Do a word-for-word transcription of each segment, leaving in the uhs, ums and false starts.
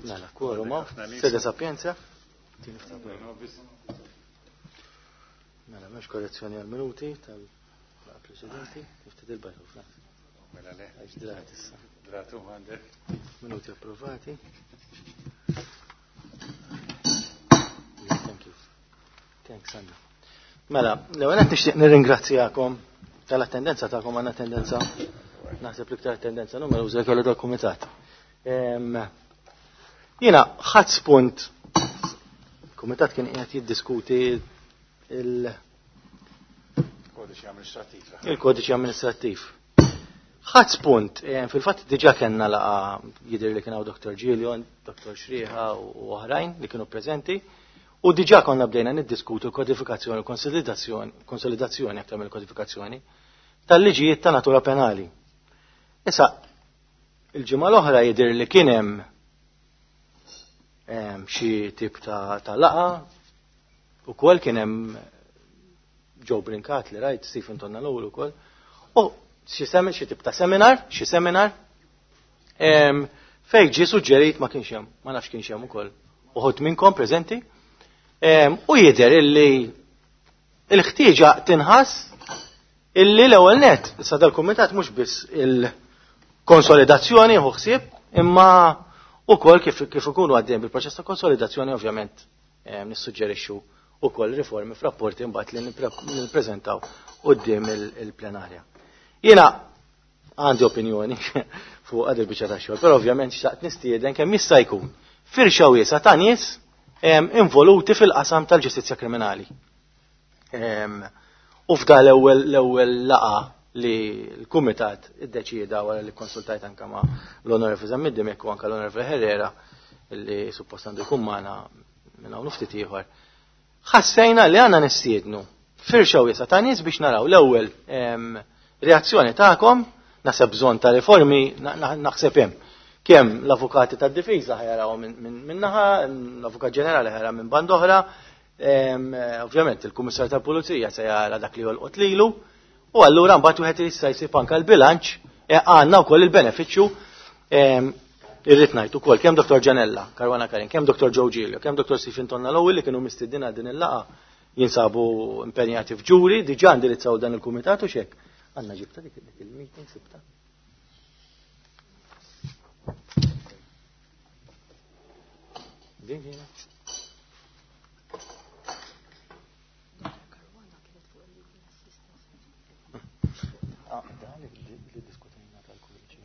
Mela, quorum, sede sapienza. Mela, mhux korrezzjoni għal minuti tal-preċedenti, ftit il-bajtu fl Mela le. Għax drat issa. Dratu għandek. Minuti approvati. Thank you. Thanks, Anna. Mela, l-ewwel qed nixtieq nirringrazzjakom tal-attendenza tagħkom għandna tendenza naħseb l-iktar tendenza numeruża kellu dal-kumitat. Jiena ħadd spunt il-kumitat kien qiegħed jiddiskuti il- Kodiċi amministrattiv. Il-kodiċi amministrattiv. Ħadd spunt, fil-fatt diġà kellna laqa jidher li kien hawn Doktor Gillion, Doktor Xrieħa u oħrajn li kienu preżenti, u diġà konna bdejna niddiskutu l-kodifikazzjoni, konsolidazzjoni, konsolidazzjoni aktar mill-kodifikazzjoni tal-liġijiet ta' natura penali. Issa, il-ġimgħa l-oħra jidher li kien hemm xi tip ta', ta laqa, ukoll kien hemm Joe Brincat li rajt, Stephen Tonna l-ewwel ukoll, u xi semi, xi tip ta' seminar, xi seminar, fejn ġie suġġerit ma kienx hemm, ma nafx kienx hemm ukoll uħud minnkom preżenti, u jidher illi il-ħtieġa tinħass illi l-ewwel net, issa dal-kumitat mhux biss il-konsolidazzjoni hu ħsieb, imma ukoll kif, kif ikunu għaddejn bil-proċess ta' konsolidazzjoni ovvjament nissuġġerixxu ukoll riformi f'rapporti mbagħad li nippreżentaw quddiem il-plenarja. Jiena għandi opinjoni fuq għad il-biċċa ta' xogħol, però ovvjament xtaqt nistieden kemm jista' jkun firxa wiesgħa ta' nies involuti fil-qasam tal-ġustizzja kriminali. U f'da l-ewwel l-ewwel laqa li l-kumitat iddeċieda wara li konsultajt anke ma' l-Onorevoli Zammit Dimech u anke l-Onorevoli Herrera li suppost għandu jkun magħna minn hawn ftit ieħor. Ħassejna li għandna nistiednu firxa wiesgħa ta' nies biex naraw l-ewwel reazzjoni tagħkom, naħseb bżonn ta' riformi, naħseb hemm. Kemm l-avukati tad-difiża ħajaraw minn naħa, l-avukat ġenerali ħajara minn band oħra, ovvjament il-Kummissarju tal-Pulizija se jara dak li jolqot lilu, u allura mbagħad wieħed jista' jsib anke l-bilanċ, għandna wkoll il-benefiċċju, irrid ngħid ukoll kemm Doktor Gianella Caruana Karin, kemm Doktor Joe Giglio, kemm Doktor Stephen Tonna l-ewwel li kienu mistiednin għal din il-laqgħa jinsabu impenjati f'ġuri, diġà indirizzaw dan il-kumitat u xek. Għandna ġibta dik il-meeting sibta. Din kienet. Ah, dan li diskutejna tal-kodiċi.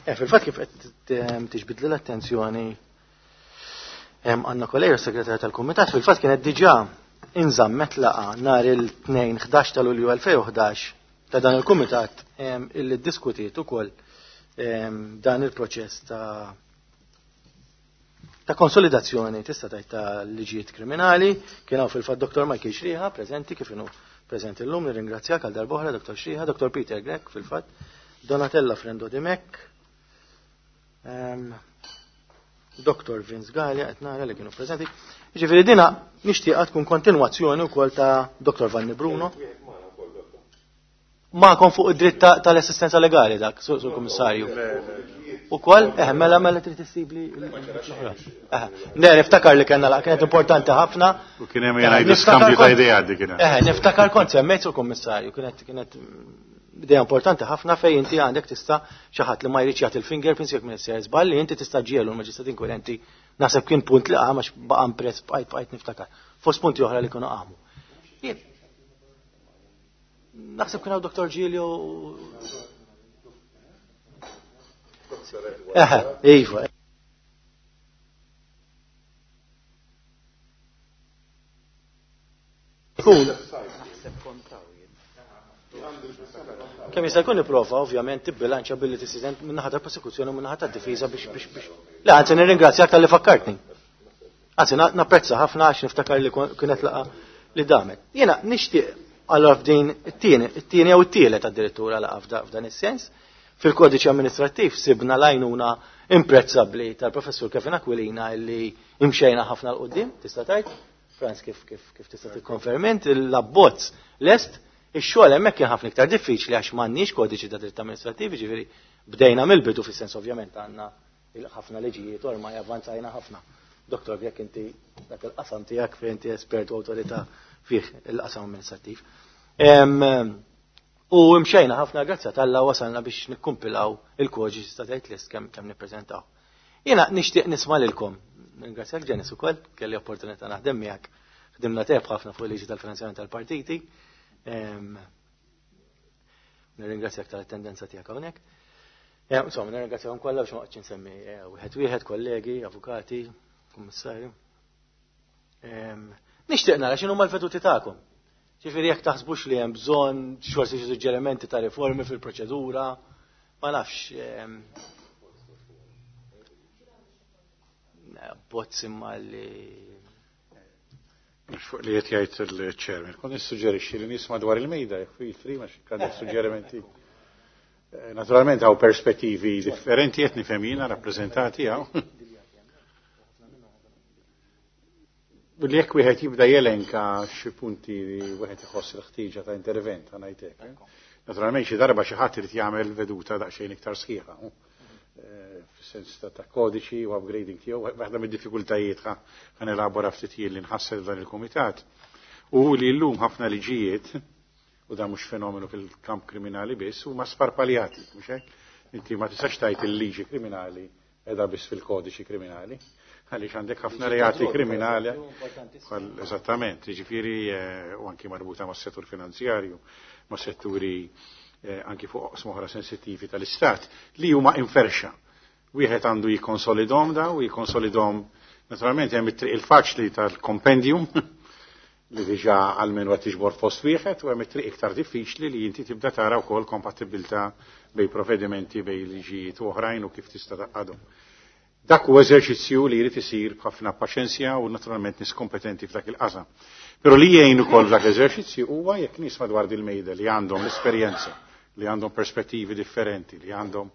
Eh, fil-fatt kif qed tiġbidli l-attenzjoni Anna Coleiro, segretarja tal-Kumitat, fil-fatt kienet diġà inżammet laqa nhar il-tnejn ħdax ta' Lulju elfejn u ħdax ta' dan il-Kumitat illi ddiskutiet ukoll dan il-proċess ta' ta' konsolidazzjoni tista' tgħid ta' liġijiet kriminali. Kien hawn fil-fatt Doktor Michael Xrieħa preżenti kif inhu preżenti llum, nirringrazzjak għal darb'oħra Doktor Xrieħa, Doktor Peter Grech fil-fatt, Donatella Frendo Dimech, Doktor Vince Galea qed nara li kienu preżenti. Jiġifieri dina nixtieqha tkun kontinwazzjoni wkoll ta' Doktor Vanni Bruno. Magħkom fuq id-dritt tal-assistenza legali dak, sur Kummissarju. Ukoll, eh, mela mela trid issibli l-oħra. Eh, le, niftakar li kellna laqgħa kienet importanti ħafna. U kien hemm jgħidu skambju ta' idea dik kienet. Eh, niftakar kont semmejt sur Kummissarju, kienet kienet idea importanti ħafna fejn inti għandek tista' xi ħadd li ma jridx jagħti il-fingerprints jekk minn sejjer żball li inti tista' ġielu l-maġistrat inkwirenti. Naħseb kien punt li qam għax baqa' impress bqajt bqajt niftakar. Fost punti oħra li kienu qamu. Naħseb kien hawn Doktor Giglio u Eħe, iva. Kun. Kemm jista' jkun nipprova ovvjament tibbilanċja billi tissieden min-naħa tal-prosekuzzjoni u min-naħa tad-difiża biex biex biex. Le, anzi nirringrazzjak talli fakkartni. Anzi napprezza ħafna għax niftakar li kienet laqgħa li damet. Jiena nixtieq allora f'din it-tieni, it-tieni jew it-tielet addirittura laqgħa f'dan is-sens, fil-kodiċi amministrattiv sibna l-għajnuna imprezzabbli tal-professur Kevin Aquilina illi imxejna ħafna l quddiem, tista' tgħid? Franz, kif, kif, kif tista' tikkonferment, l-abbozz lest, ix-xogħol hemmhekk kien ħafna iktar diffiċli għax m'għandniex kodiċi ta' dritt amministrattiv, ġifieri bdejna mill-bidu fis-sens ovvjament għandna Ħafna liġijiet ormai avvanzajna ħafna. Doktor, jekk inti dak il-qasam tiegħek fejn inti espert u awtorità fih il-qasam amministrattiv. U mxejna ħafna, grazzi t'Alla wasalna biex nikkumpilaw il-kodiċi, tista' tgħid list kemm kemm nippreżentaw. Jiena nixtieq nisma' lilkom. Ringrazzjak Janice ukoll, kelli opportunità naħdem miegħek. Ħdimna teb ħafna fuq il-liġi tal-finanzjament tal-partiti. Nirringrazzjak tal-attendenza tiegħek hawnhekk. Insomma, nirringrazzjahom kollha biex ma qgħodx insemmi wieħed wieħed, kollegi, avukati, kummissarju. Nixtieq nara x'inhuma l-veduti tagħkom. Ġifieri jekk taħsbux li hemm bżonn forsi xi suġġerimenti ta' riformi fil-proċedura, ma nafx. Bozz imma li Fuq li qed jgħid il-chairman, kont nissuġġerixxi li nies madwar il-mejda jekk fil free ma xi għandek suġġerimenti. Naturalment hawn perspettivi differenti qed nifhem jiena rappreżentati hawn. Billi jekk wieħed jibda jelenka xi punti li wieħed iħoss l-ħtieġa ta' intervent, ħa ngħid hekk. Naturalment xi darba xi ħadd irid jagħmel veduta daqsxejn iktar sħiħa, fis-sens ta' kodiċi u upgrading tiegħu. Waħda mid-diffikultajiet ħa nelabora ftit jien li nħassel dan il-kumitat u li llum ħafna liġijiet, u dan mhux fenomenu fil-kamp kriminali biss, huma sparpaljati, mhux hekk? Inti ma tistax tgħid il-liġi kriminali qiegħda biss fil-kodiċi kriminali, għaliex għandek ħafna reati kriminali. Eżattament, jiġifieri u anki marbuta mas-settur finanzjarju, ma' setturi anki fuq oqsma oħra sensittivi tal-Istat li huma inferxa. Wieħed għandu jikkonsolidhom da u jikkonsolidhom naturalment hemm it-triq il-faċli tal-kompendium li diġà għalmenu qed tiġbor fost wieħed, u hemm it-triq iktar diffiċli li inti tibda tara wkoll kompatibilità bej provvedimenti, bej liġijiet u oħrajn u kif tista' taqgħadhom. Dak huwa eżerċizzju li jrid isir b'ħafna paċenzja u naturalment nies kompetenti f'dak il-qasam. Però li jgħin ukoll f'dak l-eżerċizzju huwa jekk nies madwar dil-mejda li għandhom l-esperjenza, li għandhom perspettivi differenti, li għandhom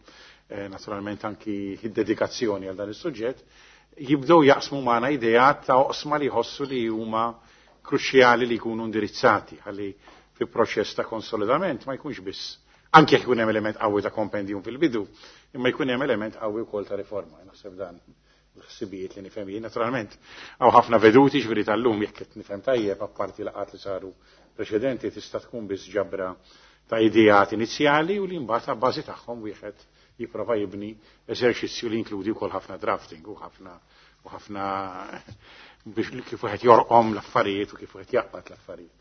eh, naturalment anki id-dedikazzjoni għal dan is-suġġett, jibdew jaqsmu magħna ideat ta' oqsma li jħossu li huma kruċjali li jkunu indirizzati ħalli fi proċess ta' konsolidament ma jkunx biss, anke jekk ikun hemm element qawwi ta' kompendium fil-bidu, imma jkun hemm element qawwi wkoll ta' riforma. Naħseb dan l-ħsibijiet li nifhem jien. Naturalment hawn ħafna veduti ġifieri tal-lum jekk qed nifhem tajjeb, apparti laqgħat li saru preċedenti, tista' tkun biss ġabra ta' ideat inizjali u li mbagħad bażi tagħhom wieħed jipprova jibni eżerċizzju li jinkludi wkoll ħafna drafting u ħafna u ħafna biex kif wieħed jorqom l-affarijiet u kif wieħed jaqbad l-affarijiet.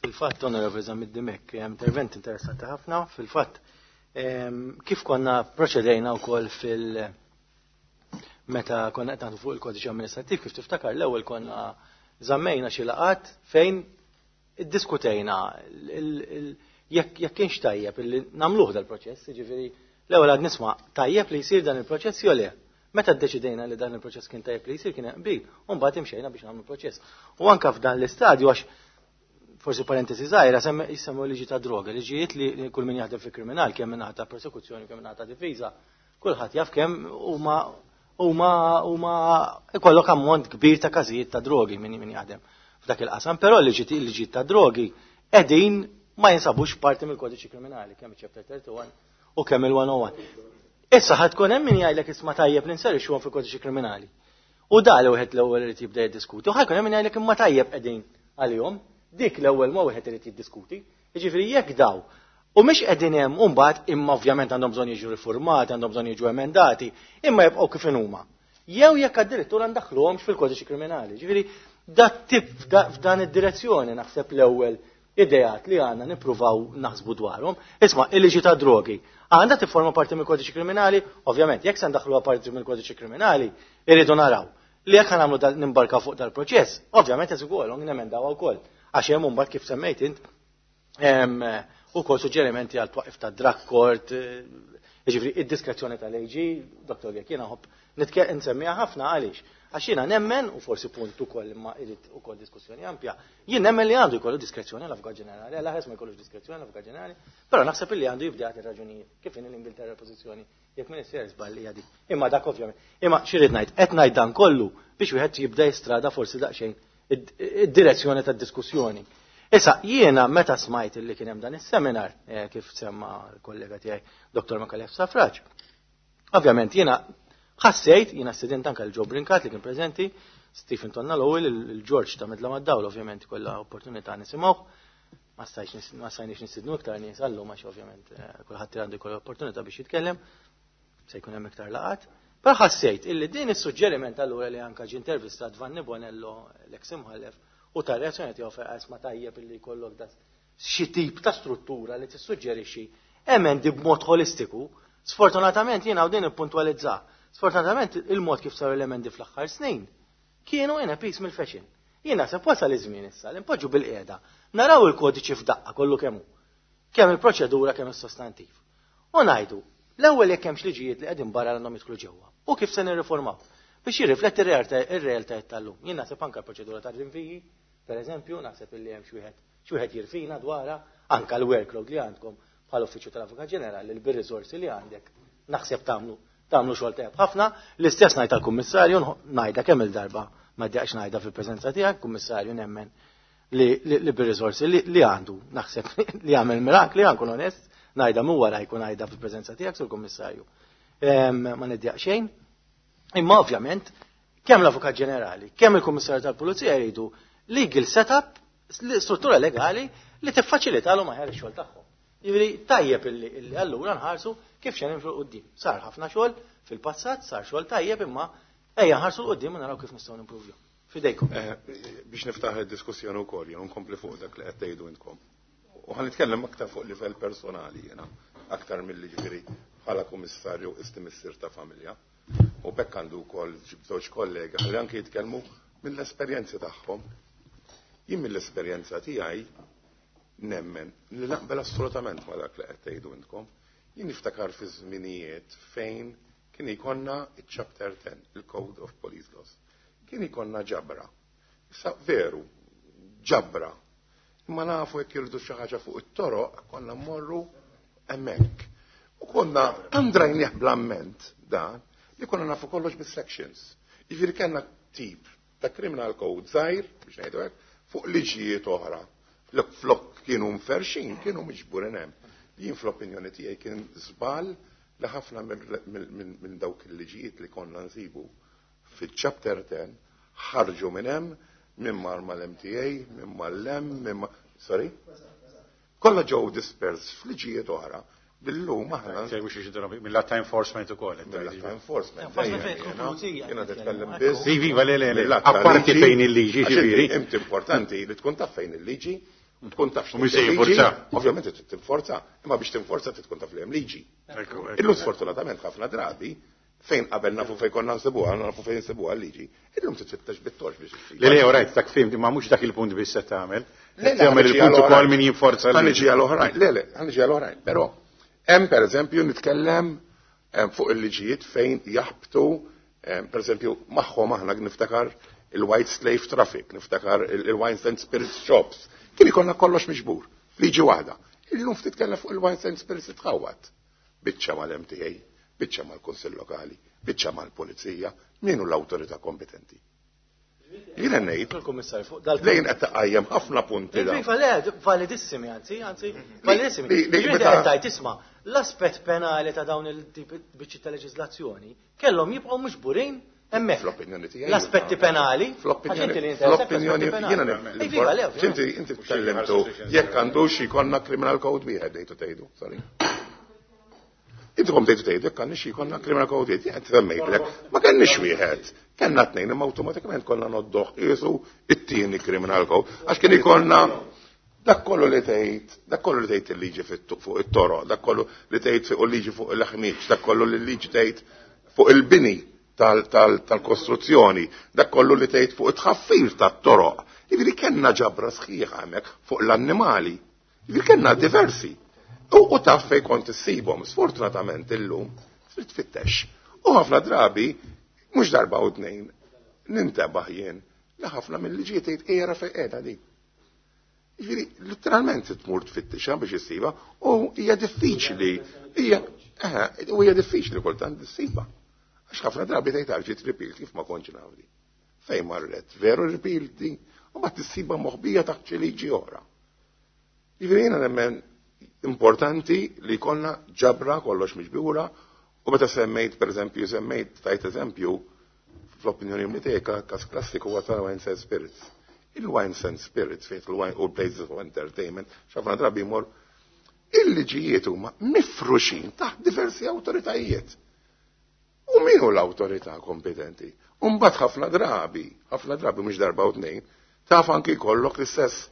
Fil-fatt, Onorevoli Zammit Dimech, intervent interessanti ħafna. Fil-fatt, kif konna proċedejna wkoll fil- meta konna qed fuq il-kodiċi amministrattiv, kif tiftakar l-ewwel konna żammejna xi laqat fejn iddiskutejna jekk kienx tajjeb illi nagħmluh dal-proċess, jiġifieri l-ewwel għad nisma' tajjeb li jsir dan il-proċess jew le. Meta ddeċidejna li dan il-proċess kien tajjeb li jsir kien hemm qbil, u mbagħad imxejna biex nagħmlu proċess. U anke f'dan l-istadju, għax forsi parentesi żgħira, jsemmu liġi ta' droga, liġijiet li kull min jaħdem fi kriminal, kemm minn ta' persekuzzjoni, kemm minn ta' difiża, kulħadd jaf kemm huma huma huma ikollok ammont kbir ta' każijiet ta' drogi min min jaħdem f'dak il-qasam, però liġijiet ta' drogi qegħdin ma jinsabux parti mill-kodiċi kriminali, kemm iċ-chapter thirty-one u kemm il-one oh one. Issa ħad tkun hemm min jgħidlek isma' tajjeb li nserixuhom fil-kodiċi kriminali. U da li wieħed l-ewwel irid jibda jiddiskuti, u ħajkun hemm min jgħidlek imma tajjeb qegħdin għalihom. Dik l-ewwel ma wieħed irid jiddiskuti. Jiġifieri jekk daw u mhix qegħdin hemm u mbagħad imma ovvjament għandhom bżonn jiġu riformati, għandhom bżonn jiġu emendati, imma jibqgħu kif huma. Jew jekk addirittura ndaħħluhomx fil-kodiċi kriminali. Jiġifieri dat tip f'dan id-direzzjoni naħseb l-ewwel ideat li għandna nippruvaw naħsbu dwarhom. Isma' il-liġi ta' drogi għandha tifforma parti mill-kodiċi kriminali, ovvjament jekk se ndaħħluha parti mill-kodiċi kriminali, irridu naraw li jekk nagħmlu nimbarka fuq dal-proċess, ovvjament qed ukoll nemendawha wkoll. Għax hemm mbagħad kif semmejt int ukoll suġġerimenti għal twaqif ta' drug court, jiġifieri id-diskrezzjoni tal-A G, Doktor Jekk jiena ħobb nitke nsemmiha ħafna għaliex. Għax jiena nemmen, u forsi punt ukoll imma irid ukoll diskussjoni ampja, jien nemmen li għandu jkollu diskrezzjoni l-Avukat Ġenerali, għal ħares ma jkollux diskrezzjoni l-Avukat Ġenerali, però naħseb li għandu jibda jagħti raġunijiet kif in l-Ingilterra l-pożizzjoni jekk min isir żball hija dik. Imma dak ovvjament. Imma xi rid ngħid, qed ngħid dan kollu biex wieħed jibda jistrada forsi daqsxejn id-direzzjoni tad-diskussjoni. Issa, jiena meta smajt li kien hemm dan is-seminar, kif semma l-kollega tiegħi Doktor Micallef Stafrace, ovvjament jiena Ħassejt, jiena student anke l-Joe Brincat li kien preżenti, Stephen Tonna l-ewwel, il-George ta' Midla mad-Dawl ovvjament kollha opportunità nisimgħu. Ma stajx ma stajniex nistidnu iktar nies għallum għax ovvjament kulħadd għandu jkollu opportunità biex jitkellem, se jkun hemm iktar laqat. Però ħassejt illi din is-suġġeriment allura li anke ġie intervistat Vanni Bonello l-eks imħallef u ta' reazzjoni tiegħu fejn ma tajjeb illi jkollok da xi tip ta' struttura li tissuġġerixxi emendi b'mod holistiku. Sfortunatament jiena din ippuntwalizza. Sfortunatament il-mod kif saru l-emendi fl-aħħar snin kienu in a piecemeal fashion. Jiena se wasal iż-żmien issa li npoġġu bil-qiegħda naraw il-kodiċi f'daqqa kollu kemm hu. Kemm il-proċedura kemm is-sostantiv. U ngħidu, l-ewwel jekk hemmx liġijiet li qegħdin barra għandhom jidħlu ġewwa. U kif se nirriformaw biex jirrifletti r-realtajiet tal-lum. Jien naħseb anke l-proċedura tar-rinviji, per eżempju, naħseb illi hemm xi wieħed xi wieħed jirfina dwarha, anke l-workload li għandkom bħal uffiċċju tal-Avukat Ġenerali, bir-riżorsi li għandek, naħseb tagħmlu tagħmlu xogħol tajjeb ħafna. L-istess ngħid tal-Kummissarju, ngħidha kemm il-darba ma ddejjaqx ngħidha fil-preżenza tiegħek, Kummissarju nemmen li, li, li bir-riżorsi li, li għandu, naħseb li għamel mirakli, għankun onest, ngħidha mhu wara jkun ngħidha fil-preżenza tiegħek sur Kummissarju. Ma niddejjaq xejn. Imma ovvjament, kemm l-Avukat Ġenerali, kemm il-Kummissarju tal-Pulizija jridu legal setup, struttura legali li tiffaċilitalhom aħjar ix-xogħol tagħhom. Jiġifieri tajjeb illi, illi allura nħarsu kif xejn nimxu quddiem. Sar ħafna xogħol fil-passat, sar xogħol tajjeb imma ejja nħarsu 'l quddiem u naraw kif nistgħu nimpruvju. Fidejkom. Biex niftaħ id-diskussjoni wkoll, jien nkompli fuq dak li qed tgħidu intkom. U ħa nitkellem aktar fuq livell personali jiena, aktar milli ġifieri bħala kummissarju isti missier ta' familja. U bekk għandu wkoll żewġ kollega ħalli anke jitkellmu mill-esperjenzi tagħhom. Jien mill-esperjenza tiegħi nemmen li naqbel assolutament ma dak li qed tgħidu intkom. Jien niftakar fi żminijiet fejn kien ikonna il-Chapter ten, il-Code of Police Laws. Kien ikonna ġabra. Issa veru, ġabra. Imma nafu jekk irridu xi ħaġa fuq it-toroq, konna mmorru hemmhekk. U konna andrajnieh bl-amment dan li konna nafu kollox bis-sections. Jiġifieri kellna tip ta' criminal code żgħir, biex ngħidu hekk, fuq liġijiet oħra. Flok kienu mferxin, kienu miġburin hemm. Jien fl-opinjoni tiegħi kien żball li ħafna minn dawk il-liġijiet li konna nsibu fil-chapter ten ħarġu minn hemm, minn mar mal-M T A, minn mal-M, minn ma... Sorry? Kollha ġew dispers f'liġijiet oħra. Billum aħna. Mill-lat ta' enforcement ukoll. Mill-lat ta' enforcement. Jiena titkellem biss. Iva, le, le, le. Apparti fejn il-liġi, ġifieri. Inti importanti li tkun taf fejn il-liġi, tkun taf U mhux se jinforza. Ovvjament trid tinforza, imma biex tinforza trid tkun taf li hemm liġi. Illum sfortunatament ħafna drabi fejn qabel nafu fejn konna nsibuha, nafu fejn nsibuha l-liġi. Illum titfittex bit-torx biex issib. Le, le, rajt, dak fim, ma mhux dak il-punt biss se tagħmel. Tagħmel il-punt ukoll min jinforza l-liġi. Ħa niġi għal oħrajn. Le, le, ħa niġi għal oħrajn. Però hemm pereżempju nitkellem fuq il-liġijiet fejn jaħbtu, pereżempju magħhom aħna niftakar il-white slave traffic, niftakar il-wines and spirits shops. Kien ikollna kollox miġbur, liġi waħda. Illum titkellem fuq il-wines and spirits tħawat. Biċċa mal-M T A, biċċa mal-Kunsill Lokali, biċċa mal-Pulizija, min hu l-awtorità kompetenti? Jiena ngħid. Lejn qed taqajjem ħafna punti da. Iva le, validissimi anzi, anzi, validissimi. Ġifieri qed tgħid isma' l-aspett penali ta' dawn il-tip biċċi ta' leġiżlazzjoni kellhom jibqgħu miġburin hemmhekk. Fl-opinjoni tiegħi. L-aspetti penali. Fl-opinjoni fl-opinjoni jiena Inti inti tkellimtu jekk għandux jkollna criminal code wieħed dejtu tgħidu, sorry. Intkom tgħidu tgħidu jekk għandix jkollna criminal code wieħed, qed semmejtlek, ma kenniex wieħed. Kellna tnejn imma awtomatikament konna noddoħ qisu it-tieni criminal code għax kien ikollna dak kollu li tgħid, dak kollu li tgħid il-liġi fuq it-toroq, dak kollu li tgħid fuq il-liġi fuq il-ħmiġ, dak kollu li l-liġi tgħid fuq il-bini tal-kostruzzjoni, dak kollu li tgħid fuq it-tħaffir tat-toroq. Jiġifieri kellna ġabra sħiħa hemmhekk fuq l-annimali. Jiġifieri kellna diversi. U taf fejn kont issibhom, sfortunatament illum trid tfittex. U ħafna drabi, mhux darba u tnejn, nintebaħ jien li ħafna mill-liġijiet tgħid ejja fejn qiegħda di. Jiġifieri literalment tmur tfittixha biex issiba u hija diffiċli, hija u hija diffiċli kultant issiba. Għax ħafna drabi tgħid ġiet repealed kif ma kontx naf di. Fejn marret, veru repealed di, u ma tissiba moħbija taħt xi liġi oħra. Jiġifieri jiena nemmen importanti li jkollna ġabra kollox miġbura U meta semmejt, per eżempju, semmejt, tajt eżempju, fl-opinjoni tiegħi każ klassiku huwa tal-Wines and Spirits. Il-Wines and Spirits fejn il-wine u places of entertainment, x'ħafna drabi jmur il-liġijiet huma mifruxin taħt diversi awtoritajiet. U min hu l-awtorità kompetenti? U mbagħad ħafna drabi, ħafna drabi mhux darba u tnejn, taf anki jkollok l-istess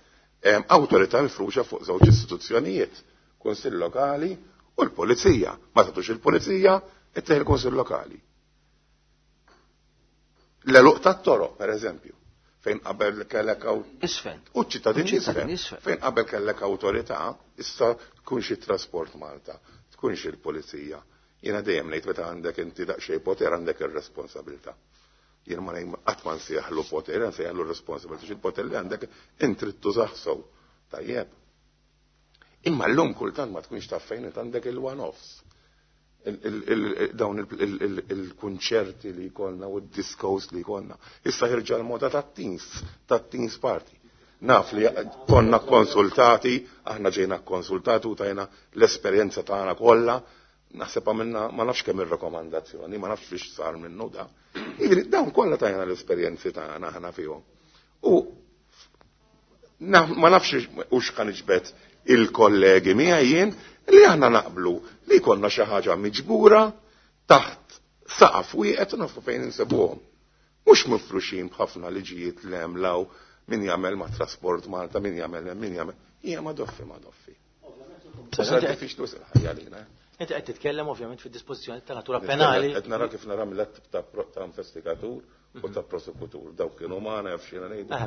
awtorità mifruxa fuq żewġ istituzzjonijiet, Kunsill Lokali u l-Pulizija. Ma tagħtux il-Pulizija, ittieħ il-Kunsill Lokali. L-għeluq tat-toroq, per eżempju, fejn qabel kellek Isfen. U ċittadin isfen. Fejn qabel kellek awtorità, issa tkunx it-Trasport Malta, tkunx il-Pulizija. Jiena dejjem ngħid meta għandek inti daqsxejn poter għandek ir-responsabilità. Jien ma ngħid qatt ma nsejjaħlu poter, nsejjaħlu responsabilità, il-poter li għandek int trid tużah sew. Tajjeb. Imma llum kultant ma tkunx taf fejn għandek il-one-offs. Dawn il-kunċerti li jkollna u d-discos li jkollna. Issa ħirġa l-moda tat-teens, tat-teens party. Naf li konna konsultati, aħna ġejna konsultati u tajna l-esperjenza tagħna kollha, naħseb għamilna ma nafx kemm ir-rakkomandazzjoni, ma nafx fiex sar minnu da. Jiġifieri dawn kollha tajna l-esperjenzi tagħna aħna fihom. U ma nafx u x'kan iġbed il-kollegi miegħi jien li aħna naqblu li jkollna xi ħaġa miġbura taħt saqaf wieħed u nafu fejn insibuhom. Mhux mifruxin b'ħafna liġijiet li hemm law min jagħmel ma' Trasport Malta, min jagħmel hemm, min jagħmel. Hija ma doffi ma doffi. Sar diffiċli wisq il-ħajja għalina. Inti qed titkellem ovvjament fid-dispożizzjoni ta' natura penali. Qed nara kif nara mill-att ta' investigatur u ta' prosekutur. Dawk kienu magħna jaf x'jiena ngħidu.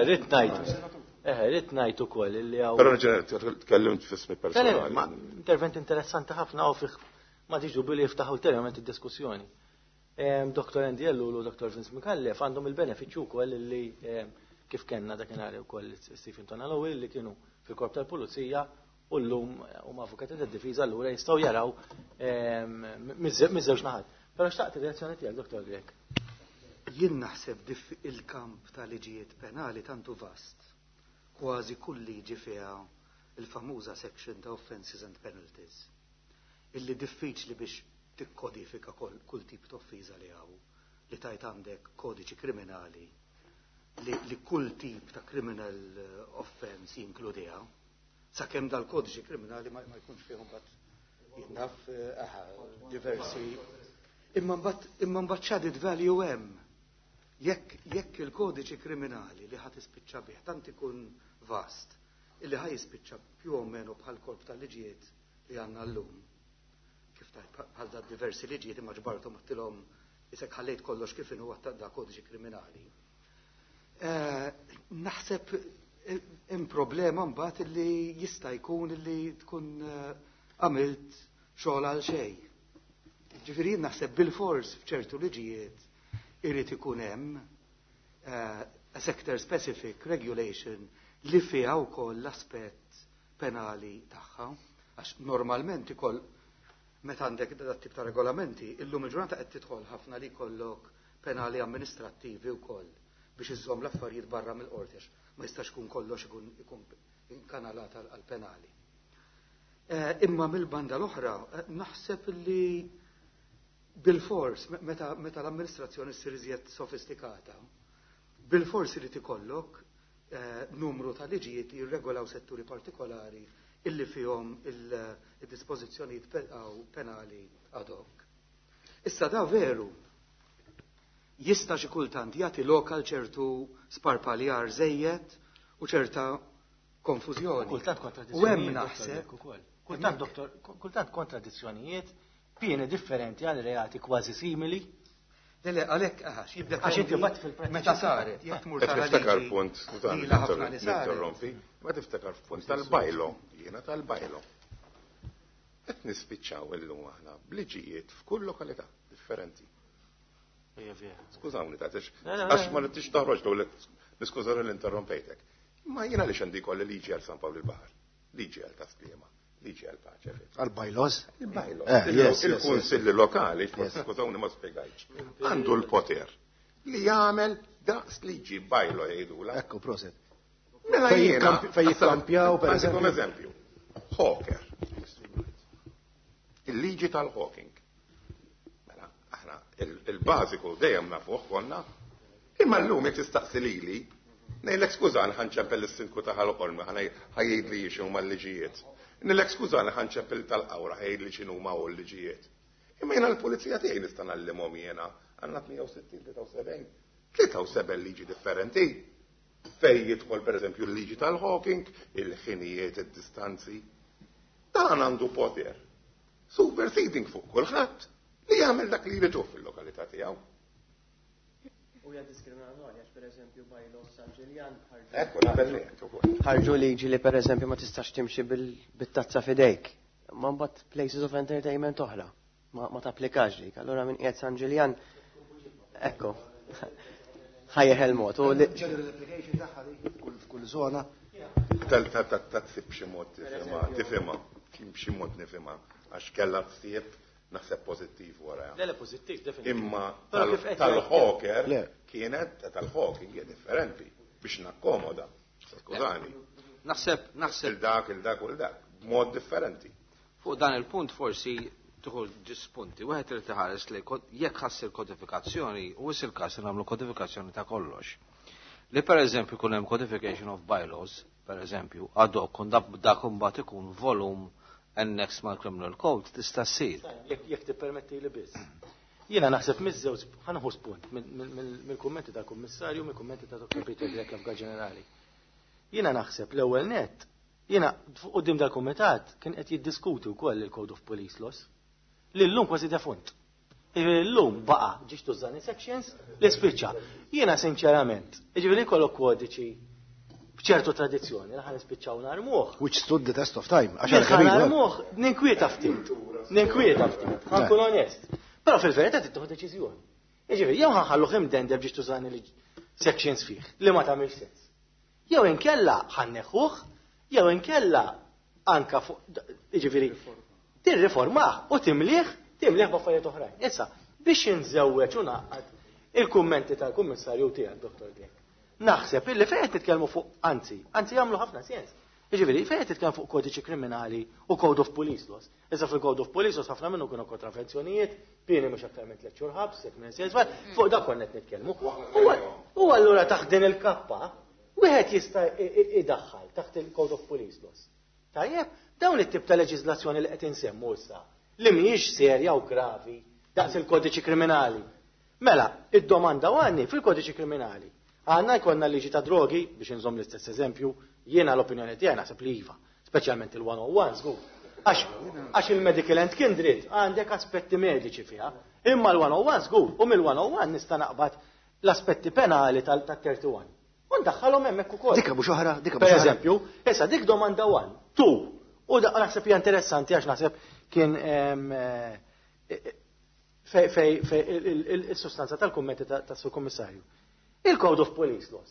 Rrid ngħid. Eh, rrid ngħid ukoll illi hawn. Però ġenerali tkellimt f'ismi personali. Ma intervent interessanti ħafna u fih ma tiġu billi jiftaħ ulterjorment id-diskussjoni. Doktor Andy Ellul u Doktor Vince Micallef għandhom il-benefiċċju wkoll illi kif kellna dakinhar ukoll Stephen Tonalo li kienu fil-korp tal-pulizija u llum huma avukati tad-difiża allura jistgħu jaraw miż-żewġ naħat. Però xtaqt ir-reazzjoni tiegħek, Doktor Grech. Jien naħseb il-kamp ta' liġijiet penali tantu vast. Kważi kull liġi fiha il-famuża section ta' offenses and penalties. Illi diffiċli biex tikkodifika kull tip ta' offiża li hawn, li tajt għandek kodiċi kriminali li, li kull tip ta' criminal offense jinkludiha. Sakemm dal-kodiċi kriminali ma, ma jkunx fihom bat jinnaf aha, diversi. Imma mbagħad imma mbagħad x'added value hemm. Jekk jekk il-kodiċi kriminali li ħadd ispiċċa bih tant ikun vast illi ħaj jispiċċa più o meno bħal korp tal-liġijiet li għandna llum. Kif tajt bħal da diversi liġijiet imma ġbarthom għattilhom isek ħallejt kollox kif inhu da kodiċi kriminali. Eh, naħseb hemm problema mbagħad illi jista' jkun illi tkun għamilt xogħol għal xejn. Ġifieri naħseb bil-fors f'ċertu liġijiet irid ikun hemm a sector specific regulation li fiha wkoll l-aspett penali tagħha, għax normalment ikoll meta għandek dat tip ta' regolamenti, illum il-ġurnata qed tidħol ħafna li jkollok penali amministrattivi wkoll biex iżżomm l-affarijiet barra mill-qorti għax ma jistax ikun kollox ikun ikun inkanalat għal penali. Imma mill-banda l-oħra naħseb li bil-fors meta, meta l-amministrazzjoni ssir iżjed sofistikata, bil-fors irid ikollok eh, numru ta' liġijiet li jirregolaw setturi partikolari illi fihom il-dispożizzjonijiet penali ad hoc. Issa da veru jista' xi kultant jagħti lokal ċertu sparpaljar żejjed u ċerta konfużjoni. Kultant U hemm naħseb kultant doktor, kultant kontradizzjonijiet, pieni differenti għal reati kważi simili. Le, le, għalhekk għax jibda Għax inti bat fil-prattika. Meta saret, jekk tmur Qed tara niftakar liġi punt, skużani, ilha ħafna li saret. ninterrompi, ma tiftakar punt tal-bylaw, jiena tal-bylaw. Qed nispiċċaw illum aħna bliġijiet f'kull lokalità differenti. Skużawni ta' għax ma tix toħroġ l niskużawni l-interrompejtek. Ma jiena li xandi kolli liġi għal San Pawl il-Baħar, liġi għal Tas-Sliema, liġi għal Paċe. Għal-bylaws? Il-bylaws. Eh, yes, yes, Il-kunsilli lokali, skużawni ma spjegajtx, għandu l-poter li jagħmel daqs liġi bylaw jgħidula. Ekku, proset. Mela Fej jiena. jikkamp- fej jikkampjaw, per Għandikom eżempju. eżempju. Hawker. Il-liġi tal-hawking. Aħna il-bażiku dejjem nafuh konna. Imma llum jekk tistaqsi lili, ngħidlek skużani ħa nċempel is-sindku ta' Ħal Qormi ħa jgħidli x'huma l-liġijiet. Ngħidlek skużani ħa nċempel tal-Qawra ħa jgħidli x'inhuma l-liġijiet. Imma jiena l-pulizija tiegħi nista' ngħallimhom jiena għandna tmienja u sittin, tlieta u sebgħin, tlieta u sebgħin liġi differenti. Fej jidħol pereżempju l-liġi tal-hawking, il-ħinijiet, id-distanzi. Dan għandu poter superseding fuq kulħadd li jagħmel dak li jridu fil-lokalità tiegħu. U hija diskriminatorja għax pereżempju bylaws San Ġiljan Ekku, naqbel miegħek ukoll. ħarġu liġi li pereżempju ma tistax timxi bit-tazza f'idejk. Ma mbagħad places of entertainment oħra ma, ma tapplikax dik. Allura minn qiegħed San Ġiljan ekku. Ħa jeħel mod. General application tagħha dik f'kull żona. Ta' b'xi mod tifhimha, tifhimha, b'xi mod nifhimha għax kellha ħsieb naħseb pożittiv wara. Le, le, pożittiv, definitively. Imma Però kif qed tal-hawker Le. kienet tal-hawking hija differenti biex nakkomoda. Skużani. Naħseb, naħseb Il-dak, il-dak u il-dak, b'mod differenti. Fuq dan il-punt forsi tieħu żewġ punti. Wieħed irid iħares li jekk ħa ssir kodifikazzjoni, u is il-każ li nagħmlu kodifikazzjoni ta' kollox. Li per eżempju kun hemm codification of bylaws, per eżempju, ad hoc, un dak imbagħad ikun volum annex mal-Criminal Code tista' ssir. Jekk jekk tippermetti li biss. Jiena naħseb miż-żewġ ħa nieħu spunt mill-kummenti tal-Kummissarju, mill-kummenti ta' Dottor Peter Grech l-Avukat Ġenerali. Jiena naħseb l-ewwel net, jiena quddiem dal-kumitat kien qed jiddiskuti wkoll il-Code of Police Laws li llum kważi defunt. Illum baqa' ġiex tużani sections li spiċċa. Jiena sinċerament, jiġifieri jkollok kodiċi b'ċertu tradizzjoni, li ħa nispiċċaw narmuh. Which stood the test of time. Għax Ħa narmuh, ninkwieta ftit. Ninkwieta ftit, ħa nkun onest. Però fil-verità tieħu deċiżjoni. Jiġifieri jew ħa nħalluh imdendel biex tużani li sections fih li ma tagħmilx sens. Jew inkella ħa nneħħuh, jew inkella anka fuq jiġifieri tirriformah u timlih, timlih b'affarijiet oħrajn. Issa, biex inżewweġ u ngħaqqad il-kummenti tal-kummissarju tiegħek, Dottor Grech. Naħseb illi fejn qed nitkellmu fuq anzi, anzi jagħmlu ħafna sens. Jiġifieri fejn qed nitkellmu fuq kodiċi kriminali u Code of Police Laws. Issa fil-Code of Police Laws ħafna minnu kienu kontravenzjonijiet, pieni mhux aktar minn tliet xhur ħabs, jekk minn sens, fuq dak konna qed nitkellmu. U allura taħt din il-kappa, wieħed jista' idaħħal taħt il-Code of Police Laws. Tajjeb, dawn it-tip ta' leġiżlazzjoni li qed insemmu issa, li mhijiex serja u gravi daqs il-kodiċi kriminali. Mela, id-domanda għandi fil-kodiċi kriminali. Għandna jkollna liġi ta' drogi, biex inżomm l-istess eżempju, jiena l-opinjoni tiegħi naħseb li iva, speċjalment il-one oh one żgur. Għax il-medical and kindred għandek aspetti mediċi fiha, imma l-one oh one żgur, u mill-one oh one nista' naqbad l-aspetti penali tal-thirty-one. U ndaħħalhom hemmhekk ukoll. Dikka mhux oħra, dikka Per mhux oħra. eżempju, issa dik domanda one, two, u da naħseb hija interessanti għax naħseb kien, ehm, eh, fej, fej, fej, il-sustanza tal-kummenti tas-Sur Kummissarju. Il-Code of Police Laws.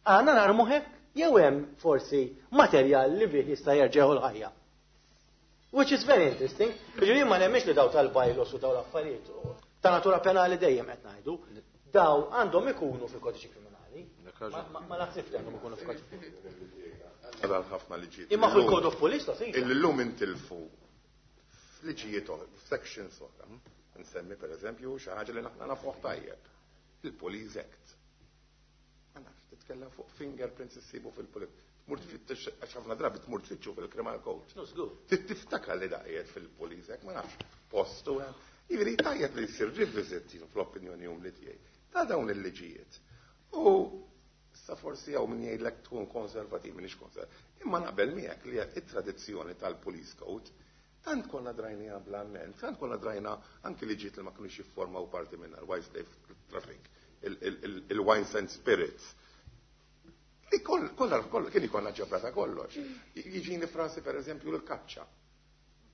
Għandna narmu hekk jew hemm forsi materjal li bih jista' jerġgħu l-ħajja. Which is very interesting. Jiġifieri ma nemmix li daw tal-bylaws u daw l-affarijiet ta' natura penali dejjem qed ngħidu, daw għandhom ikunu fil-kodiċi kriminali. Ma, ma naħsibx li għandhom ikunu fil-kodiċi. Għadal ħafna liġijiet. Imma fil-Code of Police Laws, iva. Illum intilfu f'liġijiet oħra, f'sections oħra. Nsemmi per eżempju xi ħaġa li naħna nafuh tajjeb. Il-Police Act. Ma nafx, titkellem fuq fingerprints issibu fil-Police. Tmur tfittex, għax ħafna drabi tmur tfittxu fil-Criminal Code. No, żgur. Tiftakar li daqiet fil-Police Act, ma nafx, postu. Jiġifieri tajjeb li jsir revisit fl-opinjoni umli tiegħi ta' dawn il-liġijiet. U issa forsi hawn min jgħidlek tkun konservativ, minix konservativ. Imma naqbel miegħek li it-tradizzjoni tal-Police Code tant konna drajnija bl-amment, tant konna drajna anki liġijiet li ma kinux jiffurmaw parti minna, l-Wildlife Traffic, il-Wines and Spirits. Li kollha kollha kien ikollna ġebra ta' kollox. Jiġini frasi per eżempju l-kaċċa.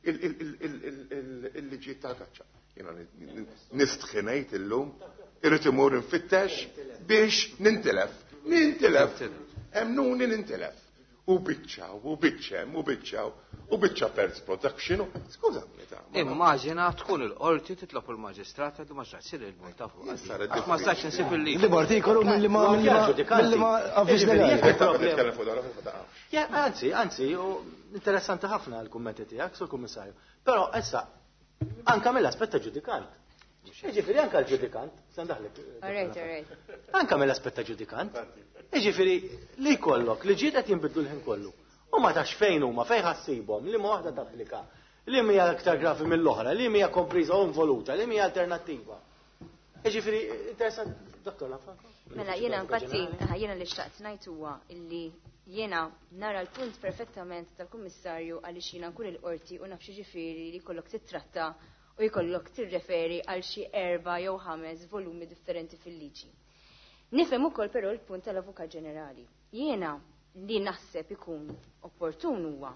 Il-liġijiet tal-kaċċa. Jiena nistħi ngħid illum, irrid imur infittex biex nintilef. Nintilef. Emnuni nintilef. U biċċa, u biċċem, u biċċa, u biċċa pers production. Skużami ta' ma Immaġina tkun il-qorti titlob il-maġistrat għadu ma xaċ sir il-multa fuq. Jien saret Għax ma stax insib il-liġi. Li artikolu mill-li ma mill-li ma avviż legali. Nitkellem fuq dan, ma taqafx. Ja, anzi, anzi, u interessanti ħafna l-kummenti tiegħek, Sur Kummissarju. Però issa anka mill-aspett ta' ġudikant. Jiġifieri anke l-ġudikant, se ndaħlek. Alright, alright. Anke mill-aspett ta' ġudikant. Jiġifieri li jkollok li ġiet qed jinbidlu l-ħin kollu. U ma tafx fejn huma, fejn ħa ssibhom, li ma waħda tapplika, li hija aktar gravi mill-oħra, li hija kompriża u involuta, li hija alternattiva. Jiġifieri interessant, Dottor Lanfranco? Mela, jiena infatti, jiena li xtaqt ngħid huwa illi jiena nara l-punt perfettament tal-Kummissarju għaliex jiena nkun il-qorti u naf ġifieri li jkollok titratta u jkollok tirreferi għal xi erba' jew ħames volumi differenti fil-liġi. Nifhem ukoll però l-punt tal-Avukat Ġenerali. Jiena li naħseb ikun opportun huwa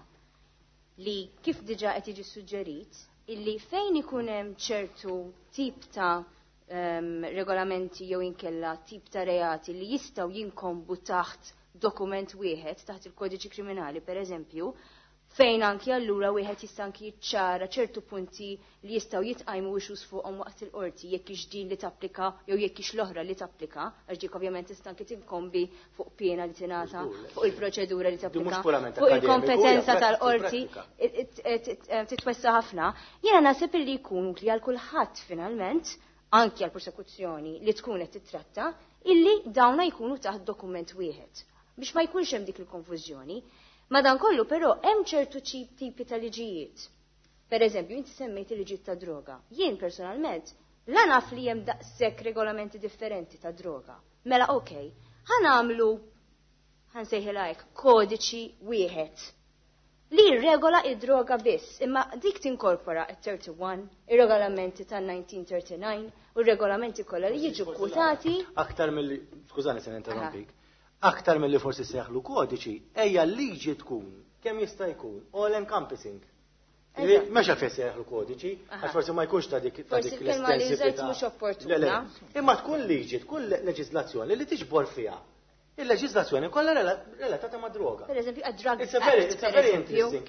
li kif diġà qed jiġi suġġerit illi fejn ikun hemm ċertu tip ta' um, regolamenti jew inkella tip ta' reati li jistgħu jinkombu taħt dokument wieħed taħt il-kodiċi kriminali per eżempju, fejn anki allura wieħed jista' anki jiċċara ċertu punti li jistgħu jitqajmu issues fuqhom waqt il-qorti jekk hix din li tapplika jew jekk hix l-oħra li tapplika, għax dik ovvjament tista' anki tinkombi fuq piena li tingħata, fuq il-proċedura li tapplika, fuq il-kompetenza tal-qorti titwessa ħafna. Jiena naħseb illi jkun utli għal kulħadd finalment, anki għal prosekuzzjoni li tkun qed titratta, illi dawna jkunu taħt dokument wieħed biex ma jkunx hemm dik il-konfużjoni. Madankollu però hemm ċertu tipi ta' liġijiet. Per eżempju, inti semmejt il-liġijiet ta' droga. Jien personalment la naf li hemm daqshekk regolamenti differenti ta' droga. Mela okej, ħa nagħmlu ħa nsejħilha hekk kodiċi wieħed li jirregola id-droga biss, imma dik tinkorpora il-thirty-one, ir-regolamenti tan-nineteen thirty-nine u r-regolamenti kollha li jiġu kwotati. Aktar mill skużani se ninterrompik, aktar mill-li forsi seħlu kodiċi, ejja liġi tkun kemm jista' jkun all encompassing. Mhux għalfejn seħlu kodiċi, għax forsi ma jkunx ta' dik ta' dik l-estensività. Mhux opportuna. Imma tkun liġi, tkun leġislazzjoni li tiġbor fiha il-leġislazzjoni kollha relatata ma' droga. Per eżempju, a drug It's a very, it's a very interesting,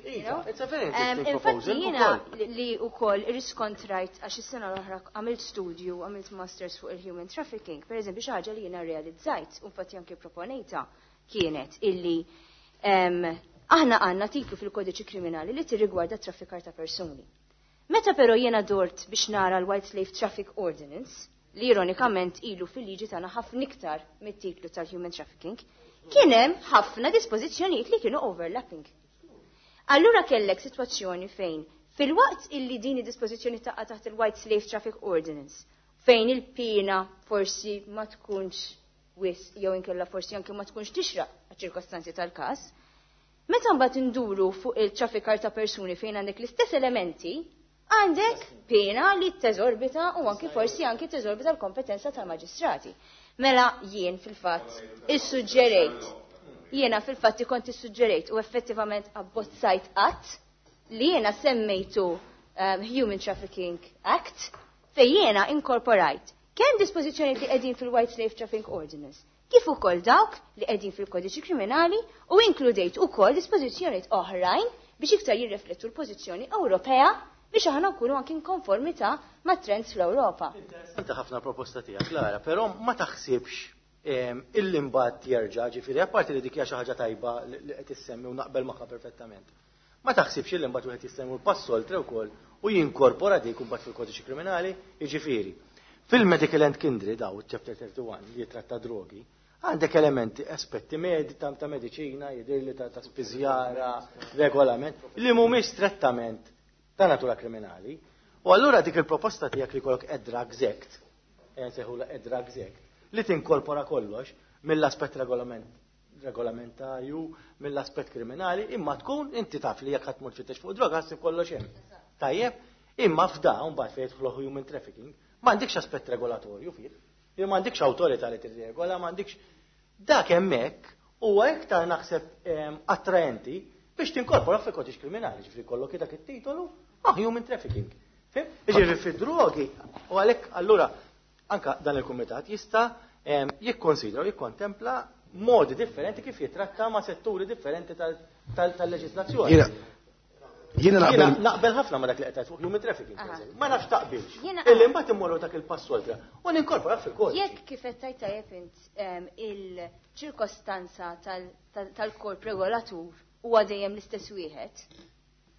it's a very interesting proposal. Infatti jiena li wkoll irriskontrajt għax is-sena l-oħra għamilt studju, għamilt masters fuq il-human trafficking, per eżempju xi ħaġa li jiena realizzajt, u infatti anke proponejta kienet illi aħna għandna titlu fil-kodiċi kriminali li tirrigwarda traffikar ta' persuni. Meta però jiena dort biex nara l-White Slave Traffic Ordinance, li ironikament ilu fil-liġi tagħna ħafna iktar mit-titlu tal-human trafficking, kien hemm ħafna dispożizzjonijiet li kienu overlapping. Allura kellek sitwazzjoni fejn fil-waqt illi din id-dispożizzjoni taqa' taħt il-White Slave Traffic Ordinance, fejn il-pina forsi ma tkunx wisq jew inkella forsi anke ma tkunx tixraq għaċ-ċirkostanzi tal-każ, meta mbagħad induru fuq il-traffikar ta' persuni fejn għandek l-istess elementi, għandek pena li teżorbita u anki forsi anki teżorbita l-kompetenza tal-maġistrati. Mela jien fil-fatt issuġġerejt, jiena fil-fatt kont issuġġerejt u effettivament abbozzajt att li jiena semmejtu um, Human Trafficking Act fej jiena inkorporajt kemm dispożizzjoni li qegħdin fil-White Slave Trafficking Ordinance, kif ukoll dawk li qegħdin fil-kodiċi kriminali u inkludejt ukoll dispożizzjonijiet oħrajn biex iktar jirriflettu l-pożizzjoni Ewropea biex aħna nkunu anki konformità ma' trends fl-Ewropa. Interessanti ħafna proposta tiegħek, Lara, però ma taħsibx illi mbagħad jerġa', ġifieri apparti li dik hija xi ħaġa tajba li qed issemmi u naqbel magħha perfettament. Ma taħsibx illi mbagħad wieħed jista' jmur pass oltre wkoll u jinkorpora dik imbagħad fil-kodiċi kriminali, jiġifieri. Fil-Medical and Kindred daw chapter thirty-one li jitratta drogi, għandek elementi, aspetti medi, ta' ta' mediċina, jidirli ta' ta' spiżjara, regolament, li mhumiex strettament ta' natura kriminali. U allura dik il-proposta tiegħek li jkollok a Drugs Act, nsejħula a Drugs Act, li tinkorpora kollox mill-aspett regolament, regolamentarju, mill-aspett kriminali, imma tkun inti taf li jekk ħadd tmur tfittex fuq droga ħassib kollox hemm. Tajjeb, imma f'da mbagħad fejn jidħlu human trafficking, m'għandikx aspett regolatorju fih, jew m'għandikx awtorità li tirregola, m'għandikx dak hemmhekk huwa iktar naħseb attraenti biex tinkorpora fil-kodiċ kriminali, ġifieri kollok dak it-titolu, ah, human trafficking. Fim? Ġifieri fid-drogi, u għalhekk allura anka dan il-kumitat jista' jikkonsidra u jikkontempla modi differenti kif jitratta ma' setturi differenti tal-leġislazzjoni. Jiena naqbel naqbel ħafna ma dak li qed fuq human trafficking. Ma nafx taqbilx. Illi mbagħad immorru dak il-pass oltre u ninkorpora fil-kodiċi. Jekk kif qed tajt tajjeb int il-ċirkostanza tal-korp regolatur huwa dejjem l-istess wieħed,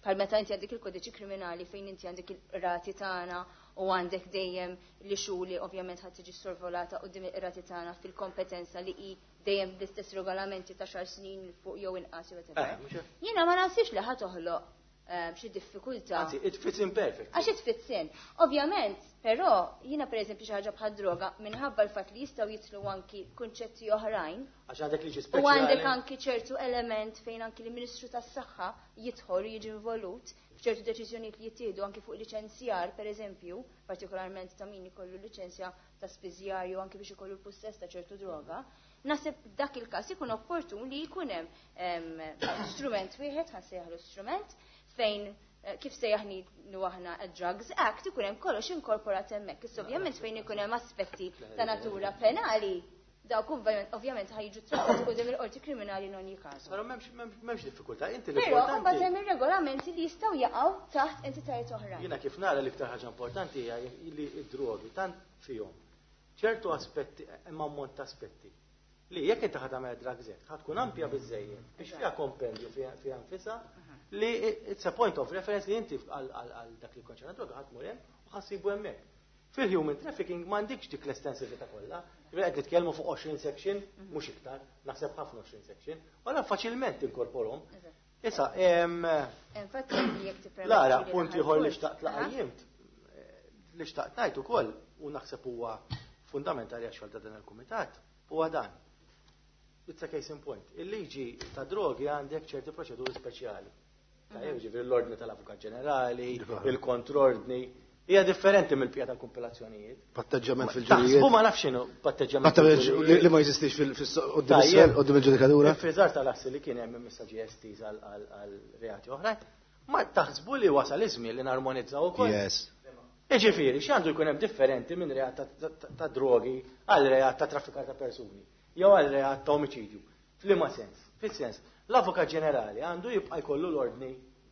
Bħal meta inti għandek il-kodiċi kriminali fejn inti għandek il-rati tagħna u għandek dejjem li xuli ovvjament ħadd tiġi sorvolata quddiem il-rati tagħna fil-kompetenza li hi dejjem bl-istess regolamenti ta' xar snin fuq jew inqas jew whatever. Jiena ma naħsibx li ħa toħloq xi diffikultà. Anzi, it fits in perfect. Għax it fits in. Ovvjament, però jiena pereżempju xi ħaġa bħal droga minħabba l-fatt li jistgħu jidħlu anki kunċetti oħrajn. Għax għandek liġi U speċjali. għandek anki ċertu element fejn anki l-Ministru tas-Saħħa jidħol u jiġi involut f'ċertu deċiżjonijiet li jittieħdu anki fuq liċenzjar, pereżempju, partikolarment ta' min ikollu liċenzja ta' spiżjar jew anki biex ikollu l-pussess ta' ċertu droga. Naħseb dak il-każ ikun opportun li jkun hemm strument wieħed, ħa nsejjaħlu strument, fejn kif sejjaħnielu aħna a Drugs Act ikun hemm kollox inkorporat hemmhekk. Issa ovvjament fejn ikun hemm aspetti ta' natura penali, dawk ovvjament ħa jiġu trattati quddiem il-qorti kriminali in ogni caso. Però m'hemmx diffikultà, inti Però l-importanti. mbagħad hemm ir-regolamenti li jistgħu jaqgħu taħt entitajiet oħrajn. Jiena kif nara l-iktar ħaġa importanti hija li d-drogi tant fihom ċertu aspetti, hemm ammont ta' aspetti li jekk inti ħa tagħmel Drugs Act ħa tkun ampja biżejjed biex fiha kompendju fiha nfisha li it's a point of reference li inti għal dak li konċerna droga ħa tmur hemm u ħa ssibu hemmhekk. Fil-human trafficking m'għandikx dik l-estensività kollha. Qed nitkellmu fuq għoxrin section, mhux iktar, naħseb ħafna għoxrin section, wara faċilment inkorporhom. Issa, Infatti jekk tippermetti. Lara, punt ieħor li xtaqt laqajjimt, li xtaqt ngħid ukoll u naħseb huwa fundamentali għax ta' dan il-kumitat, huwa dan. It's a case in point. Il-liġi ta' drogi għandek ċerti proċeduri speċjali. Tajjeb, ġifieri l-ordni tal-Avukat Ġenerali, il-kontrordni, hija differenti mill-pija tal-kumpilazzjonijiet. Patteġġament fil-ġurijiet. Taħsbu ma nafx x'inhu patteġġament. Li ma jeżistix fil-qoddim il-ġudikatura. Il-friżar tal-assi li kien hemm issa G S Ts għal reati oħrajn. Ma taħsbu li wasal iż-żmien li narmonizzaw ukoll? Yes. Iġifieri, x'għandu jkun hemm differenti minn reat ta' drogi għal reat ta' traffikar ta' persuni, jew għal reat ta' omiċidju. F'liema sens? Fis-sens, l-Avukat Ġenerali għandu jibqa' jkollu l-ordni,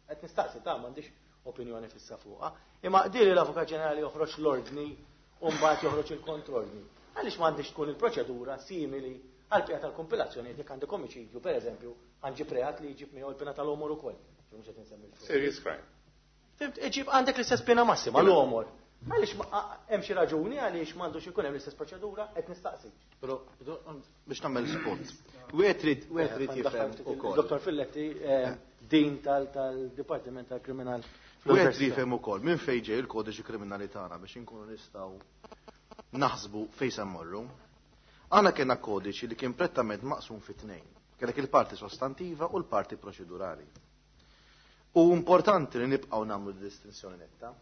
qed nistaqsi ta' m'għandix opinjoni fissa fuqha, imma dili l-Avukat Ġenerali joħroġ l-ordni u mbagħad joħroġ il-kontrordni. Għaliex m'għandix tkun il-proċedura simili għal pija tal-kompilazzjoni jekk għandek omiċidju, pereżempju, għanġib reat li jġib miegħu l-pena tal-għomor ukoll. Serious crime. Iġib għandek l-istess pena massima l-għomor. Għaliex hemm xi raġuni għaliex m'għandux ikun hemm l-istess proċedura, qed nistaqsi. Però biex nagħmel spot. Wieħed trid wieħed trid jifhem ukoll. Dottor Filletti, din tal-Dipartiment tal-Kriminal. Wieħed trid jifhem ukoll minn fejn ġej il-kodiċi kriminali tagħna biex inkunu nistgħu naħsbu fejn se mmorru. Aħna kellna kodiċi li kien prettament maqsum fi tnejn. Kellek il-parti sostantiva u l-parti proċedurali. U importanti li nibqgħu nagħmlu distinzjoni netta.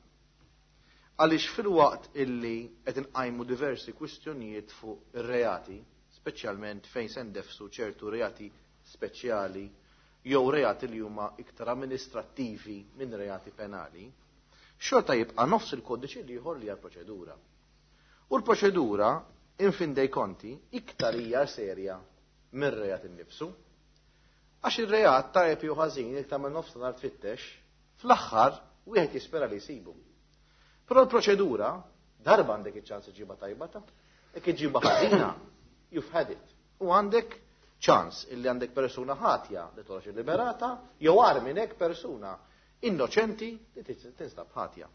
Għaliex fil-waqt illi qed inqajmu diversi kwistjonijiet fuq ir-reati, speċjalment fejn se ndefsu ċertu reati speċjali jew reati li huma iktar amministrattivi minn reati penali, xorta jibqa' nofs il-kodiċi ieħor li hija proċedura. U l-proċedura, in fin dei conti, iktar hija serja minn reat innifsu. Għax il-reat tajjeb jew ħażin jekk tagħmel nofs nhar tfittex, fl-aħħar wieħed jispera li jsibu. Però l-proċedura, darba għandek iċ-ċans iġiba tajba ta' jekk iġiba ħażina, you've had it. U għandek ċans illi għandek persuna ħatja li toħroġ liberata, jew agħar minn hekk persuna innoċenti li tinstab ħatja.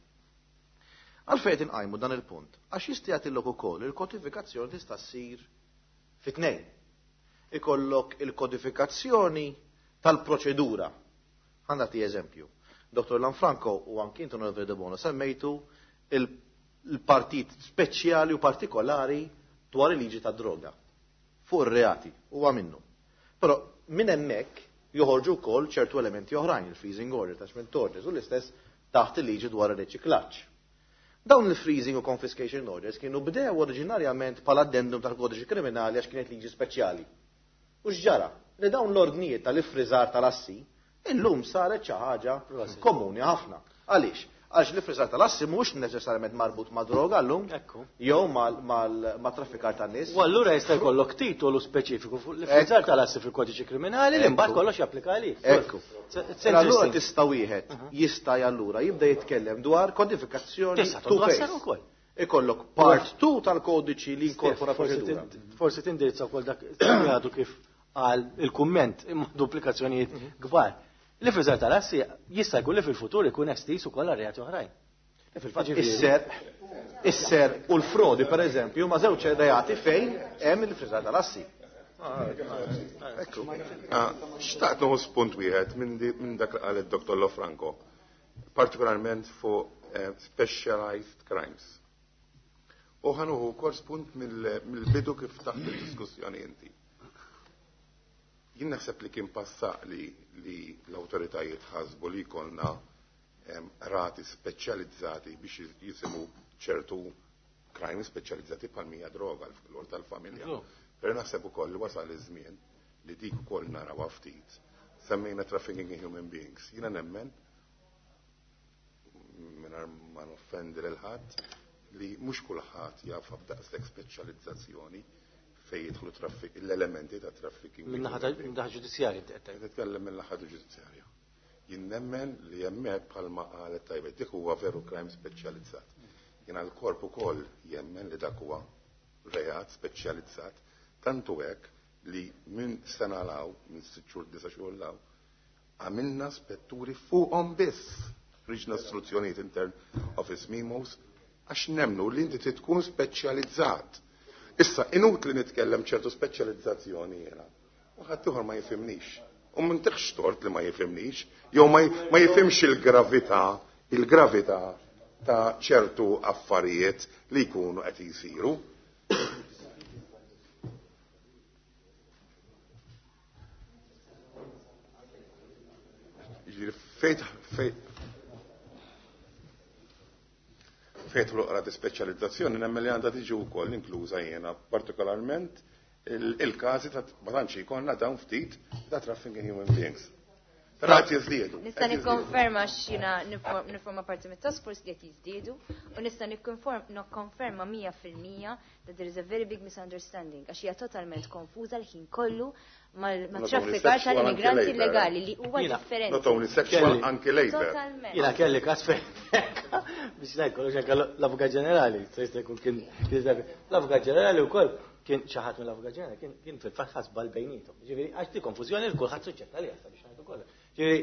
Għalfejn inqajmu dan il-punt, għax jista' jagħtillok ukoll il-kodifikazzjoni tista' ssir fi tnejn. Ikollok il-kodifikazzjoni tal-proċedura. Ħa nagħti eżempju. Dottor Lanfranco u anki inti, Onorevole De Bono, semmejtu il-partit speċjali u partikolari dwar il-liġi ta' droga fuq ir-reati huwa minnu. Però minn hemmhekk joħorġu wkoll ċertu elementi oħrajn, il-freezing order, attachment orders, u l-istess taħt il-liġi dwar il-riċiklaġġ. Dawn il-freezing u confiscation orders kienu bdew oriġinarjament bħala addendum tal-kodiċi kriminali għax kienet liġi speċjali. U x'ġara? Li dawn l-ordnijiet tal-ifriżar tal-assi illum saret xi ħaġa komuni ħafna. Għaliex? Għax l-ifriżar tal-assi mhux neċessarjament marbut ma' droga llum, jew ma' traffikar tan-nies. U allura jista' jkollok titolu speċifiku fuq l-ifriżar tal-assi fil-kodiċi kriminali li mbagħad kollox japplika għalih. Ekku. Allura tista' wieħed jista' allura jibda jitkellem dwar kodifikazzjoni two phase. Ikollok part two tal-kodiċi li inkorpora proċedura. Forsi tindirizza wkoll dak għadu kif għal il-kumment imma duplikazzjonijiet kbar. L-ifriżar tal-assi jista' jkun li fil-futur ikun estiż ukoll għal reati oħrajn. Fil-fatt is-serq, is-serq u l-frodi pereżempju ma żewġ reati fejn hemm il-friżar tal-assi. Xtaqt nieħu spunt wieħed minn dak li qal id-Dottor Lofranco, partikolarment fuq specialized crimes. U ħa nieħu wkoll spunt mill-bidu kif taħt id-diskussjoni inti. Jien naħseb li kien passaq li l-awtoritajiet ħasbu li jkollna rati speċjalizzati biex jisimu ċertu crime speċjalizzati bħal mija droga l-flor tal-familja. Però naħseb ukoll li wasal iż-żmien li dik ukoll narawha ftit. Semmejna trafficking in human beings. Jiena nemmen mingħajr ma noffendi lil ħadd li mhux kulħadd jaf b'daqshekk speċjalizzazzjoni fejn jidħlu l-elementi ta' trafficking. Min-naħa ġudizzjarja inti qed tgħid. Nitkellem min-naħa ġudizzjarja. Jien nemmen li hemmhekk bħalma qalet tajbet dik huwa veru crime speċjalizzat. Jiena l-korp ukoll jemmen li dak huwa reat speċjalizzat, tantu hekk li minn sena law, minn sitt xhur, disa' xhur law, għamilna spetturi fuqhom biss. Riġna istruzzjonijiet intern office memos għax nemnu li inti trid tkun speċjalizzat. Issa inutli nitkellem ċertu speċjalizzazzjoni jiena. U ħadd ieħor ma jifhimnix. U m'intix tort li ma jifhimnix, jew ma jifhimx il-gravità, il-gravità ta' ċertu affarijiet li jkunu qed jisiru. Fejt fejt fejt l-oqra di speċjalizzazzjoni nemmen li għandha tiġi wkoll inkluża jiena partikolarment il-każi ta' ma tantx jkollna dawn ftit ta' trafficking in human beings. Però qed jiżdiedu. Nista' nikkonferma x'jiena niforma parti mit-task force li qed jiżdiedu u nista' nikkonferma mija fil-mija that there is a very big misunderstanding għax hija totalment konfuża l-ħin kollu mal-traffikar tal-immigranti illegali li huwa differenti. Not only sexual, anke labor. Jiena kelli każ fejn biex ngħid kollox anke l-Avukat Ġenerali, se jista' jkun kien l-Avukat Ġenerali wkoll kien xi ħadd mill-Avukat Ġenerali kien kien fil-fatt ħasbal bejniethom. Ġifieri għax di konfużjoni li kulħadd suġġett għaliha sabiex ngħidu kollox. Ġifieri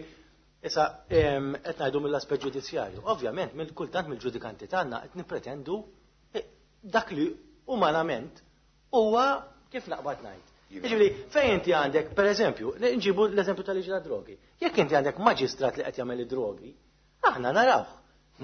issa qed ngħidu mill-aspett ġudizzjarju. Ovvjament mill kultant mill-ġudikanti tagħna qed nippretendu dak li umanament huwa kif naqbad ngħid. Ġifieri fejn inti għandek, pereżempju, nġibu l-eżempju tal-liġi tad-drogi. Jekk inti għandek maġistrat li qed jagħmel id-drogi, aħna narawh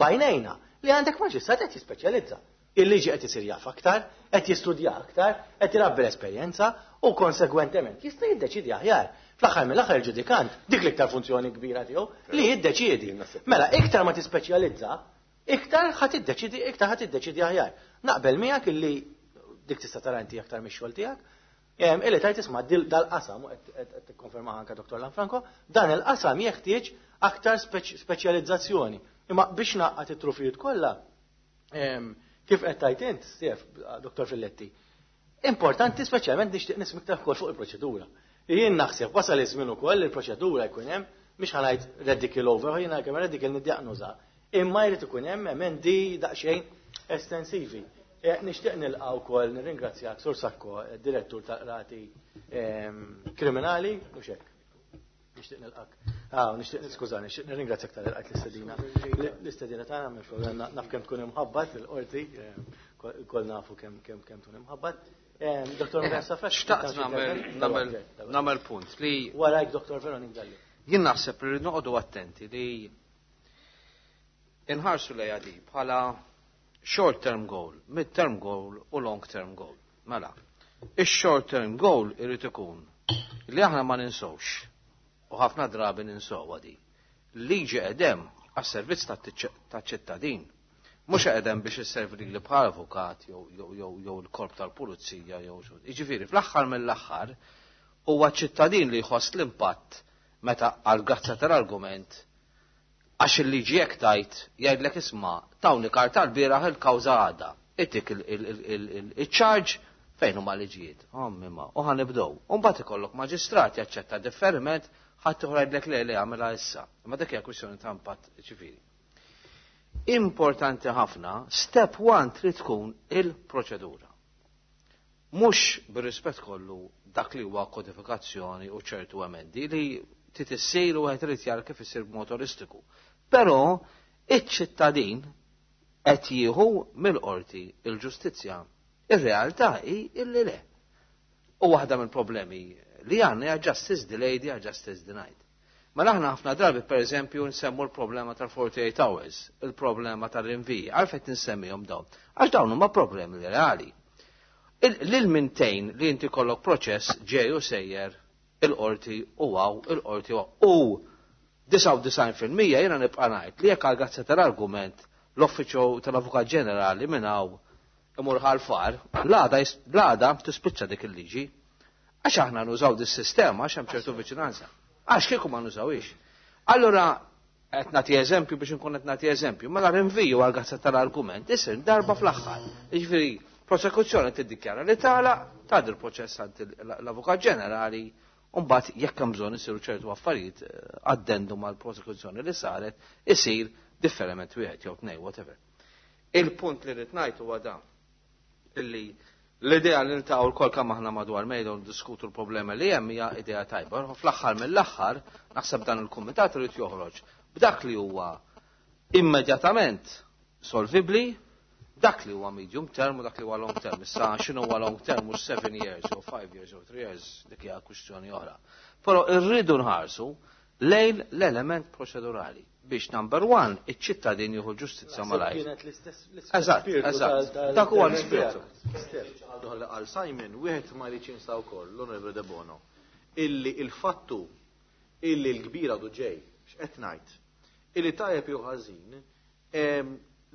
bajnejna li għandek maġistrat qed jispeċjalizza. Il-liġi qed isir jaf aktar, qed jistudja aktar, qed irabbi l-esperjenza u konsegwentement jista' jiddeċidi aħjar. Fl-aħħar mill-aħħar il-ġudikant dik l-iktar funzjoni kbira tiegħu li jiddeċiedi. Mela iktar ma tispeċjalizza, iktar ħa tiddeċidi, iktar ħa tiddeċidi aħjar. Naqbel miegħek illi dik tista' tara inti aktar mix-xogħol tiegħek. Illi tajt isma' dal-qasam u qed tikkonferma anke Dottor Lanfranco, dan il-qasam jeħtieġ aktar speċjalizzazzjoni. Imma biex naqqat it-trufijiet kollha, kif qed tajt int, Stef, Dottor Filletti, importanti speċjalment nixtieq nisma' iktar ukoll fuq il-proċedura. Jien naħseb wasal iż-żmien ukoll il-proċedura jkun hemm, mhix ħa ngħid radical over, jiena kemm radical niddiagnoża, imma jrid ikun hemm emendi daqsxejn estensivi. Nixtieq nilqa' wkoll nirringrazzjak Sur Sacco, direttur tal-qrati kriminali, mhux hekk. Nixtieq nilqak. Ah, nixtieq skużani, nixtieq nirringrazzjak tal-qajt l-istedina. L-istedina tagħna m'hemmx problema, naf kemm tkun imħabbat il-qorti, kol nafu kemm kemm kemm tkun imħabbat. Dottor Mugher Xtaqt nagħmel nagħmel punt li warajk Dottor Veronik Dalli. Jien naħseb li noqogħdu attenti li inħarsu lejha di bħala short term goal, mid term goal u long term goal. Mela, ix-short term goal irid ikun li aħna ma ninsewx u ħafna drabi ninsewha di. Liġi qedem għas-servizz taċ-ċittadin. Mhux qedem biex isservi li bħal avukat jew jew l-korp tal-pulizija jew xi. Jiġifieri fl-aħħar mill-aħħar huwa ċittadin li jħoss l-impatt meta għal grazza tal-argument għax il-liġi jekk tajt jgħidlek isma' tawni karta l-bieraħ il-kawża għadha. Itik il-charge fejn huma liġijiet. Ommi ma, u ħanibdew. U mbagħad ikollok maġistrat jaċċetta differiment ħadd ieħor jgħidlek le le għamilha issa. Imma dik hija kwistjoni ta' impatt ċivili. Importanti ħafna, step one trid tkun il-proċedura. Mhux bir-rispett kollu dak li huwa kodifikazzjoni u ċertu emendi li trid issir u wieħed irid jara kif issir b'mod holistiku. Però iċ-ċittadin qed jieħu mill-qorti il-ġustizzja. Ir-realtà hi illi le. U waħda mill-problemi li għandna hija justice delayed, hija justice denied. Mela aħna ħafna drabi per eżempju nsemmu l-problema tal-forty-eight hours, il-problema tal-rinviji, għalfejn nsemmihom dawn? Għax dawn huma problemi reali. Lil mintejn li inti kollok proċess ġej u sejjer il-qorti u għaw, il-qorti u għaw. U disgħa u disgħin fil-mija jiena nibqa' ngħid li jekk għal tal-argument l-Uffiċċju tal-Avukat Ġenerali minn hawn imur ħal-far, l-għada tispiċċa dik il-liġi. Għax aħna nużaw dis-sistema għax hemm ċertu viċinanza. Għax kieku ma nużawix. Allura, qed nagħti eżempju biex inkun qed nagħti eżempju, mela rinviju għal gazza tal-argument isir darba fl-aħħar. Jiġifieri, prosekuzzjoni tiddikjara li tala, tgħaddi l-proċess għand l-Avukat Ġenerali, u mbagħad jekk hemm bżonn isiru ċertu affarijiet eh, addendum għal prosekuzzjoni li saret, isir differiment wieħed jew tnejn, whatever. Il-punt li rrid ngħid huwa dan illi l-idea li niltaqgħu lkoll kemm aħna madwar mejda u ndiskutu l-problema li hemm hija idea tajba. Fl-aħħar mill-aħħar naħseb dan il-kumitat irid joħroġ b'dak li huwa immedjatament solvibli, dak li huwa medium term u dak li huwa long term. Issa x'inhu huwa long term mhux seven years or five years or three years, dik hija kwistjoni oħra. Però rridu nħarsu lejn l-element proċedurali biex number one iċ-ċittadin jieħu ġustizzja malajr. Kienet l-istess Eżatt, eżatt. Dak huwa l-ispirtu. Għal Simon, wieħed ma jridx jinsa wkoll, l-Onorevole De Bono, illi il-fattu illi l-kbira għadu ġej, x'qed ngħid, illi tajjeb jew ħażin,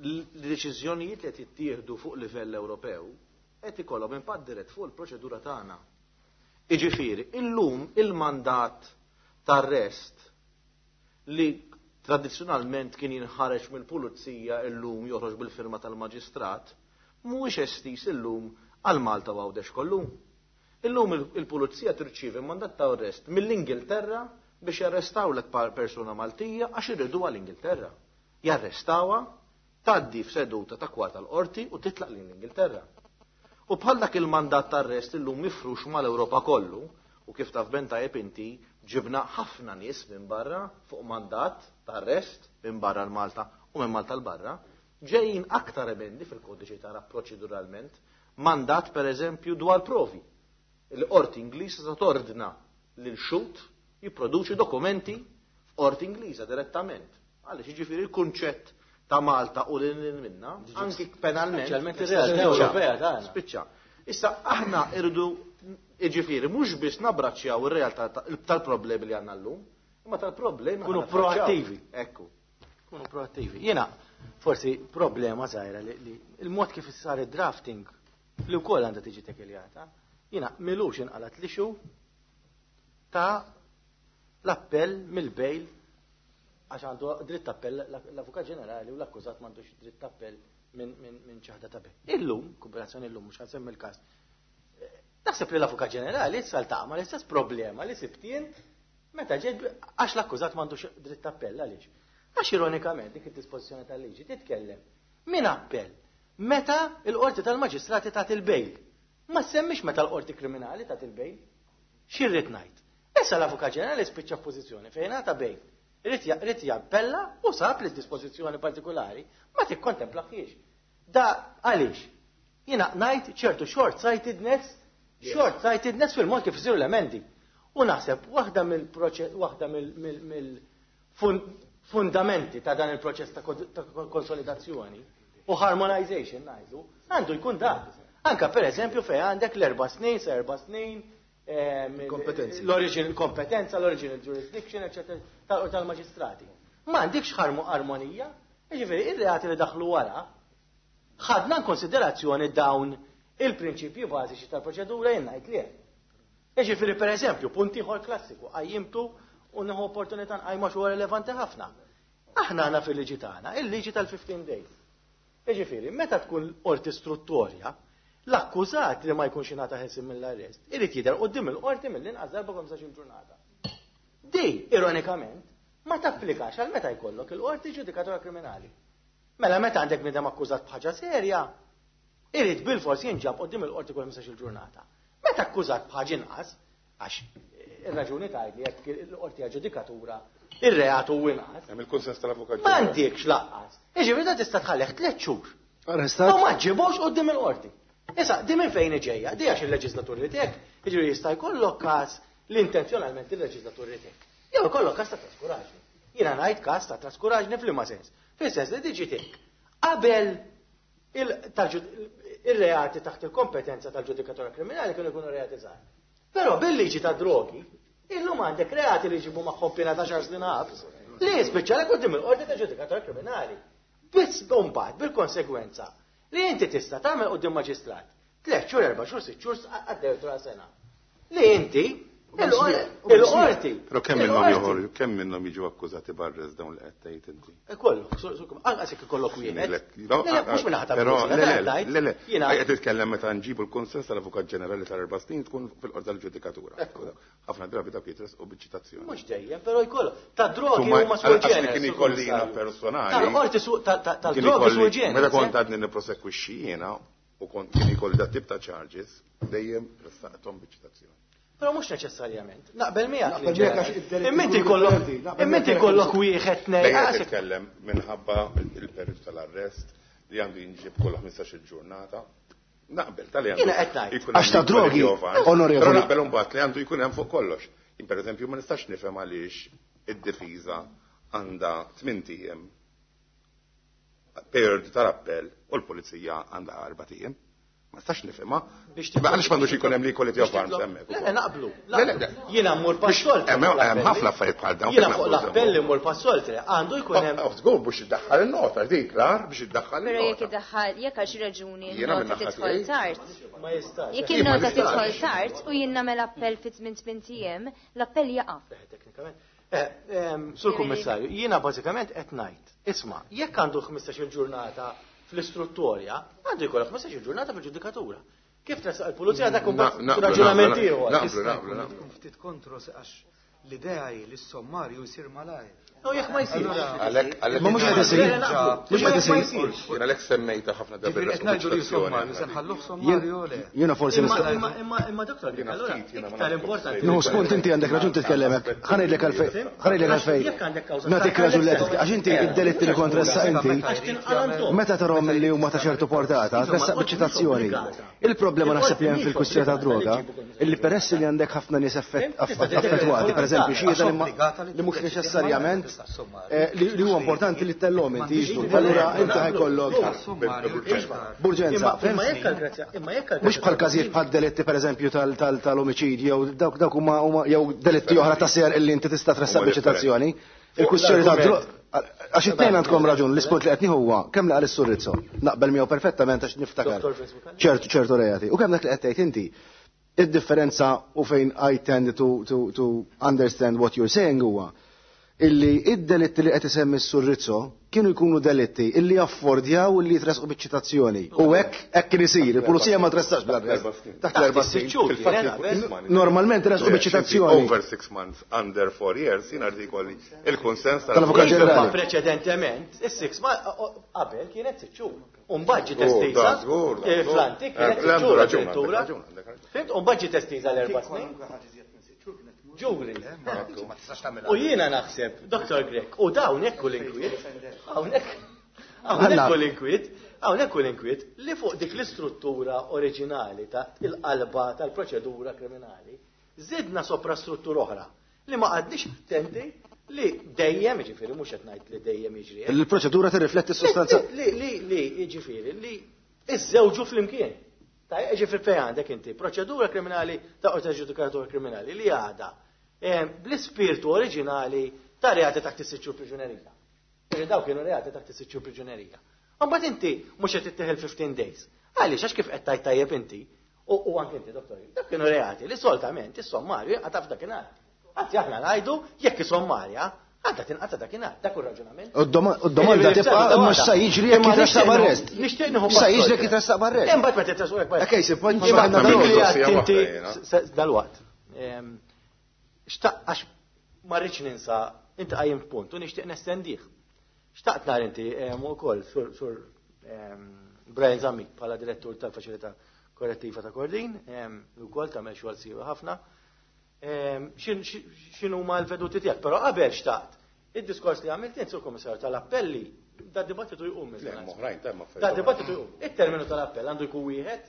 l-deċiżjonijiet li qed jittieħdu fuq livell Ewropew qed ikollhom impatt dirett fuq il-proċedura tagħna. Iġifieri, illum il-mandat tar-arrest li tradizzjonalment kien jinħareġ mill-pulizija, illum joħroġ bil-firma tal-maġistrat, mhuwiex estis illum għal Malta u Għawdex kollu. Illum il-pulizija tirċievi mandat ta' arrest mill-Ingilterra biex jarrestawlek persuna Maltija għax irridu għall-Ingilterra. Jarrestawha, tgħaddi f'seduta ta' kwarta l-qorti u titlaq l-Ingilterra. U bħal dak il-mandat ta' arrest illum mifrux mal-Ewropa kollu, u kif taf ben tajjeb inti, ġibna ħafna nies minn barra fuq mandat ta' arrest minn barra l-Malta u minn Malta l-barra, ġejjin aktar emendi fil-kodiċi tagħna proċeduralment, mandat per eżempju dwar provi. Il-qorti Ingliża ta' tordna lil xhud jipproduċi dokumenti f'qorti Ingliża direttament. Għaliex, jiġifieri, il-kunċett ta' Malta u lil minna, anki penalment. Speċjalment ir-realtà Ewropea tagħna. Spiċċa. Issa aħna irridu, jiġifieri, mhux biss nabbraċċjaw ir-realtà tal-problemi li għandna llum, imma tal-problemi Kunu ħa naffaċċjaw. Proattivi. Ekku. Kunu proattivi. Jiena forsi problema żgħira li, li il-mod kif sar id-drafting li wkoll għandha tiġi tekiljata. Jiena m'ilux inqalat l-issue ta' l-appell mill-bail, għax għandu dritt appell l-Avukat Ġenerali u l-akkużat m'għandux dritt appell minn min, min ċaħda ta' bail. Illum, kombinazzjoni illum, mhux ħa nsemmi il-każ. Naħseb li l-Avukat Ġenerali issa ltaqa' mal-istess problema li sibt jien meta ġejt, għax l-akkużat m'għandux dritt appell. Għaliex? Għax ironikament dik id-dispożizzjoni tal-liġi titkellem min appell meta il-qorti tal-maġistrati tagħti il-bail. Ma semmix meta l-qorti kriminali tagħti il-bail. X'irrid ngħid? Issa l-Avukat Ġenerali spiċċa f'pożizzjoni fejn għata bail. Irid jappella u sab li dispożizzjoni partikolari ma tikkontemplahiex. Da għaliex? Jiena ngħid ċertu short-sightedness, short-sightedness fil-mod kif isiru l-emendi. U naħseb waħda mill-proċess, waħda mill-fundamenti ta' dan il-proċess ta' konsolidazzjoni u harmonization ngħidu, għandu jkun dak. Anka per eżempju fej għandek l-erba' snin, sa erba' snin, Kompetenzi. l-original kompetenza, l-original jurisdiction, eccetera, tal-maġistrati. Ma għandikx armonija, jiġifieri ir-reati li daħlu wara, ħadna konsiderazzjoni dawn il-prinċipji bażiċi tal-proċedura? Jien ngħid li. Jiġifieri per eżempju, punt ieħor klassiku, qajjimtu u nieħu opportunità nqajma xi relevanti ħafna. Aħna għandna fil-liġi tagħna il-liġi tal-fifteen days. Jiġifieri, meta tkun qorti istruttorja, l-akkużat li ma jkunx ingħata ħelsien mill-arrest, irid jidher quddiem il-qorti mill-inqas darba ħmistax-il ġurnata. Di, ironikament, ma tapplikax għal meta jkollok il-qorti ġudikatura kriminali. Mela meta għandek bniedem akkużat b'ħaġa serja, irid bil-fors jinġab quddiem il-qorti kull ħmistax-il ġurnata. Meta akkużat b'ħaġa inqas, għax eh, ir-raġuni tgħid li jekk il-qorti ġudikatura ir-reat hu inqas. Hemm il-kunsens tal-avukat. M'għandekx laqqas. Jiġifieri da tista' tħallih tliet xhur. Arrestat. U ma ġġibux quddiem il-qorti. Issa, di minn fejn ġejja? Di għax il-leġislatur li tek, jiġifieri jista' jkollok każ li intenzjonalment il-leġislatur li tek. Jew ikollok każ ta' traskuraġni. Jiena ngħid każ ta' traskuraġni f'liema sens. Fis-sens li diġi tek. Qabel il-reati taħt il-kompetenza tal-ġudikatura kriminali kienu jkunu reati żgħar. Però bil-liġi ta' drogi, illum għandek reati li jġibu magħhom piena ta' xar snin ħabs li jispiċċalek quddiem il-qorti ta' ġudikatura kriminali. Biss mbagħad bil-konsegwenza li inti tista' tagħmel quddiem maġistrat tliet xhur, erba' xhur, sitt xhur għaddew sena. Li inti il-qorti. Però kemm minnhom joħorġu, kemm minnhom jiġu akkużati b'arrest dawn li qed tgħid inti? Kollu, anqas jekk ikollok wieħed. Mhux minn ħadd Però le le le, qed titkellem meta nġibu l-kunsens tal-Avukat Ġenerali tal-erba' snin tkun fil-qorti tal-ġudikatura. Ħafna drabi dak jitresqu biċ-ċitazzjoni. Mhux dejjem, però jkollu. Ta' drogi huma sui generis. Kien ikolli jiena personali. Tal-qorti tal-drogi sui generis. Meta kont għadni nipprosekwixxi jiena u kont kien ikolli dat tip ta' charges dejjem ressaqthom biċ-ċitazzjoni. Però mhux neċessarjament. Naqbel miegħek. Imma inti jkollok imma inti jkollok wieħed tnejn. Lejn titkellem minħabba il-periodu tal-arrest li għandu jinġib kull ħmistax-il ġurnata. Naqbel tal-li għandu. Jiena qed ngħid. Għax ta' drogi, onorevoli. Però naqbel imbagħad li għandu jkun hemm fuq kollox. Jien pereżempju ma nistax nifhem għaliex id-difiża għandha tmien ijiem periodu tal-appell u l-pulizija għandha erba' ijiem. Ma nistax nifhimha. Għaliex m'għandux ikun hemm li equality of arms hemmhekk. Le, naqblu. Jiena mmur passoltre. Hemm ħafna affarijiet bħal dawn. Jiena fuq l-appell immur passoltre. Għandu jkun hemm. Żgur biex iddaħħal in-nota dik lar biex iddaħħal Però jekk iddaħħal jekk għal xi raġuni n-nota tidħol tard. Ma jistax. Jekk in-nota tidħol tard u jien nagħmel appell fi żmien tmien ijiem, l-appell jaqa'. Teknikament. Sur Kummissarju, jiena bażikament qed ngħid. Isma', jekk għandu ħmistax-il ġurnata fl-istruttorja, għandu jkollok ħmistax-il ġurnata fil-ġudikatura. Kif tressaq il-pulizija dak raġunament ieħor. Naqblu, naqblu, naqblu. Ftit kontro għax l-idea hi li s-sommarju jsir malajr. U jekk ma jsirx. Ma mhux qed isir. Mhux qed isir. Jien għalhekk semmejta ħafna drabi. Qed ngħidu li sommarju se nħalluh sommarju le. Jiena forsi nista' Imma imma doktor, allura iktar importanti. Nieħu spunt inti għandek raġun titkellem hekk. Ħa ngħidlek għalfejn. Ħa ngħidlek għalfejn. Nagħtik raġun li qed għax inti id-delitti li kont ressaq inti. Meta tarahom li huma ta' ċertu portata, tressaq biċ-ċitazzjoni. Il-problema naħseb li hemm fil-kwistjoni ta' droga, illi peress li għandek ħafna nies affettwati, pereżempju xhieda li mhux neċessarjament li huwa importanti li tellhom inti jiġdu. Allura inti ħajkollok burġenza. Mhux bħal każijiet bħal delitti pereżempju tal-omiċidju jew dawk dawk huma jew delitti oħra ta' ser illi inti tista' tressaq biċ-ċitazzjoni. Il-kwistjoni ta' għax it-tnejn għandkom raġun, l-ispunt li qed nieħu huwa kemm li qal is-Sur Rizzo. Naqbel miegħu perfettament għax niftakar ċertu ċertu reati. U kemm dak li qed tgħid inti, id-differenza u fejn I tend to, to, to understand what you're saying huwa illi id-delitti li qed isemmi s-Sur Rizzo kienu jkunu delitti illi affordjaw illi jitresqu biċ-ċitazzjoni. U hekk hekk kien isir, il-pulizija ma tressax bl-arrest. Taħt l-erba' snin. Normalment resqu biċ-ċitazzjoni. Over six months, under four years, jien artikoli il-kunsens tal-Avukat Ġenerali. Preċedentement, is-six qabel kienet sitt xhur. U mbagħad ġiet estiża fl-antik kienet sitt xhur addirittura. Fimt? U mbagħad ġiet estiża l-erba' snin. Ġuri. U jiena naħseb, Doktor Grech, u dawn hekk l-inkwiet, hawnhekk hawnhekk l-inkwiet, hawnhekk l-inkwiet li fuq dik l-istruttura oriġinali ta' il-qalba tal-proċedura kriminali, żidna soprastruttura oħra li ma qgħadniex attenti li dejjem, jiġifieri mhux qed ngħid li dejjem jiġri. Il-proċedura tirrifletti s-sostanza. Li li li jiġifieri li iżżewġu flimkien. Tajjeb, jiġifieri fejn għandek inti proċedura kriminali ta' qorti ġudikatura kriminali li għadha bl-ispirtu oriġinali ta' reati taħt is-sitt xhur priġunerija. Perché daw kienu reati taħt is-sitt xhur priġunerija. Imbagħad inti mhux qed tittieħel fifteen days. Għaliex għax kif qed tajt tajjeb inti u anke inti doktor, dak kienu reati li solitament is-sommarju jinqata' f'dakinhar. Anzi aħna ngħidu jekk is-sommarja għadha tinqata' dakinhar, dak hu r-raġunament. U d-domanda tibqa' mhux sa jiġri jekk jitressaq b'arrest. Nixtieq nieħu Sa jiġri jekk jitressaq b'arrest. Imbagħad meta titressaq b'arrest. Okej, si point inti dalwaqt. Xtaq għax ma rridx ninsa, inti qajjim punt u nixtieq nestendih. Xtaqt nar inti wkoll sur sur Brian Zammit bħala direttur tal-Faċilità Korrettiva ta' Kordin, li wkoll tagħmel xogħol siewi ħafna. X'inhuma l-veduti tiegħek, però qabel xtaqt. Id-diskors li għamilt int, Sur Kummissarju, tal-appelli, da dibattitu jqum. Da dibattitu jqum. Il-terminu tal-appell għandu jkun wieħed.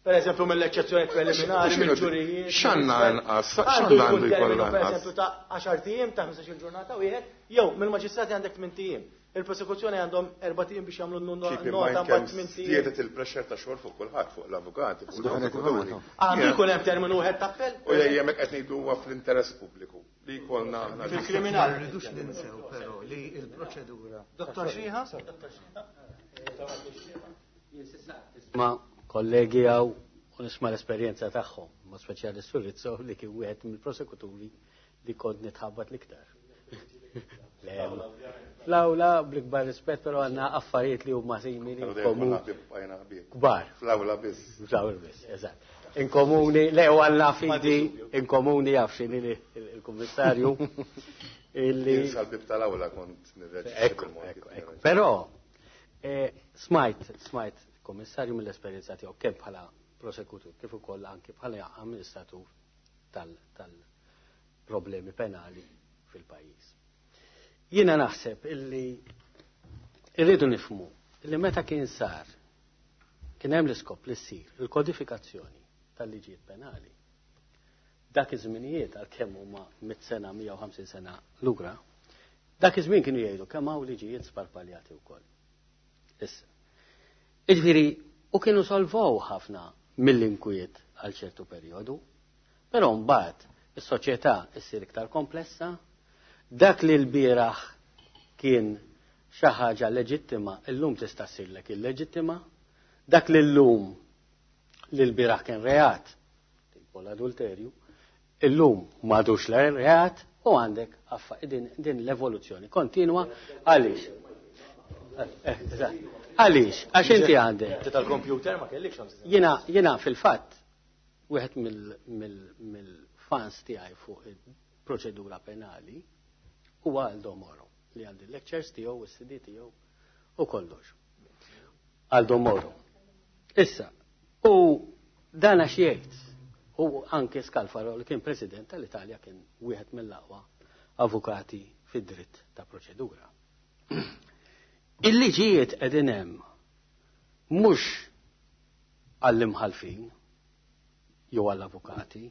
Per eżempju, mill-eċċezzjoni preliminari, mill-ġurijiet. X'għandna anqas? Għandu jkun terminu, per eżempju, ta' għaxart ijiem, ta' ħmistax-il ġurnata wieħed, jew mill-maġistrati għandek tmint ijiem. Il-prosekuzzjoni għandhom erbat ijiem biex jagħmlu nota mbagħad tmint ijiem. Żdiedet il-pressure ta' xogħol fuq kulħadd, fuq l-avukati, fuq l-prosekuturi. Għandu jkun hemm terminu wieħed ta' appell? U jekk qed ngħidu huwa fl-interess pubbliku li jkollna aħna. Fil-kriminal. Rridux ninsew però li l-proċedura. Dottor Xiha? Ma kollegi għaw u nisma l-esperjenza tagħhom, ma speċjali Sur Rizzo li kien wieħed mill-prosekuturi li kont nitħabbat l-iktar. Fl-awla bl-ikbar rispett, però għandna affarijiet li huma simili komuni. Kbar. Fl-awla biss. Fl-awla biss, eżatt. Inkomuni, le u għandna fidi, inkomuni jaf x'inhi il-kummissarju. Illi. Sal-bib tal-awla kont nirreġistra. Ekku, ekku, ekku. Però smajt, smajt kummissarju mill-esperjenza tiegħu kemm bħala prosekutur kif ukoll anki bħala amministratur tal-problemi penali fil-pajjiż. Jiena naħseb illi irridu nifhmu illi meta kien sar kien hemm l-iskop li ssir il-kodifikazzjoni tal-liġijiet penali. Dak iż-żminijiet għalkemm huma mitt sena, mija u ħamsin sena lura, dak iż-żmien kienu jgħidu kemm hawn liġijiet sparpaljati wkoll. Issa. Jiġifieri, u kienu solvow ħafna mill-inkwiet għal ċertu perjodu, però mbagħad is-soċjetà issir iktar komplessa, dak li l-bieraħ kien xi ħaġa leġittima, illum tista' ssirlek illeġittima, dak li llum li l-bieraħ kien reat, tipo l-adulterju, illum m'għadux reat u għandek affa din, din l-evoluzzjoni kontinwa. Għaliex? Għaliex? Għax inti għandek. Tal-kompjuter ma kellikx. Jiena jiena fil-fatt wieħed mill-fans tiegħi fuq il-proċedura penali huwa Aldo Moro, li għandi lectures tiegħu u s-C D tiegħu u kollox. Aldo Moro. Issa, u dan għax jgħid, u anke Scalfaro li kien president tal-Italja kien wieħed mill-aqwa avukati fid-dritt ta' proċedura. Il-liġijiet qegħdin hemm mhux għall-imħalfin jew għall-avukati,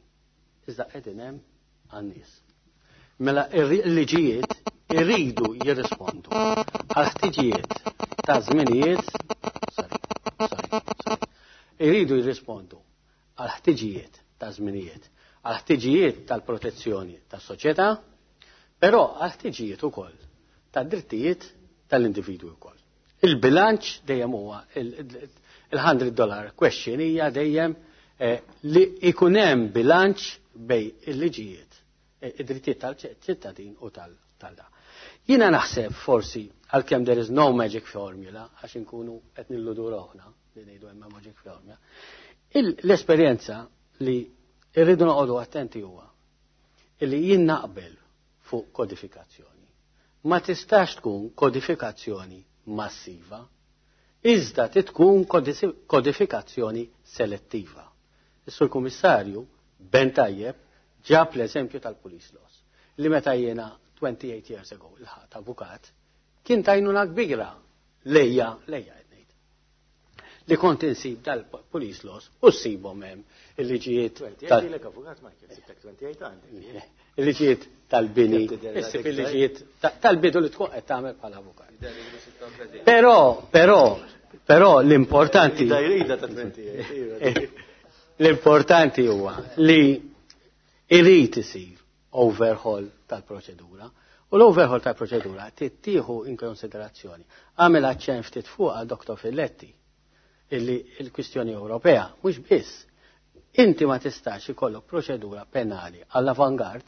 iżda qegħdin hemm għan-nies. Mela il-liġijiet irridu jirrispondu għal ħtiġijiet ta' żminijiet, sorry, sorry, sorry, irridu jirrispondu għal ħtiġijiet ta' żminijiet, għal ħtiġijiet tal-protezzjoni tas-soċjetà, però għal ħtiġijiet ukoll tad-drittijiet tal-individwi wkoll. Il-bilanċ dejjem huwa il-hundred dollar question hija dejjem li ikun hemm bilanċ bej il-liġijiet, id-drittijiet tal-ċittadin u tal-da. Jiena naħseb forsi għalkemm there is no magic formula, għax inkunu qed nilludu roħna li ngħidu hemm magic formula, l-esperjenza li rridu noqogħdu attenti huwa illi jien naqbel fuq kodifikazzjoni. Ma tistax tkun kodifikazzjoni massiva, iżda tkun kodifikazzjoni selettiva. Is-Sur Kummissarju ben tajjeb ġab l-eżempju tal-police laws, li meta jiena twenty-eight years ago il-ħadd avukat, kien tajnuna kbira lejja, lejja qed ngħid. Li kont insib dal-police laws u ssibhom hemm il-liġijiet tal- avukat Michael, sibtek twenty-eight għandek. Il-liġijiet tal-bini, issib il-liġijiet tal-bidu li tkun qed tagħmel bħala avukat. Però, però, però l-importanti l-importanti huwa li irid isir overhaul tal-proċedura. U l-overhaul tal-proċedura tittieħu in konsiderazzjoni. Għamel aċċenn ftit fuq għal Doktor Filletti illi l-kwistjoni Ewropea mhux biss. Inti ma tistax ikollok proċedura penali għall-avangard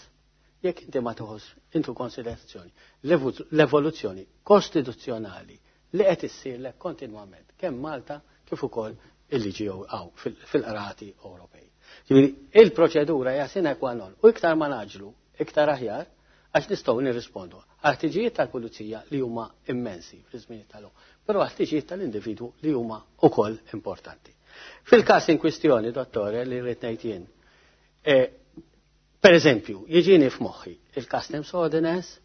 jekk inti ma tieħux intu konsiderazzjoni l-evoluzzjoni kostituzzjonali li qed issirlek kontinwament kemm Malta kif ukoll il-liġi hawn fil-qrati Ewropej. Ġifieri il-proċedura hija sine qua non u iktar ma naġlu, iktar aħjar għax nistgħu nirrispondu għal ħtiġijiet tal-pulizija li huma immensi fl-żmien tal-lum, però għal ħtiġijiet tal-individwu li huma wkoll importanti. Fil-każ in kwistjoni, dottore, li rrid ngħid jien, Per eżempju, jiġini f'moħħi il-Customs Ordinance,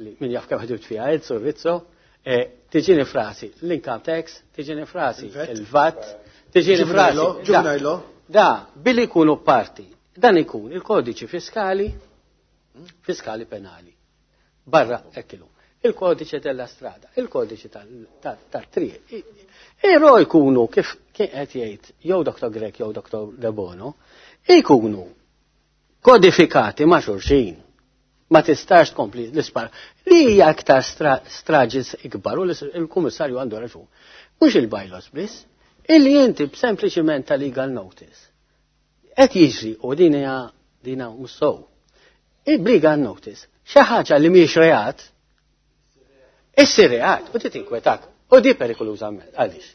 li min jaf kemm ħdimt fiha Enzo Rizzo, eh, tiġini f'rasi l-income tax, tiġini f'rasi il-VAT, tiġini f'rasi. Juvenile. Da, billi jkunu parti, dan ikun il-kodiċi fiskali, fiskali penali. Barra ekkilu. Il-kodiċi della strada, il-kodiċi tal-triq. Ero jkunu kif kien qed jgħid jew Dr. Grech jew Dr. Debono, ikunu kodifikati ma' xulxin. Ma tistax tkompli l-ispar. Li hija aktar straġis ikbar u l-kummissarju għandu raġun. Mhux il-bylaws biss, illi inti b'sempliċiment ta' legal notice. Qed jiġri u din hija dina mhux sew. Il-legal notice, xi ħaġa li mhijiex reat, issir reat u titinkwetak. U di perikoluża għaliex.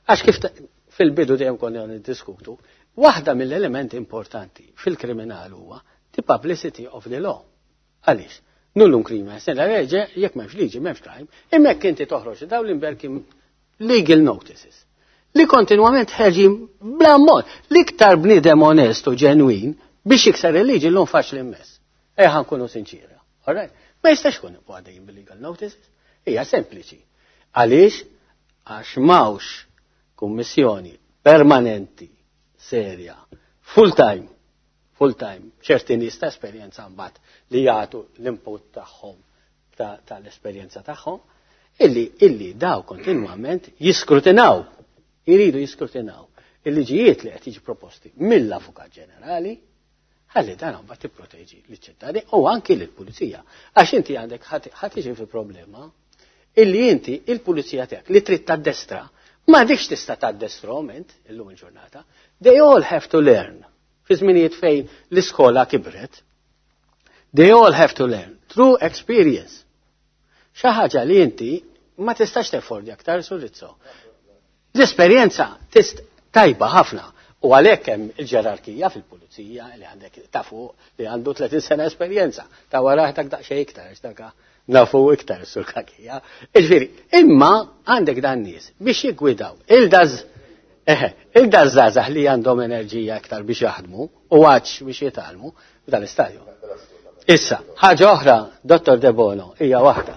Għax kif fil-bidu dejjem konna niddiskutu, waħda mill-elementi importanti fil-kriminal huwa the publicity of the law. Għaliex? Nullum crimen, sine lege, jekk m'hemmx liġi, m'hemmx crime, imma jekk inti toħroġ daw l-imberki legal notices. Li kontinwament ħerġin bla mod. L-iktar bniedem onest u ġenwin biex jikser il-liġi l-lum faċli immens. Ejja nkunu sinċira. All right? Ma jistax kun għaddejjin bil-legal notices. Hija sempliċi. Għaliex? Għax m'hawnx kummissjoni permanenti, serja, full time, full time, ċerti nies ta' esperjenza mbagħad li jagħtu l-input tagħhom tal-esperjenza tagħhom, illi illi daw kontinwament jiskrutinaw, jridu jiskrutinaw il-liġijiet li qed jiġi proposti mill-Avukat Ġenerali, ħalli dan mbagħad tipproteġi liċ-ċittadini u anki lill-pulizija. Għax inti għandek ħadd tiġi fi problema illi inti il-pulizija tiegħek li trid taddestra, ma dikx tista' taddestrahom int illum il-ġurnata. They all have to learn. Fi żminijiet fejn l-iskola kibret, they all have to learn through experience. Xi ħaġa li inti ma tistax teffordi aktar Sur Rizzo. L-esperjenza tist tajba ħafna. U għalhekk hemm il-ġerarkija fil-pulizija li għandek ta' fuq li għandu tletin sena esperjenza, ta' wara dak daqsxejn iktar, għax dak nafu iktar sur kakija. Iġifieri, imma għandek dan nies biex jiggwidaw il-daż eħe, il-daż li għandhom enerġija iktar biex jaħdmu u għax biex jitgħallmu f'dan l-istadju. Issa, ħaġa oħra, Dottor Debono, hija waħda.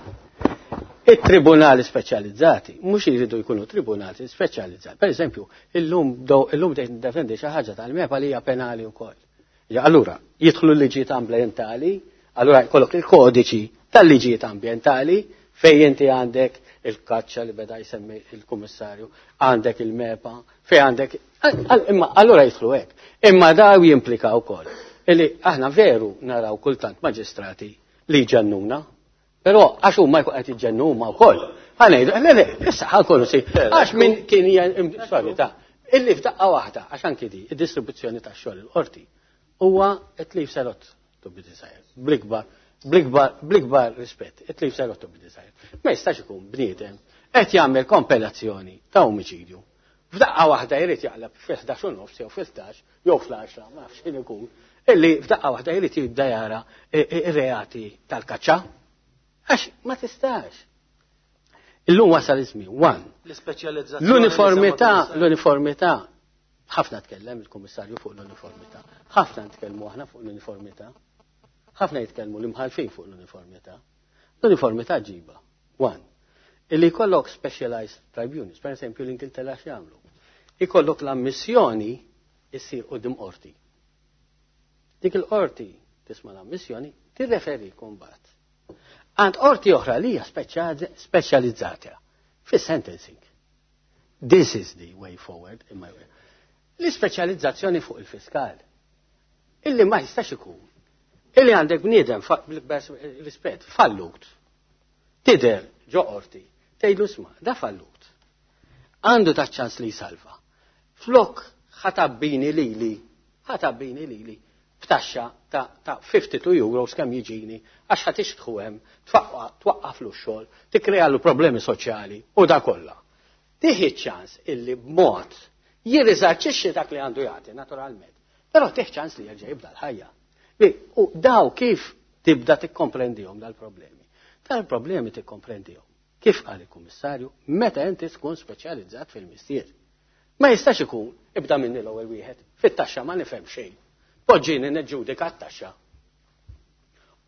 Il-tribunali speċjalizzati, mhux jridu jkunu tribunali speċjalizzati. Per eżempju, illum illum defendi xi ħaġa tal-MEPA li hija penali wkoll. Ja, allura, jidħlu l-liġijiet ambjentali, allura jkollok il-kodiċi tal-liġijiet ambjentali fejn inti għandek il-kaċċa li beda jsemmi il-kummissarju, għandek il-MEPA, fej għandek, imma allura jidħlu hekk. Imma daw jimplika wkoll. Illi aħna veru naraw kultant maġistrati li ġennuna, però għax huma jkun qed jiġġennu huma wkoll. Ħa ngħidu, le le, issa ħankunu si, għax min kien sorry ta' illi f'daqqa waħda, għax anki di, id-distribuzzjoni tax-xogħol il-qorti huwa it leaves a lot to be desired. Bl-ikbar, bl-ikbar, bl-ikbar rispett, it leaves a lot to be desired. Ma jistax ikun bniedem qed jagħmel kompilazzjoni ta' omiċidju. F'daqqa waħda jrid jaqleb fil-ħdax u nofs jew fil-ħdax jew fl-għaxra, ma nafx x'in ikun, illi f'daqqa waħda jrid jibda jara ir-reati tal-kaċċa. Għax ma tistax. Illum wasal iż-żmien, one. L-ispeċjalizzazzjoni. L-uniformità, l-uniformità, ħafna tkellem il-Kummissarju fuq l-uniformità. Ħafna nitkellmu aħna fuq l-uniformità. Ħafna jitkellmu l-imħalfin fuq l-uniformità. L-uniformità ġiba. One. Illi jkollok specialized tribunals, per esempio l-Ingilterra x'jagħmlu. Ikollok l-ammissjoni issir quddiem qorti. Dik il-qorti tisma' l-ammissjoni tirreferi kumbat. Għand qorti oħra li hija speċjalizzata fis-sentencing. This is the way forward in my way. L-ispeċjalizzazzjoni fuq il-fiskal. Illi ma jistax ikun. Illi għandek bniedem rispett fallut. Tider ġo qorti, tgħidlu isma' da fallut. Għandu ta' ċans li jsalva. Flok ħatabbini lili, ħatabbini lili b'taxxa ta', ta' tnejn u ħamsin euros kemm jiġini, għax ħa tixtħu hemm, twaqqaflu x-xogħol, tikkrealu problemi soċjali u da kollha. Tieħi ċans illi b'mod jirriżarċixxi dak li għandu jagħti naturalment. Però tieħ ċans li jerġa' jibda l-ħajja. U daw kif tibda tikkomprendihom dal-problemi? Dal-problemi tikkomprendihom. Kif qal il-Kummissarju, meta inti tkun speċjalizzat fil-mistier. Ma jistax ikun ibda minni l-ewwel wieħed, fit-taxxa ma nifhem xejn. Poġġini neġġudika t-taxxa.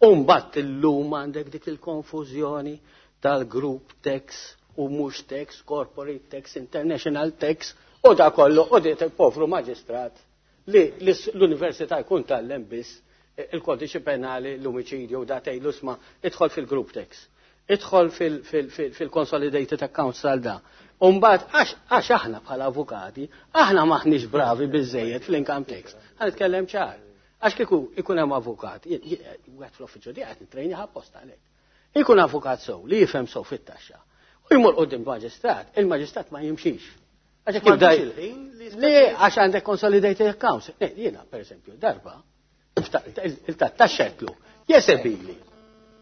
U mbagħad illum għandek dik il-konfużjoni tal-group tax u mhux tax, corporate tax, international tax, u da kollu, u dit il-povru maġistrat li l-università jkun tgħallem biss il-kodiċi penali, l-omicidju, da tgħidlu isma' idħol fil-group tax, idħol fil-consolidated accounts tal-da. Umbagħad, għax aħna bħala avukati, aħna maħniex bravi biżejjed fl-income tax. Ħa nitkellem ċar. Għax kieku ikun hemm avukat, wieħed fl-uffiċċju di qed nitrejni apposta għalhekk. Ikun avukat sew li jifhem sew fit-taxxa. U jmur quddiem maġistrat, il-maġistrat ma jimxix. Għax jekk jibda Le, għax għandek consolidated accounts. Le, jiena, per eżempju, darba, il-taxxa jesebili.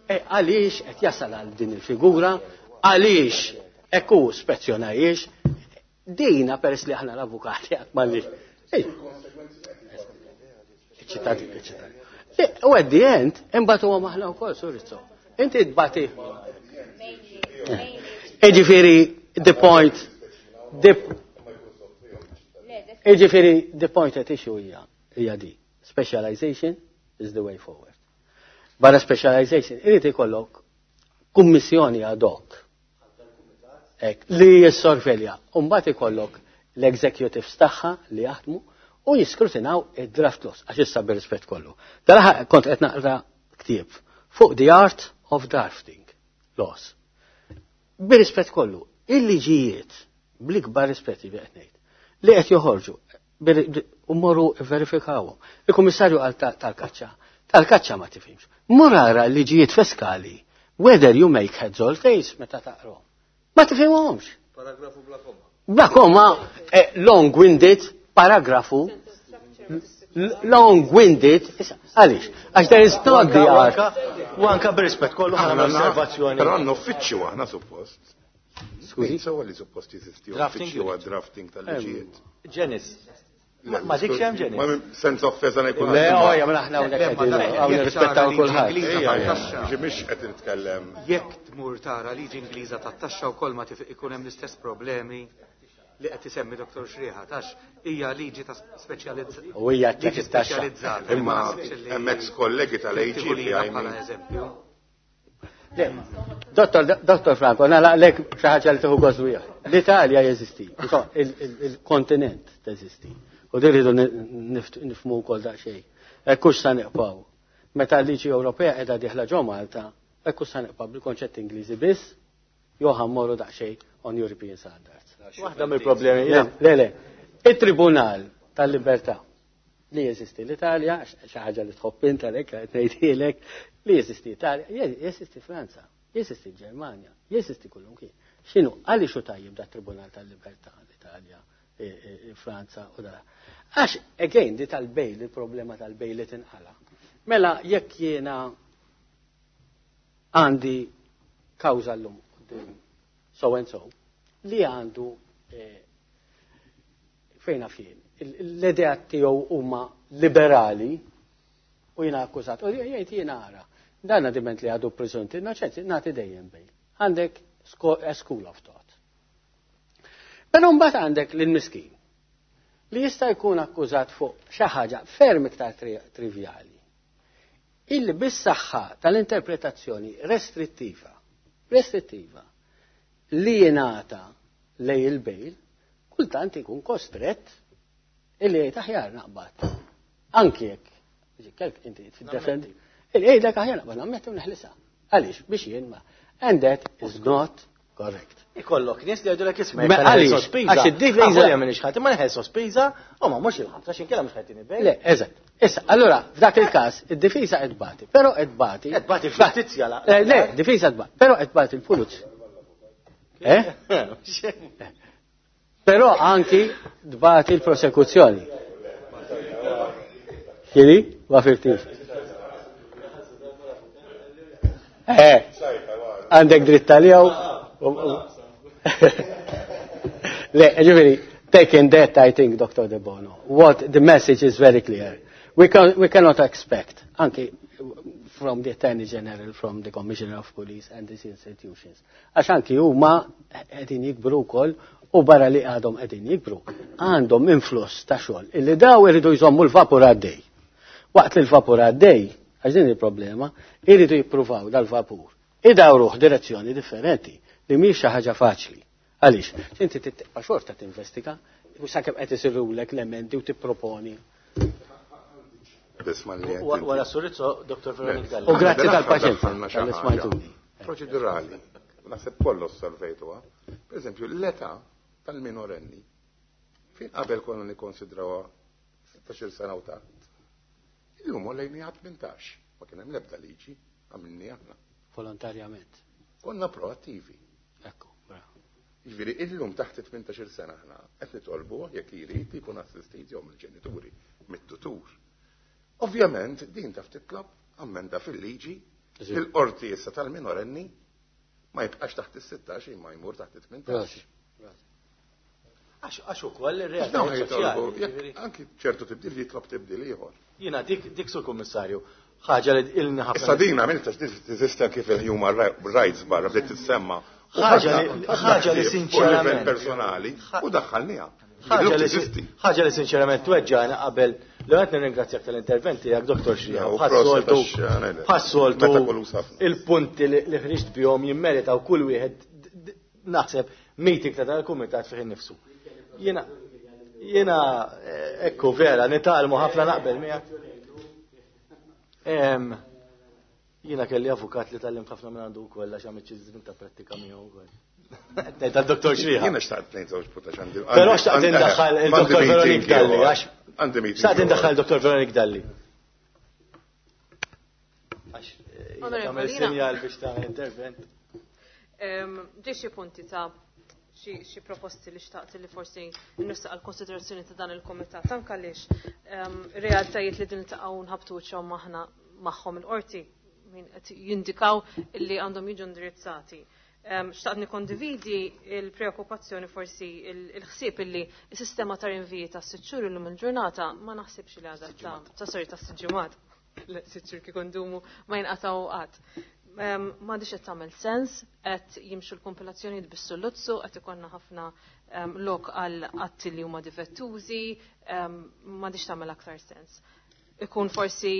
E għaliex qed jasal għal din il-figura, għaliex ekku spezzjonajiex, dina peress li aħna l-avukati għat m'għandniex. Iċ-ċittadini, iċ-ċittadini. U at the end, imbagħad huwa maħna wkoll Sur Rizzo. Inti tbati. Iġifieri the point the Iġifieri the point at issue hija hija di. Specialization is the way forward. Barra specialization, irid ikollok kummissjoni ad hoc. Ek, li jissorvelja. Umbagħad ikollok l-executives tagħha li jaħdmu u jiskrutinaw id-draft laws, għax issa bir-rispett kollu. Dalaħa kont qed naqra ktieb fuq the art of drafting laws. Bir-rispett kollu, il-liġijiet, bl-ikbar rispett li qed ngħid, li qed joħorġu u morru verifikawhom. Il-Kummissarju għal tal-kaċċa, tal-kaċċa ma tifhimx. Mur ara l-liġijiet fiskali, whether you make heads or tails meta taqrom. Ma tifhimhomx. Paragrafu bla komma. Bla komma, eh, long-winded paragrafu long-winded, għaliex, għax there is not the art. U anka bir-rispett kollu ħana osservazzjoni. Però għandna uffiċċju aħna suppost. Skużi? Sewa li suppost jeżisti Drafting uffiċċju unit. għad drafting tal-liġijiet. Ġenis. Ma dik xem Ġenis. Ma senza offesa ngħid. Le, ojja, mela aħna hawnhekk qegħdin hawn nirrispettaw kulħadd. Ġi mhix qed nitkellem. Jekk tmur tara liġi Ingliża tat-taxxa wkoll ma tif ikun hemm l-istess problemi li qed isemmi Dottor Xrieħa, tax hija liġi ta' speċjalizzata. U hija liġi taxxa. speċjalizzata. Imma hemm ex kollegi tal-A G Tieħu li bħala eżempju. Le, Dottor, Dottor Franco, nalaqlek xi ħaġa li tieħu gost biha. L-Italja jeżisti, insomma, il- il- il-kontinent teżisti. U din rridu nifhmu wkoll daqsxejn. Ekkux sa neqpaw. Meta l-liġi Ewropea qiegħda dieħla ġo Malta, ekkux sa neqpaw bil-konċett Ingliżi biss, jew ħammorru daqsxejn on European standards. Waħda mill-problemi. Le, le, le. Il-Tribunal tal-Libertà li jeżisti l-Italja, xi ħaġa li tħobb int għalhekk qed ngħidilek, li jeżisti Italja, jeżisti Franza, jeżisti Ġermanja, jeżisti kullum kien. X'inhu għaliex hu tajjeb da Tribunal tal-Libertà l-Italja, e, e, e, Franza u da. Għax, again, di tal-bail, il-problema tal-bail li tinqala. Mela, jekk jiena għandi kawża llum quddiem so and so, li għandu eh, fejn jien, l-idea tiegħu huma liberali u jiena akkużat, u jgħid jiena ara, dan diment li għadu preżunti innoċenti, nagħti dejjem bail. Għandek a school of thought. Però mbagħad għandek lil-miskin li jista' jkun akkużat fuq xi ħaġa ferm iktar trivjali. Illi bis-saħħa tal-interpretazzjoni restrittiva, restrittiva, li jingħata lej il-bail, kultant ikun kostrett illi jgħid aħjar naqbad. Anki jekk, kelk inti tiddefendi, illi jgħidlek aħjar naqbad, nammetti u neħlisa. Għaliex, biex jien ma. And that is not correct. Ikollok nies li jgħidulek isma' Ma għaliex? Għax id-difiża- Għax minn ħadd, ma neħel sospiża, u ma mhux il-ħabs għax inkella mhux ħajtini bail. Le, eżatt. Issa, allora, f'dak il-każ, id-difiża qed tbati, però qed tbati. Qed tbati l-ġustizzja, la- Le, le, difiża tbati, però qed tbati l-pulizija. Eh? Però anki tbati l-prosekuzzjoni. Xini? Ma fimtix. Eh, għandek dritt għalijaw. Le, ġifieri, taking that, I think, Doctor De Bono, what the message is very clear. We, can, we cannot expect, anki from the Attorney General, from the Commissioner of Police and these institutions. Għax anki huma qegħdin jikbru wkoll u barra li għadhom qegħdin jikbru, għandhom influss ta' xogħol illi daw iridu jżommu l-vapur għaddej. Waqt li l-vapur għaddej, Għax din il-problema, iridu jippruvaw dal-vapur. Idawruh direzzjoni differenti li mhix xi ħaġa faċli. Għaliex? Inti tibqa' xorta tinvestiga, u sakemm qed isirulek l-emendi u tipproponi. Wara Surizzo, Dottor Veronik Dalli. U grazzi tal-paċenza tal-li smajtuni. Proċedurali, naħseb kollu osservejtuha. Per eżempju, l-età tal-minorenni. Fin qabel konna nikkonsidrawha sittax-il sena u taħt. Illum għolejni għad tmintax. Ma kien hemm l-ebda liġi, għamilni aħna. Volontarjament. Konna proattivi. Ekku, bravo. Jiġifieri illum taħt tmintax-il sena aħna qed nitolbu jekk jrid jkun assistit jew mill-ġenituri, mit-tutur. Ovvjament din taf titlob ammenda fil-liġi il-qorti issa tal-minorenni ma jibqax taħt is-sittax imma jmur taħt it-tmintax. Għax ukoll ir-realtà soċjali. Anki ċertu tibdil jitlob tibdil ieħor. Jiena dik dik sur kummissarju, ħaġa li ilni ħafna. Issa din għamilta teżisti anki fil-human rights barra bdiet tissemma. Ħaġa li sinċerament personali u daħħalniha. Ħaġa li sinċerament tweġġana qabel li qed nirringrazzjak tal-intervent tiegħek Dottor Xrija. Bħas-soltu bħas-soltu il-punti li ħriġt bihom jimmeritaw kull wieħed naħseb meeting ta' tal-kumitat fih innifsu. Jiena jiena ekku vera nitgħallmu ħafna naqbel miegħek. Jiena kelli avukat li tgħallimt ħafna minn għandu wkoll għax għamilt xi żmien ta' prattika miegħu wkoll. Tal-Dottor Xrija. Jiena xtaqt ngħid żewġ punti għandi. Però xtaqt indaħħal il-Dottor Veronik Dalli għax xtaqt indaħħal il-Dottor Veronik Dalli. Għax tagħmel sinjal biex tagħmel intervent. Ġie xi punti ta' xi proposti li xtaqt li forsi nistaq għal konsiderazzjoni ta' dan il-komitat anke għaliex realtajiet li din niltaqgħu nħabtu wiċċhom aħna magħhom il-qorti min qed jindikaw li għandhom jiġu indirizzati. Xtaqt nikondividi il-preokkupazzjoni forsi il-ħsieb illi s-sistema ta' rinviji ta' sitt xhur illum il-ġurnata ma naħsibx li għadha ta' sorry ta' sitt ġimgħat. Sitt xhur kif ndumu ma jinqatgħu qatt. M'għadix qed tagħmel sens, qed jimxu l-kompilazzjonijiet bis-sulluzzu, qed ikollna ħafna lok għal atti li huma difettużi, m'għadix tagħmel aktar sens. Ikun forsi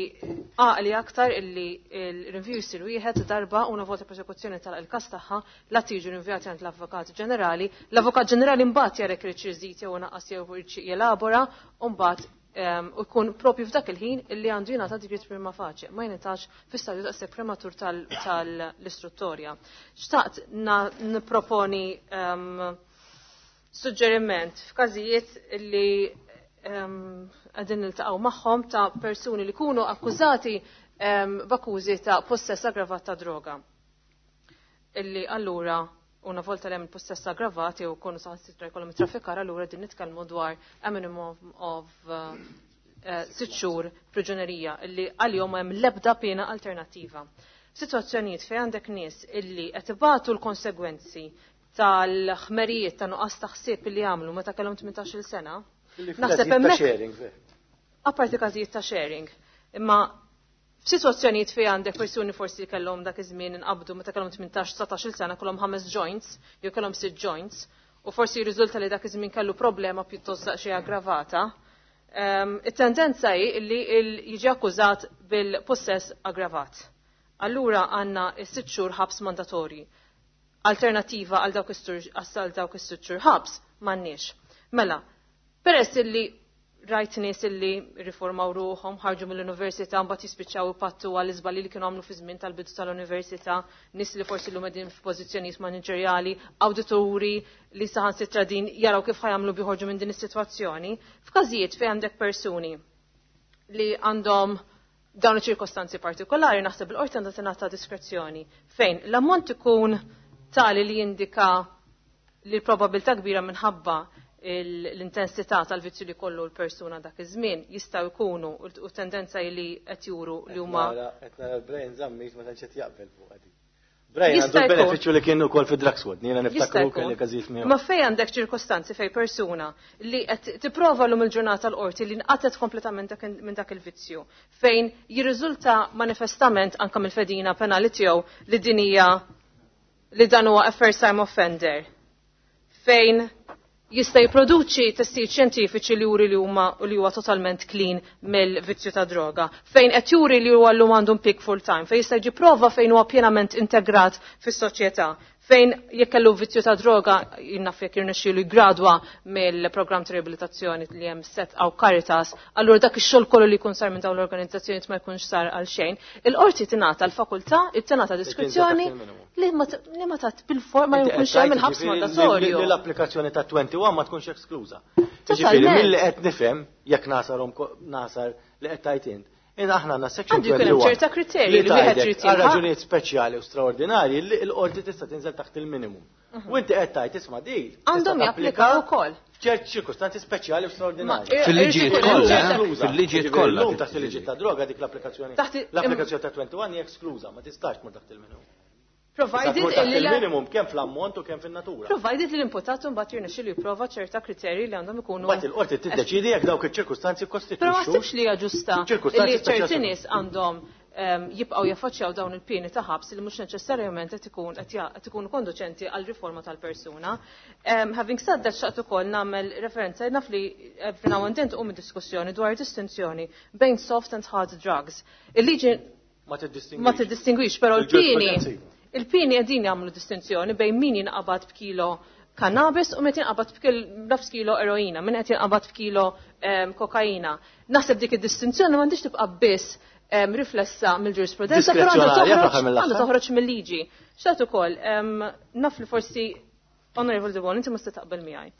għaqli aktar illi il-rinviju jsir wieħed darba u una volta prosekuzzjoni tal-każ tagħha la tiġu rinvijati għand l-Avukat Ġenerali, l-Avukat Ġenerali mbagħad jara jekk irid iżid jew naqqas jew jelabora u mbagħad u jkun propju f'dak il-ħin illi għandu jingħata digrit prima facie, ma jingħatax fi stadju daqshekk prematur tal-istruttorja. Xtaqt nipproponi suġġeriment f'każijiet illi għadin niltaqgħu magħhom ta' persuni li kunu akkużati b'akkużi ta' possess aggravat ta' droga. Illi allura una volta li hemm il-possess aggravat jew kunu saħansitra jkollhom traffikar, allura din nitkellmu dwar a minimum of sitt xhur priġunerija illi għalihom hemm l-ebda pena alternattiva. Sitwazzjonijiet fejn għandek nies illi qed ibatu l-konsegwenzi tal-ħmerijiet ta' nuqqas ta' ħsieb illi għamlu meta kellhom tmintax-il sena. Naħseb hemmhekk apparti każijiet ta' sharing, imma f'sitwazzjonijiet fejn għandek persuni forsi kellhom dak iż-żmien inqabdu meta kellhom tmintax dsatax-il sena kellhom ħames joints jew kellhom sitt joints u forsi jirriżulta li dak iż-żmien kellu problema pjuttost daqsxejn aggravata. It-tendenza hi li jiġi akkużat bil-possess aggravat. Allura għandna s-sitt xhur ħabs mandatorji. Alternativa għal dawk is-sitt xhur ħabs m'għandniex. Mela, peress illi rajt nies illi riformaw ruħhom, ħarġu mill-università, mbagħad jispiċċaw ipattu għal iżbalji li kienu għamlu fi żmien tal-bidu tal-università, nies li forsi llum qegħdin f'pożizzjonijiet maniġerjali, awdituri li saħansitra din jaraw kif ħajamlu biħorġu minn din is-sitwazzjoni. F'każijiet fejn għandek persuni li għandhom dawn iċ-ċirkostanzi partikolari, naħseb il-qorti għandha tingħata diskrezzjoni fejn l-ammont ikun tali li jindika li l-probabilità kbira minħabba l-intensità tal-vizzju li kollu l-persuna dak iż-żmien jistgħu jkunu u tendenza li qed juru li huma. Qed nara l-Brian Zammit ma tantx qed jaqbel fuq għadi. Brian għandu l-benefiċċju li kien ukoll fi drug squad, jiena niftakru kelli każijiet miegħu. Ma fejn għandek ċirkostanzi fejn persuna li qed tipprova lum il-ġurnata l-qorti li nqatet kompletament minn dak il-vizzju, fejn jirriżulta manifestament anke mill-fedina penali tiegħu li din hija li dan huwa a first time offender, fejn Jista' jipproduċi testijiet xjentifiċi li juri li huma li huwa totalment clean mill-vizzju ta' droga. Fejn qed juri li huwa llum għandu impjieg full time, fejn jista' jġib prova fejn huwa pienament integrat fis-soċjetà. Fejn jekk kellu vizzju ta' droga, jinnaf jekk jirnexxielu jgradwa mill-programm ta' riabilitazzjoni li hemm set aw Caritas, allura dak ix-xogħol kollu li jkun sar minn dawn l-organizzazzjonijiet ma jkunx sar għal xejn. Il-qorti tingħata l-fakultà, tingħata diskrezzjoni li ma li ma tat bil-forma jkunx hemm il-ħabs mandatorju. Li l-applikazzjoni ta' wieħed u għoxrin ma tkunx eskluża. Jiġifieri milli qed nifhem jekk nasarhom nasar li qed tajt int. In aħna għandna section Għandu jkun hemm ċerta kriterji li wieħed trid għal raġunijiet speċjali u straordinarji li l-qorti tista' tinżel taħt il-minimum. U inti qed tgħid isma' di. Għandhom japplikaw ukoll. F'ċerti ċirkustanzi speċjali u straordinarji. Fil-liġijiet kollha, fil-liġijiet kollha. Illum taħt il-liġijiet ta' droga dik l-applikazzjoni. L-applikazzjoni ta' wieħed u għoxrin hija eskluża, ma tistax tmur taħt il-minimum. Provided il-minimum kemm fl-ammont u kemm fin-natura. Provided li l-imputat mbagħad jirnexxielu jipprova ċerta kriterji li għandhom ikunu. Mbagħad il-qorti tiddeċiedi jekk dawk iċ-ċirkustanzi kkostitwixxu. Però ma naħsibx li hija ġusta li ċerti nies għandhom jibqgħu jaffaċċjaw dawn il-pieni ta' ħabs li mhux neċessarjament qed ikun qed ikunu konduċenti għal riforma tal-persuna. Having said that, xtaqt ukoll nagħmel referenza naf li every now and then tqum diskussjoni dwar distinzjoni bejn soft and hard drugs. Il-liġi ma tiddistingwix, però l-pieni il-pieni qegħdin jagħmlu distinzjoni bejn min jinqabad b'kilo cannabis u min jinqabad b'nofs kilo eroina, min qed jinqabad b'kilo kokaina. Naħseb dik id-distinzjoni m'għandix tibqa' biss riflessa mill-ġurisprudenza, però għandha toħroġ mill-liġi. Xtaqt ukoll, naf li forsi Honorable Debono, inti ma taqbel miegħi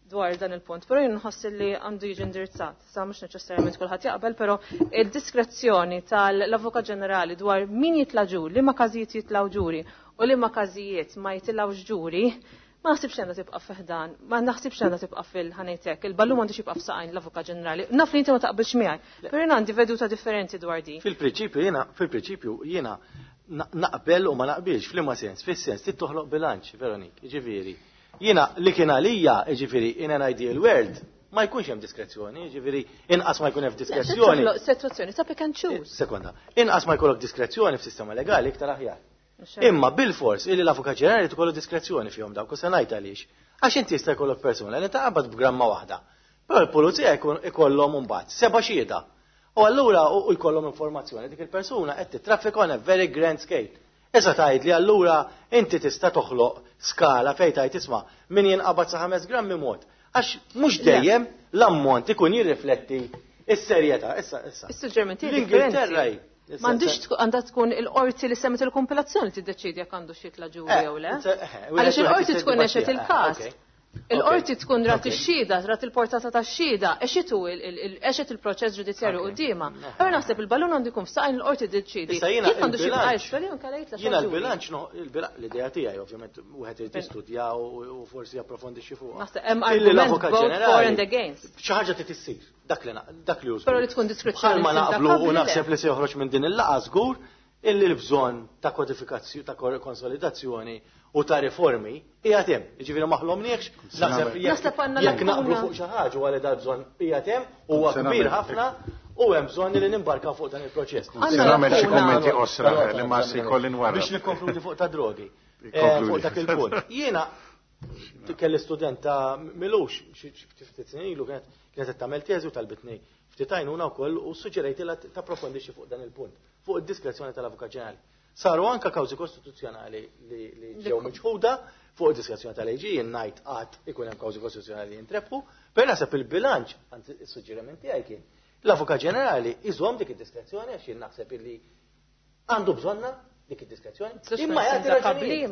dwar dan il-punt, però jien nħoss li għandu jiġi indirizzat, sa mhux neċessarjament kulħadd jaqbel, però id-diskrezzjoni tal-Avukat Ġenerali dwar min jitla' ġuri, liema każijiet jitilgħu ġuri u liema każijiet ma jitilgħux ġuri, ma naħsibx għandha tibqa' fiħdan, ma naħsibx għandha tibqa' fil-ħanejtek, il-ballun m'għandux jibqa' f'saqajn l-Avukat Ġenerali. Naf li inti ma taqbilx miegħi, però jien għandi veduta differenti dwar di. Fil-prinċipju jiena, fil-prinċipju jiena naqbel u ma naqbilx, f'liema sens, fis-sens trid toħloq bilanċ, Veronik, jiġifieri. Jiena li kien għalija, jiġifieri, in an ideal world, ma jkunx hemm diskrezzjoni, jiġifieri inqas ma jkun hemm diskrezzjoni. Sitwazzjoni ta' pick and choose. Sekonda, inqas ma jkollok diskrezzjoni f'sistema legali iktar aħjar. Imma bil-fors illi l-Avukat Ġenerali tkollu diskrezzjoni fihom dawk, u se ngħid għaliex. Għax inti jista' jkollok persuna li taqbad b'gramma waħda. Però l-pulizija jkollhom imbagħad seba' xhieda. U allura u jkollhom informazzjoni dik il-persuna qed titraffika on a very grand scale. Issa tgħid li allura inti tista' toħloq skala fejn tgħid isma' min jinqabad sa ħames grammi mod. Għax mhux dejjem l-ammont ikun jirrifletti is-serjetà. Issa issa. Is-suġġeriment L-Ingilterra hi. M'għandux għandha tkun il-qorti li semmet il-kompilazzjoni tiddeċidi jekk għandu xi jitla' ġuri jew le. Għaliex il-qorti tkun għexet il-każ. Il-qorti tkun rat ix-xhieda, rat il-portata tax-xhieda, għexitu għexet il-proċess ġudizzjarju quddiemha. Allura naħseb il-ballun għandu jkun f'saqajn il-qorti tiddeċiedi. Jekk għandu xi jibqa' isfel jew inkella jitla' Jiena l-bilanċ, l-idea tiegħi ovvjament wieħed irid jistudja u forsi japprofondixxi fuqha. Naħseb hemm argument both for and against. Xi ħaġa trid issir, dak li dak li Però li tkun diskrezzjoni. Bħalma naqblu u naħseb li se joħroġ minn din il-laqgħa żgur illi l-bżonn ta' kodifikazzjoni, ta' konsolidazzjoni u ta' riformi qiegħed hemm. Jiġifieri ma ħlomniex, naħseb jekk naqblu fuq xi ħaġa wara dal bżonn qiegħed hemm huwa kbir ħafna u hemm bżonn li nimbarkaw fuq dan il-proċess. Se nagħmel xi kummenti qosra li ma se jkolli nwarrab. Biex nikkonkludi fuq ta' drogi. Fuq dak il-punt. Jiena kelli student ta' milux xi ftit snin ilu kienet kienet qed tagħmel teżi u talbitni ftit għajnuna wkoll u suġġerejtilha tapprofondixxi fuq dan il-punt, fuq id-diskrezzjoni tal-Avukat Ġenerali. Saru anka kawżi kostituzzjonali li ġew miċħuda fuq id-diskrezzjoni tal-A G, jien ngħid qatt ikun hemm kawżi kostituzzjonali li jintrebħu, però naħseb il-bilanċ, anzi is-suġġeriment tiegħi kien, l-Avukat Ġenerali iżomm dik id-diskrezzjoni għax jien naħseb illi għandu bżonna dik id-diskrezzjoni. Imma jagħti raġunijiet.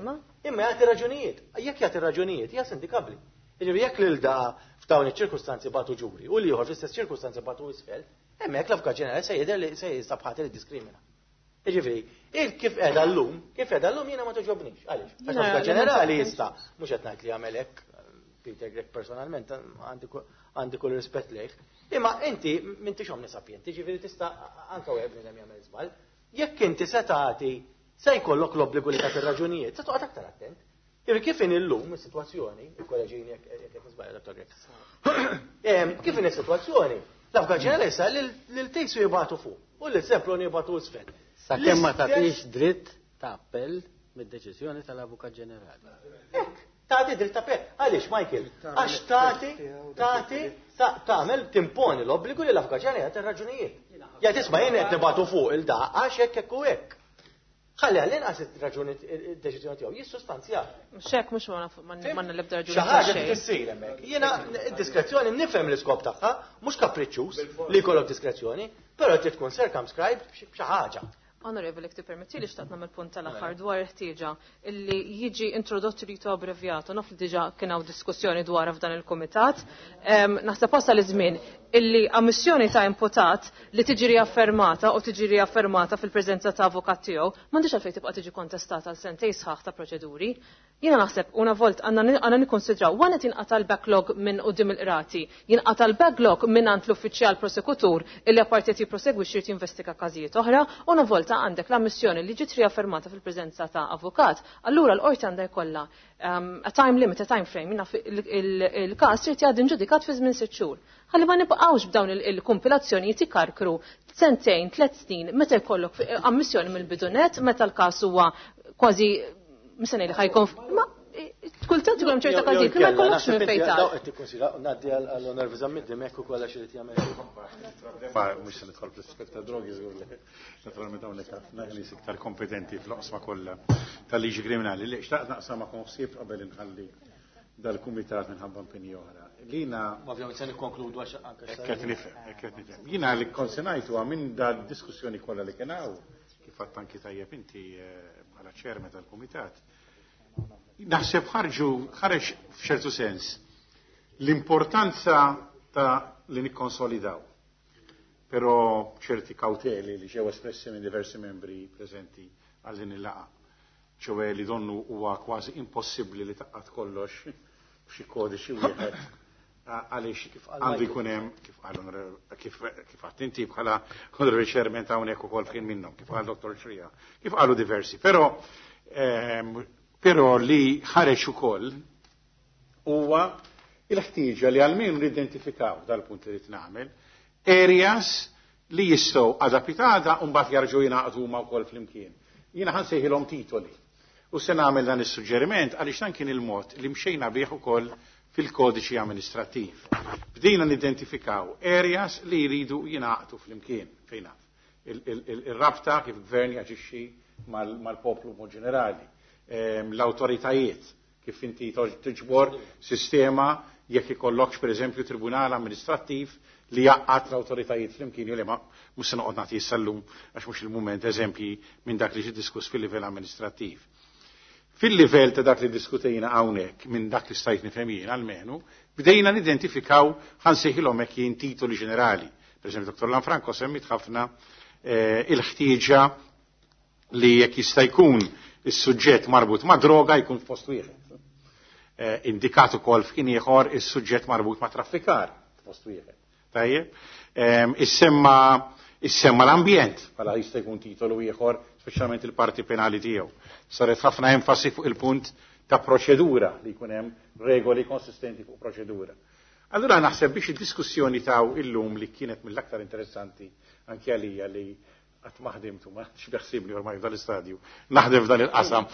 Imma jagħti raġunijiet. Jekk jagħti raġunijiet, hija sindikabbli. Jiġifieri jekk lil da f'dawn iċ-ċirkustanzi bagħtu ġuri u l-ieħor fl-istess ċirkustanzi bagħtu isfel, hemmhekk l-Avukat Ġenerali se jidher li se jinstab ħati li diskrimina. Jiġifieri, il kif qiegħda llum, kif qiegħda llum jiena ma toġobnix. Għaliex? Għax l-Avukat Ġenerali jista' mhux qed ngħid li jagħmel hekk, Peter Grech personalment għandi kull rispett lejh. Imma inti m'intix omnisapjenti, ġifieri tista' anke wieħed bniedem jagħmel żball. Jekk inti se tagħti se jkollok l-obbligu li tagħti raġunijiet, se toqgħod aktar attent. Jiġifieri kif in illum is-sitwazzjoni, il-kolleġini jekk qed nisbajja Dottor Grech. Kif in is-sitwazzjoni, l-Avukat Ġenerali issa lil Tejsu jibgħatu fuq u lil Semploni jibgħatu isfel. Sakemm ma tagħtix dritt ta' appell mid-deċiżjoni tal-Avukat Ġenerali. Hekk. Tagħti dritt ta' appell. Għaliex, Michael? Għax tagħti tagħti tagħmel timponi l-obbligu li l-avukat ġenerali jagħti raġunijiet. Jgħid isma' jien qed nibagħtu fuq il-da għax hekk hekk u hekk. Ħalli għall-inqas ir-raġuni id-deċiżjoni tiegħu jissustanzja. Mhux hekk mhux ma l-ebda raġuni. Xi ħaġa tissir hemmhekk. Jiena d-diskrezzjoni nifhem l-iskop tagħha, mhux kapriċċuż li jkollok diskrezzjoni, però trid tkun circumscribed b'xi ħaġa. Onorevoli, jekk tippermetti li xtaqt nagħmel punt tal-aħħar dwar il-ħtieġa illi jiġi introdott rito abbreviato, naf li diġà kien hawn diskussjoni dwar f'dan il-kumitat. Naħseb wasal iż-żmien illi ammissjoni ta' imputat li tiġi riaffermata u tiġi riaffermata fil-preżenza ta' avukat tiegħu m'għandix għalfejn tibqa' tiġi kontestata għal sentejn sħaħ ta' proċeduri. Jiena naħseb una volt għandna nikkonsidraw wara tinqata' l-backlog minn quddiem il-qrati, jinqata' l-backlog minn għand l-uffiċjal prosekutur illi apparti qed jipprosegwixxi jrid jinvestiga każijiet oħra, una volta għandek l-ammissjoni li ġiet riaffermata fil-preżenza ta' avukat, allura l-qorti għandha jkollha a time limit, a time frame, il-każ irid jgħaddi ġudikat fi żmien sitt xhur. Ħalli ma nibqgħux b'dawn il-kumpilazzjonijiet ikarkru sentejn, tliet snin, meta jkollok ammissjoni mill-bidunet, meta l-każ huwa kważi mistenni li ħajkun ma kultant ikun hemm ċerta każijiet li ma jkollokx minn fejn tagħ. Qed tikkonsidra ngħaddi għall-Onorevoli Zammit Dimech ukoll għax irid jagħmel. Ma mhux se nidħol fl-aspett ta' drogi żgur li. Naturalment hawnhekk ħafna nies iktar kompetenti fl-oqsma kollha tal-liġi kriminali. Li xtaqt naqsam ma' ħsieb qabel inħalli dal-kumitat minħabba impenji oħra. Lina Ovvjament se nikkonkludu għax anke qed nifhem, qed nifhem. Jiena li konsenajtu minn da diskussjoni kollha li kien hawn, kif għadt anki tajjeb inti bħala chairman tal-kumitat. Naħseb ħarġu ħareġ f'ċertu sens l-importanza ta' li nikkonsolidaw. Però ċerti kauteli li ġew espressi minn diversi membri preżenti għal din il-laqgħa. ċoè li donnu huwa kważi impossibbli li taqqat kollox f'xi kodiċi wieħed għaliex għandu jkun hemm kif qal kif kif għadt inti bħala honorary chairman ta' hawnhekk ukoll kien minnhom, kif qal Dottor Xrija, kif qalu diversi. Però però li ħareġ ukoll huwa il-ħtieġa li għalmenu nidentifikaw dal-punt li rrid nagħmel areas li jistgħu adapitada u mbagħad jarġgħu jingħaqdu huma wkoll flimkien. Jiena ħa nsejħilhom titoli. U se nagħmel dan is-suġġeriment għaliex dan kien il-mod li mxejna bih ukoll fil-kodiċi amministrattiv. Bdejna nidentifikaw areas li jridu jingħaqdu flimkien fejn naf. Il-rabta kif gvern jaġixxi mal-poplu mod ġenerali. L-autoritajiet kif inti tiġbor sistema jekk ikollokx pereżempju tribunal amministrattiv li jaqqat l-autoritajiet flimkien jew li ma mhux se noqgħod nagħti issa llum għax mhux il-mument eżempji minn dak li ġie diskuss fil-livell amministrattiv. Fil-livell ta' dak li diskutejna hawnhekk minn dak li stajt nifhem jien almenu, bdejna nidentifikaw ħansejħilhom hekk jien titoli ġenerali. Pereżempju Dottor Lanfranco semmit ħafna il-ħtieġa li jekk jista' jkun is-suġġett marbut ma' droga jkun f'post wieħed. Indikat ukoll f'kien ieħor is-suġġett marbut ma' traffikar f'post wieħed. Tajjeb? Issemma issemma l-ambjent bħala jista' jkun titolu ieħor, speċjalment il-parti penali tiegħu. Saret ħafna enfasi fuq il-punt ta' proċedura li jkun hemm regoli konsistenti fuq proċedura. Allura naħseb biex id-diskussjoni taw illum li kienet mill-aktar interessanti anke għalija li qatt ma ħdimtu, ma x'beħsibni ormai f'dan l-istadju, naħdem f'dan il-qasam.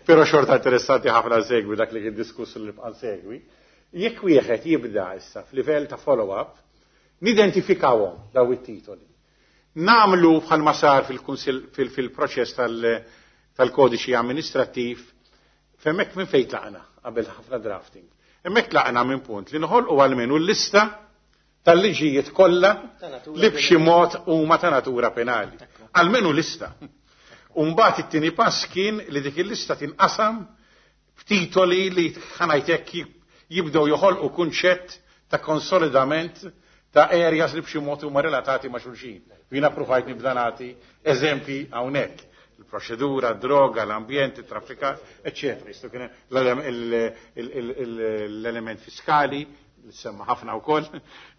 Però xorta interessanti ħafna segwi dak li kien diskuss li nibqa' nsegwi. Jekk wieħed jibda issa f'livell ta' follow-up, nidentifikawhom daw it-titoli. Namlu bħalma sar fil-kunsil fil-proċess tal-kodiċi amministrattiv, f'hemmhekk minn fejn tlaqna qabel ħafna drafting. Hemmhekk tlaqna minn punt li noħolqu għalmenu l-lista tal-liġijiet kollha li b'xi mod huma ta' natura penali. Almenu lista. U mbagħad it-tieni pass kien li dik il-lista tinqasam f'titoli li ħanajtek jibdew joħolqu kunċett ta' konsolidament ta' areas li b'xi mod huma relatati ma' xulxin. Jiena provajt nibda nagħti eżempji hawnhekk. Il-proċedura, droga, l-ambjent, il-traffikar, eccetera. Jistgħu kien l-element fiskali, li semma ħafna wkoll,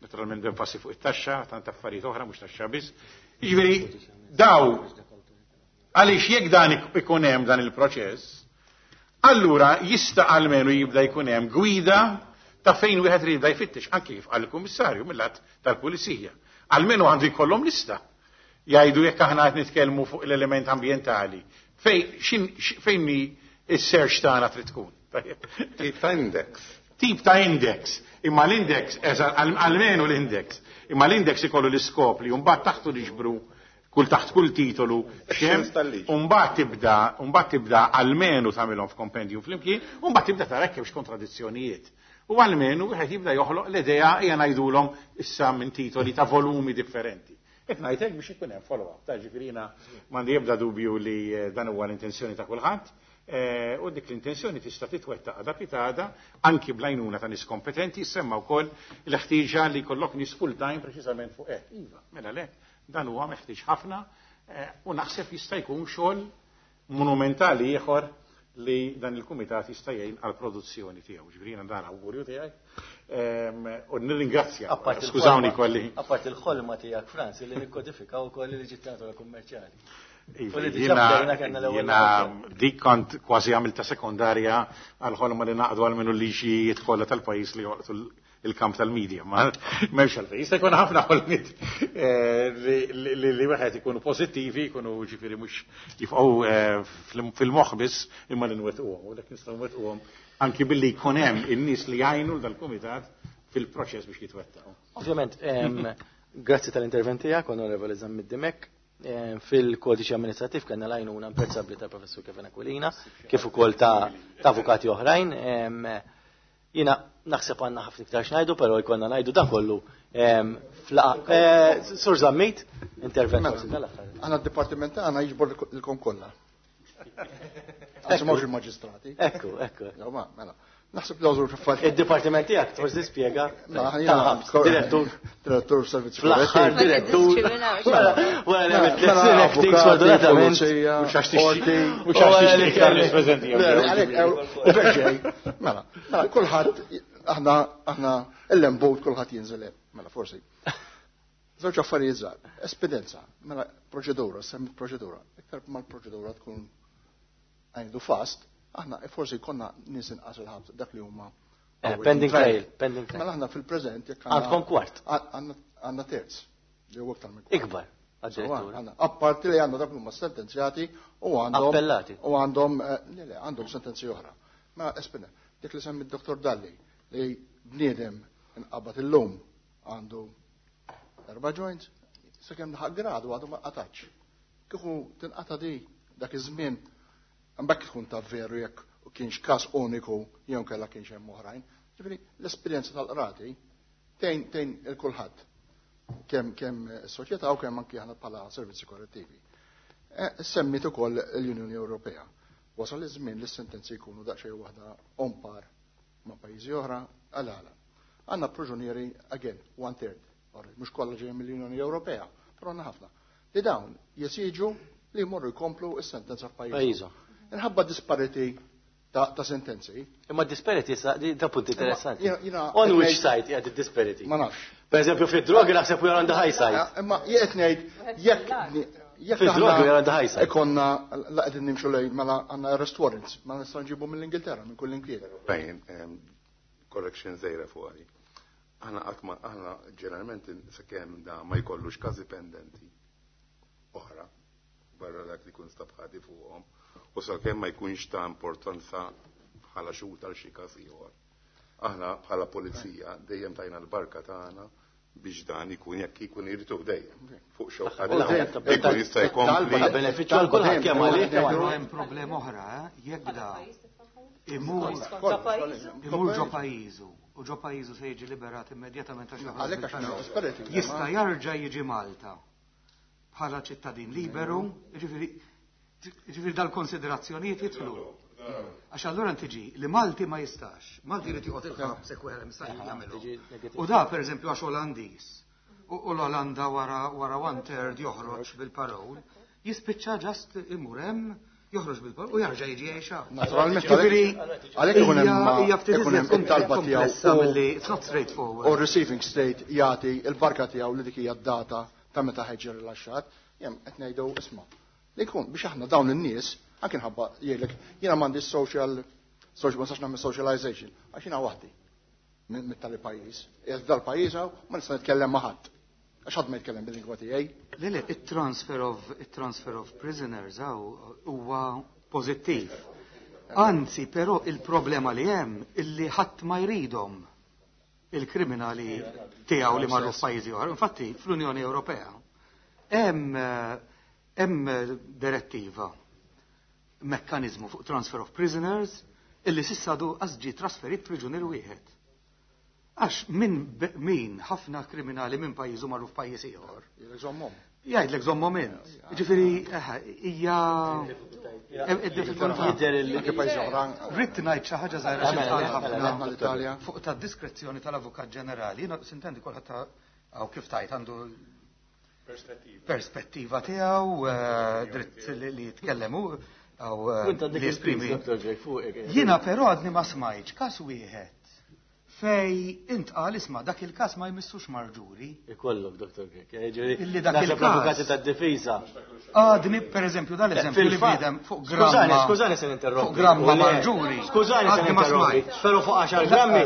naturalment enfasi fuq it-taxxa, tant affarijiet oħra mhux taxxa biss. Jiġifieri daw għaliex jekk dan ikun hemm dan il-proċess, allura jista' almenu jibda jkun hemm gwida ta' fejn wieħed irid jibda jfittex, anke kif qal il-Kummissarju mill-lat tal-Pulizija. Almenu għandu jkollhom lista. Jgħidu jekk aħna qed nitkellmu fuq l-element ambjentali, fejn fejn Is-search tagħna trid tkun. Tip ta' index. Tip ta' index. Imma l-index, almenu l-index, imma l-index ikollu l-iskop li mbagħad taħtu niġbru kull taħt kull titolu xem, mbagħad tibda, mbagħad tibda almenu tagħmilhom f'kompendium flimkien, u mbagħad tibda tara hekk kontradizzjonijiet. U almenu wieħed jibda joħloq l-idea hija ngħidulhom issa minn titoli ta' volumi differenti. Qed ngħidlek biex ikun hemm follow-up, ta' ġifieri jiena m'għandi ebda dubju li dan huwa l-intenzjoni ta' kulħadd. U dik l-intenzjoni tista' titwettaq għada pitgħada anki bl-għajnuna ta' nies kompetenti, semma wkoll l-ħtieġa li jkollok nies full time preċiżament fuq hekk. Iva, mela le, dan huwa meħtieġ ħafna u naħseb jista' jkun xogħol monumentali ieħor li dan il-kumitat jista' jgħin għall-produzzjoni tiegħu. Ġifieri jiena dan awgurju tiegħi u nirringrazzja. Skużawni kolli. Apart il-ħolma tiegħek Franz li nikkodifikaw ukoll il-liġi ta' natura kummerċjali. Jiena dik kont kważi għamilta sekondarja għal-ħolma li naqdu għal minnu liġijiet kollha tal-pajjiż li joqtu il-kamp tal-medja. Ma m'hemmx għalfejn. Jista' jkun ħafna ħolmiet li wieħed ikunu pożittivi, jkunu ġifieri mhux jifqgħu fil-moħħ biss imma li nwettquhom. U dak nistgħu nwettquhom anki billi jkun hemm in-nies li jgħinu dal-kumitat fil-proċess biex jitwettaqu. Ovvjament, grazzi tal-intervent tiegħek, Onorevoli Zammit Dimech. Fil-kodiċi amministrativ kellna l-għajnuna imprezzabbli tal-Professur Kevin Aquilina, kif ukoll ta' avukati oħrajn. Jiena naħseb għandna ħafna iktar x'ngħidu, però jkollna ngħidu dan kollu flaqa. Sur Zammit, intervent forsi tal-aħħar. Aħna d-dipartiment tagħna jiġbor lilkom kollha. Anzi mhux il-maġistrati. Ekku, ekku. Mela. Naħseb l-għażur f'affarijiet. Id-dipartiment tiegħek forsi spjega. Direttur. Direttur servizzi. Fl-aħħar direttur. Wara li għamilt tliet snin acting sfortunatament. Mhux għax mhux għax tixtieq iktar nies preżenti. Mela, mela kulħadd aħna aħna l-lembut kulħadd jinżel hemm, mela forsi. Żewġ affarijiet żgħar. Espidenza, mela proċedura, semmi proċedura. Iktar mal-proċedura tkun għajdu fast, aħna forsi konna nies inqas il-ħabs dak li huma pending trial, pending trial. Mela aħna fil-preżent jekk għandkom kwart. Għandna terz li huwa iktar minn kwart. Ikbar. Apparti li għandna dak li huma sentenzjati u għandhom appellati. U għandhom le le għandhom sentenzi oħra. Ma espina, dik li semmi d-Dottor Dalli li bniedem inqabad illum għandu erba' joints, sakemm laħaq gradu għadu ma qatax. Kieku tinqata' di dak iż-żmien mbagħad tkun ta' veru jekk kienx każ uniku jew kellha kienx hemm oħrajn. Ġifieri l-esperjenza tal-qrati tgħin tgħin il kulħadd kemm kemm is-soċjetà u kemm anki aħna bħala servizzi korrettivi. Semmit ukoll l-Unjoni Ewropea. Wasal iż-żmien li s-sentenzi jkunu daqsxejn waħda on par ma' pajjiżi oħra għal għala. Għandna proġunieri again one third, mhux kollha ġejjin mill-Unjoni Ewropea, però għandna ħafna. Li dawn jesiġu li jmorru jkomplu s-sentenza f'pajjiżhom. Inħabba disparity ta', ta sentenzi. Imma disparity sa da punt interessanti. On which side qiegħed id-disparity? Ma nafx. Per eżempju fid-drogi naħseb we are on the high side. Imma jien qed ngħid jekk jekk fid-drogi we are on the high side. Ikonna la qegħdin nimxu lejn mela għandna arrest warrants, ma nistgħu nġibu mill-Ingilterra minn kull inkwiet. Bejn correction żgħira fuq għali. Aħna qatt ma aħna ġeneralment sakemm da ma jkollux każi pendenti oħra barra dak li jkun stabħati fuqhom u sakemm ma jkunx ta' importanza bħala xhud għal xi każ ieħor. Aħna bħala pulizija dejjem tajna l-barka tagħna biex dan ikun jekk ikun irid dejjem fuq xewqa ikun jista' jkompli. Benefiċċju għal kulħadd kemm għalih. Hemm problema oħra, jekk da imur imur ġo pajjiżu u ġo pajjiżu se jiġi liberat immedjatament għax jista' jarġa' jiġi Malta bħala ċittadin liberu, jiġifieri Ġifieri dal-konsiderazzjonijiet jidħlu. Għax allura tiġi li Malti ma jistax. Malti jrid joqgħod il-ħabs hekk wieħed mista' jagħmelu. U da pereżempju għax Olandiż. U l-Olanda wara wara one third joħroġ bil-parol, jispiċċa ġast imur hemm, joħroġ bil-parol u jarġa' jiġi jgħix. Naturalment, għalhekk ikun hemm ikun hemm it-talba tiegħu milli it's not straightforward. U receiving state jagħti l-barka tiegħu li dik hija d-data ta' meta ħeġġi rilaxxat, jem qed ngħidu isma' li jkun biex aħna dawn in-nies anke nħabba jgħidlek jiena m'għandi social social ma nistax nagħmel socialization għax jiena waħdi mit-tali pajjiż. Qiegħed f'dal-pajjiż hawn ma nista' nitkellem ma' ħadd. Għax ħadd ma jitkellem bil-lingwa tiegħi. Le le, it-transfer of it-transfer of prisoners hawn huwa pożittiv. Anzi, però il-problema li hemm illi ħadd ma jridhom il-kriminali tiegħu li marru f'pajjiżi oħra. Infatti, fl-Unjoni Ewropea hemm hemm direttiva, mekkaniżmu fuq transfer of prisoners illi s'issa għadu qas ġie trasferit priġunier wieħed. Għax min min ħafna kriminali minn pajjiżu marru f'pajjiż ieħor. Jgħidlek żommhom int. Ġifieri hija id-diffikultà. Ridt ngħid xi ħaġa żgħira xi ħafna fuq ta' diskrezzjoni tal-Avukat Ġenerali. Jiena sintendi kulħadd hawn kif tajt għandu perspettiva tiegħu, dritt li jitkellem hu għaw li jesprimi. Jiena però għadni ma smajtx każ wieħed fej intqal isma' dak il-każ ma jmissux marġuri. Ikollok, Dottor Grech. Illi dak il-każ. Avukati tad-difiża. Għadni, per eżempju, dal-eżempju li bniedem fuq gramma. Skużani, skużani se ninterrompi. Fuq gramma marġuri. Skużani se ninterrompi. Però fuq għaxar grammi.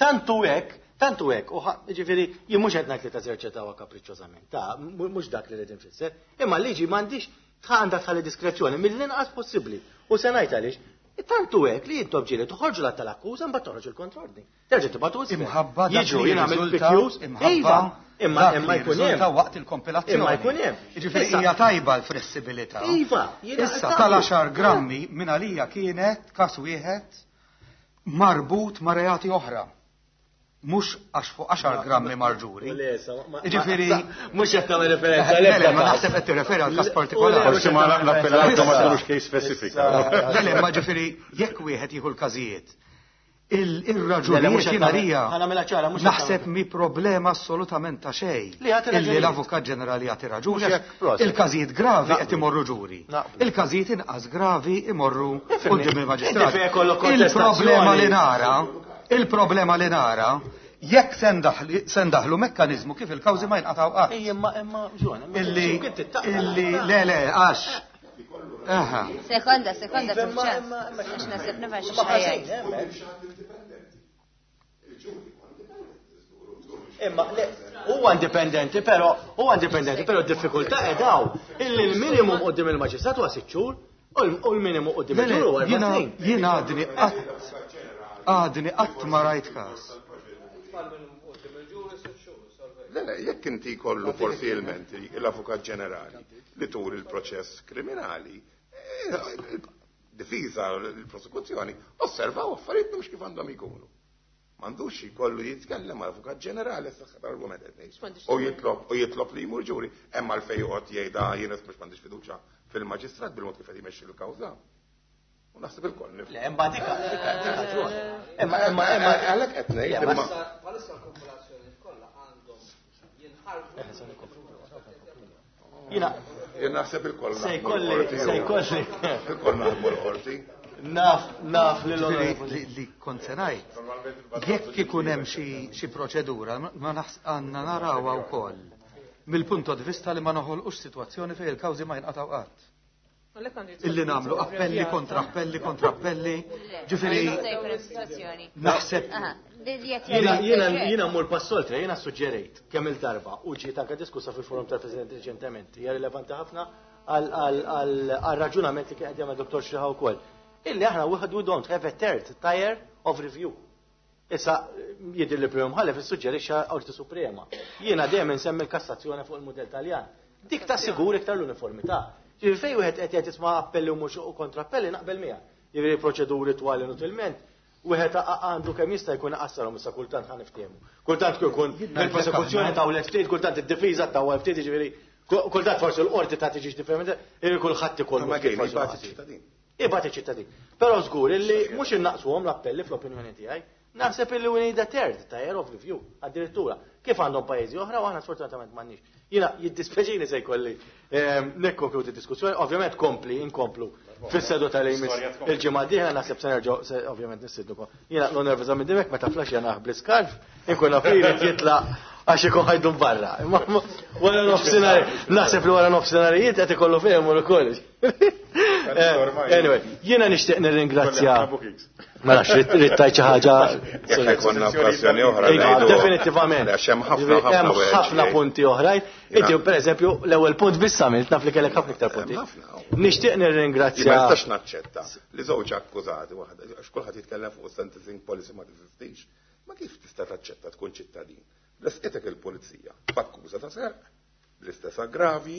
Tantu hekk, tantu hekk, u ġifieri jien mhux qed ngħid li teżerċitawha kapriċċożament, ta' mhux dak li rrid infisser, imma l-liġi m'għandix għandha tħalli diskrezzjoni mill-inqas possibbli. U se ngħid għaliex, tantu hekk li intom ġieli toħorġu l tal-akkuża mbagħad toħroġ il-kontrordni. Terġa' tibgħatu isfel. Imħabba dak Jiġu li jien għamilt jirriżulta, P Qs. imħabba Iva, imma dak imma li jkun jirriżulta hemm. waqt il-kompilazzjoni. Imma jkun hemm. Jiġifieri Issa- hija tajba l-flessibilità. Iva, jiena Issa tagħmlu. tal-għaxar grammi minn għalija kienet każ wieħed marbut ma' reati oħra. Mhux għax fuq għaxar grammi marġuri. Jiġifieri Mhux qed nagħmel referenza Le, l-ebda le, ma każ. naħseb qed tirreferi għal każ partikolari. Forsi ma l-appellanti ma tkunux case specific. Le, le, ma ġifieri jekk wieħed jieħu l-każijiet, il-raġunijiet jien għalija Ħa nagħmilha ċara, mhux qed naħseb mi problema assolutament ta' xejn. Li jagħti Illi raġunijiet. l-Avukat Ġenerali jagħti raġuni. Mhux hekk, proset. Il-każijiet gravi Naqblu. qed imorru ġuri. Naqblu. Il-każijiet inqas gravi imorru Ifhimni. quddiem Inti il-maġistrat. fejn ikollok Il-problema li kontestazzjoni. nara, il-problema li nara, jekk se ndaħli- se ndaħlu mekkaniżmu kif il-kawżi ma jinqatgħu qatt. Ej, imma imma Ġwan, imma Illi, x'imkien tittaqla. illi, le, le, għax. Aha. Sekonda, sekonda, Iva, imma- ċans. imma- imma- Għax naħseb nifhem xi Imma ħażin, xħajjajt. hemmhekk. Imma le, huwa indipendenti, però huwa indipendenti, però d-diffikultà qed illi l-minimum quddiem il-maġistrat huwa sitt xhur u l- u l-minimum quddiem Le, le, il-ġur huwa erba' jiena snin. jiena għadni qatt għadni qatt ma rajt każ. Le, le, jekk inti kollu forsi ilmenti l-Avukat Ġenerali li tur il-proċess kriminali, eh, il-difiża, il-prosekuzzjoni, osservaw affarijiet mhux kif għandhom ikunu. M'għandux jkollu jitkellem mal-Avukat Ġenerali s-saħħa tal-argument qed ngħid. U jitlob u jitlob li jmur ġuri, hemm għalfejn joqgħod jgħidha jien mhux m'għandix fiduċja fil-maġistrat bil-mod kif qed jmexxi l-kawża. U naħseb ilkoll nifhmu. Le, imma dika, dika, dika, Ġwan. Imma imma imma Għalhekk qed ngħid Le, ma imma Palissa l-kompilazzjoni kollha għandhom jinħarġu. Jiena jien naħseb ilkoll se naħdmu jkolli l-qorti. se jkolli Ilkoll naħdmu l-qorti. naf naf li Ġifieri l-onorevoli. li li kont se ngħid, jekk ikun hemm xi xi proċedura ma naħs għandna narawha wkoll mill-punto di vista li ma noħolqux sitwazzjoni fejn il-kawżi ma jinqatgħu qatt. Illi nagħmlu appelli kontra appelli kontra appelli, ġifieri Jista' jkun hemm sitwazzjoni. naħseb Aha, li li qed Jiena jgħid jiena Grech. jiena mmur pass oltre, jiena suġġerejt kemm il-darba u ġiet anke diskussa fil-forum tal-President reċentement, hija rilevanti ħafna għal għal għal raġunament li kien qed jagħmel Dottor Xiha wkoll. Illi aħna we we don't have a third tier of review. Issa jidher li Prim Mħallef issuġġerixxa Qorti Suprema. Jiena dejjem insemmi l-kassazzjoni fuq il-mudell Taljan. Dik ta' sigur iktar l-uniformità. Ġifieri fejn wieħed qed jgħid isma' appelli u mhux u kontrappelli naqbel miegħek. Jiġifieri proċeduri twal inutilment, wieħed għandu kemm jista' jkun iqassarhom issa kultant ħa niftehmu. Kultant jkun il-prosekuzzjoni tawlet ftit, kultant id-difiża tawlet ftit, jiġifieri kultant forsi l-qorti ta' tiġix differenti, jiġifieri kulħadd ikollu Ma ftit għejn, forsi jibgħat naqsi. iċ-ċittadin. Ibgħat iċ-ċittadin. Però żgur illi mhux innaqsuhom l-appelli fl-opinjoni tiegħi, naħseb illi we need a third tier of review, addirittura. Kif għandhom pajjiżi oħra u aħna sfortunatament m'għandniex. Jiena jiddispjaċini se jkolli ehm, nikkonkludi diskussjoni, ovvjament kompli, inkomplu fis-seduta li jmiss il-ġimgħa d-dieħla naħseb se nerġgħu se ovvjament nissidnukom. Jiena l-nervuża minn dimek meta flash jana bl-iskarf, inkun naf li jrid jitlaq għax ikun ħajdum barra. Imma wara nofsinhar, naħseb li wara nofsinharijiet qed ikollu fejn imur ukoll. Anyway, jiena nixtieq nirringrazzja. Ma nafx, ridt tgħid xi ħaġa. Jekk ikollna okkażjoni oħra ngħidu. Definitivament. Għax hemm ħafna ħafna ħafna punti oħrajn. Inti pereżempju l-ewwel punt biss għamilt, naf li kellek ħafna iktar punti. Nixtieq nirringrazzja. Ma nistax naċċetta li żewġ akkużati waħda għax kulħadd jitkellem fuq sentencing policy ma teżistix. Ma kif tista' taċċetta tkun ċittadin? Resqitek il-pulizija b'akkuża ta' serq, bl-istess aggravi,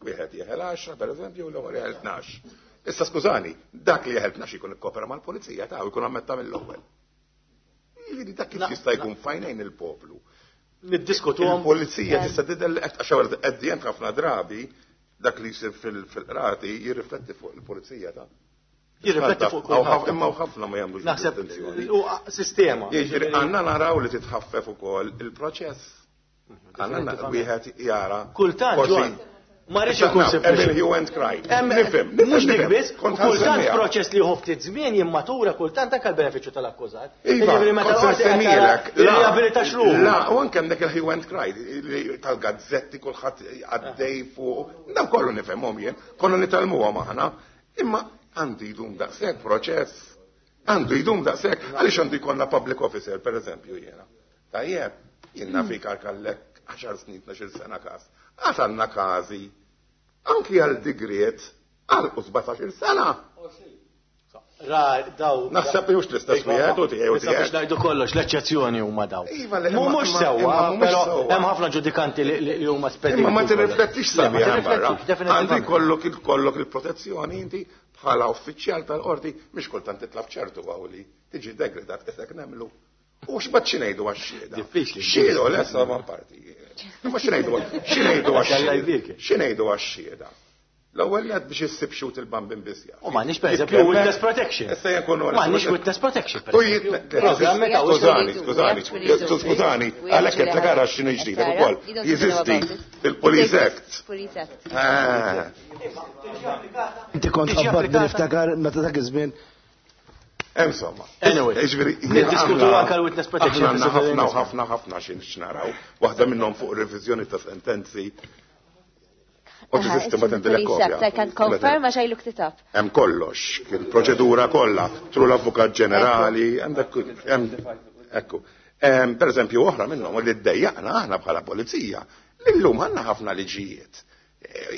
wieħed jeħel għaxra pereżempju u l-ieħor jeħel tnax. Issa skużani, dak li jeħel tnax ikun ikkopera mal-pulizija ta' jkun ammetta mill-ewwel. Jiġifieri dak kif jista' jkun fajnejn il-poplu. Niddiskutuhom. Il-pulizija tista' tidher li qed għax qed ħafna drabi dak li jsir fil-qrati jirrifletti fuq il-pulizija ta' Jirrifletti fuq kulħadd. Imma ħafna ma jagħmlux. Naħseb u sistema. Jiġifieri għandna naraw li titħaffef ukoll il-proċess. Għandna wieħed jara. Kultant, ma rridx ikun sempliċi. Hemm hue and cry. Nifhem. Mhux dik biss, kultant proċess li jieħu ftit żmien jimmatura kultant anke l-benefiċċju tal-akkużat. Iva, kont riabilita xruħ. La, u anke hemmhekk il-hue and cry tal-gazzetti kulħadd għaddej fuq. Dan kollu nifhemhom jien, konna nitgħallmuhom aħna. Imma għandu jdum daqshekk proċess. Għandu jdum daqshekk. Għaliex għandu jkollna public officer, per eżempju, jiena. Tajjeb, jiena fikar kallek għaxar snin, tnax-il sena każ. Għad għandna każi anki għal digriet għal sbatax-il sena. Naħseb li mhux l-istess wieħed u tiegħu tiegħu. Biex ngħidu kollox, l-eċċezzjoni huma daw. Mhux sewwa, però hemm ħafna ġudikanti li huma spediti. Imma ma tirriflettix sabiħ barra. Għandu jkollok ikollok il-protezzjoni inti bħala uffiċjal tal-qorti mhix kultant titlab ċertu għawli tiġi degredat qisek nemmlu. U x'bad xi ngħidu għax-xhieda? Diffiċli. Xhieda lesa ma parti. Ma xi ngħidu xi ngħidu għax-xhieda? Xi ngħidu għax-xhieda? L-ewwel qed biex issib xut il-bambin biss jaf. U m'għandniex pereżempju witness protection. Issa jkunu M'għandniex witness protection. Skużani, skużani, skużani, għalhekk qed tara x'inhu ġdid ukoll. Jeżisti il-Police Act. Police Act. Inti kont qabad niftakar meta dak iż-żmien. Insomma. Anyway, niddiskutu anke l-witness protection. Ħafna u ħafna ħafna xi naraw. Waħda minnhom fuq reviżjoni ta' sentenzi. U teżisti ma tendilek kopja. I can confirm għax I looked it up. Hemm kollox, il-proċedura kollha, tru l-Avukat Ġenerali, għandek ekku. Per eżempju, oħra minnhom li ddejjaqna aħna bħala pulizija, li llum għandna ħafna liġijiet.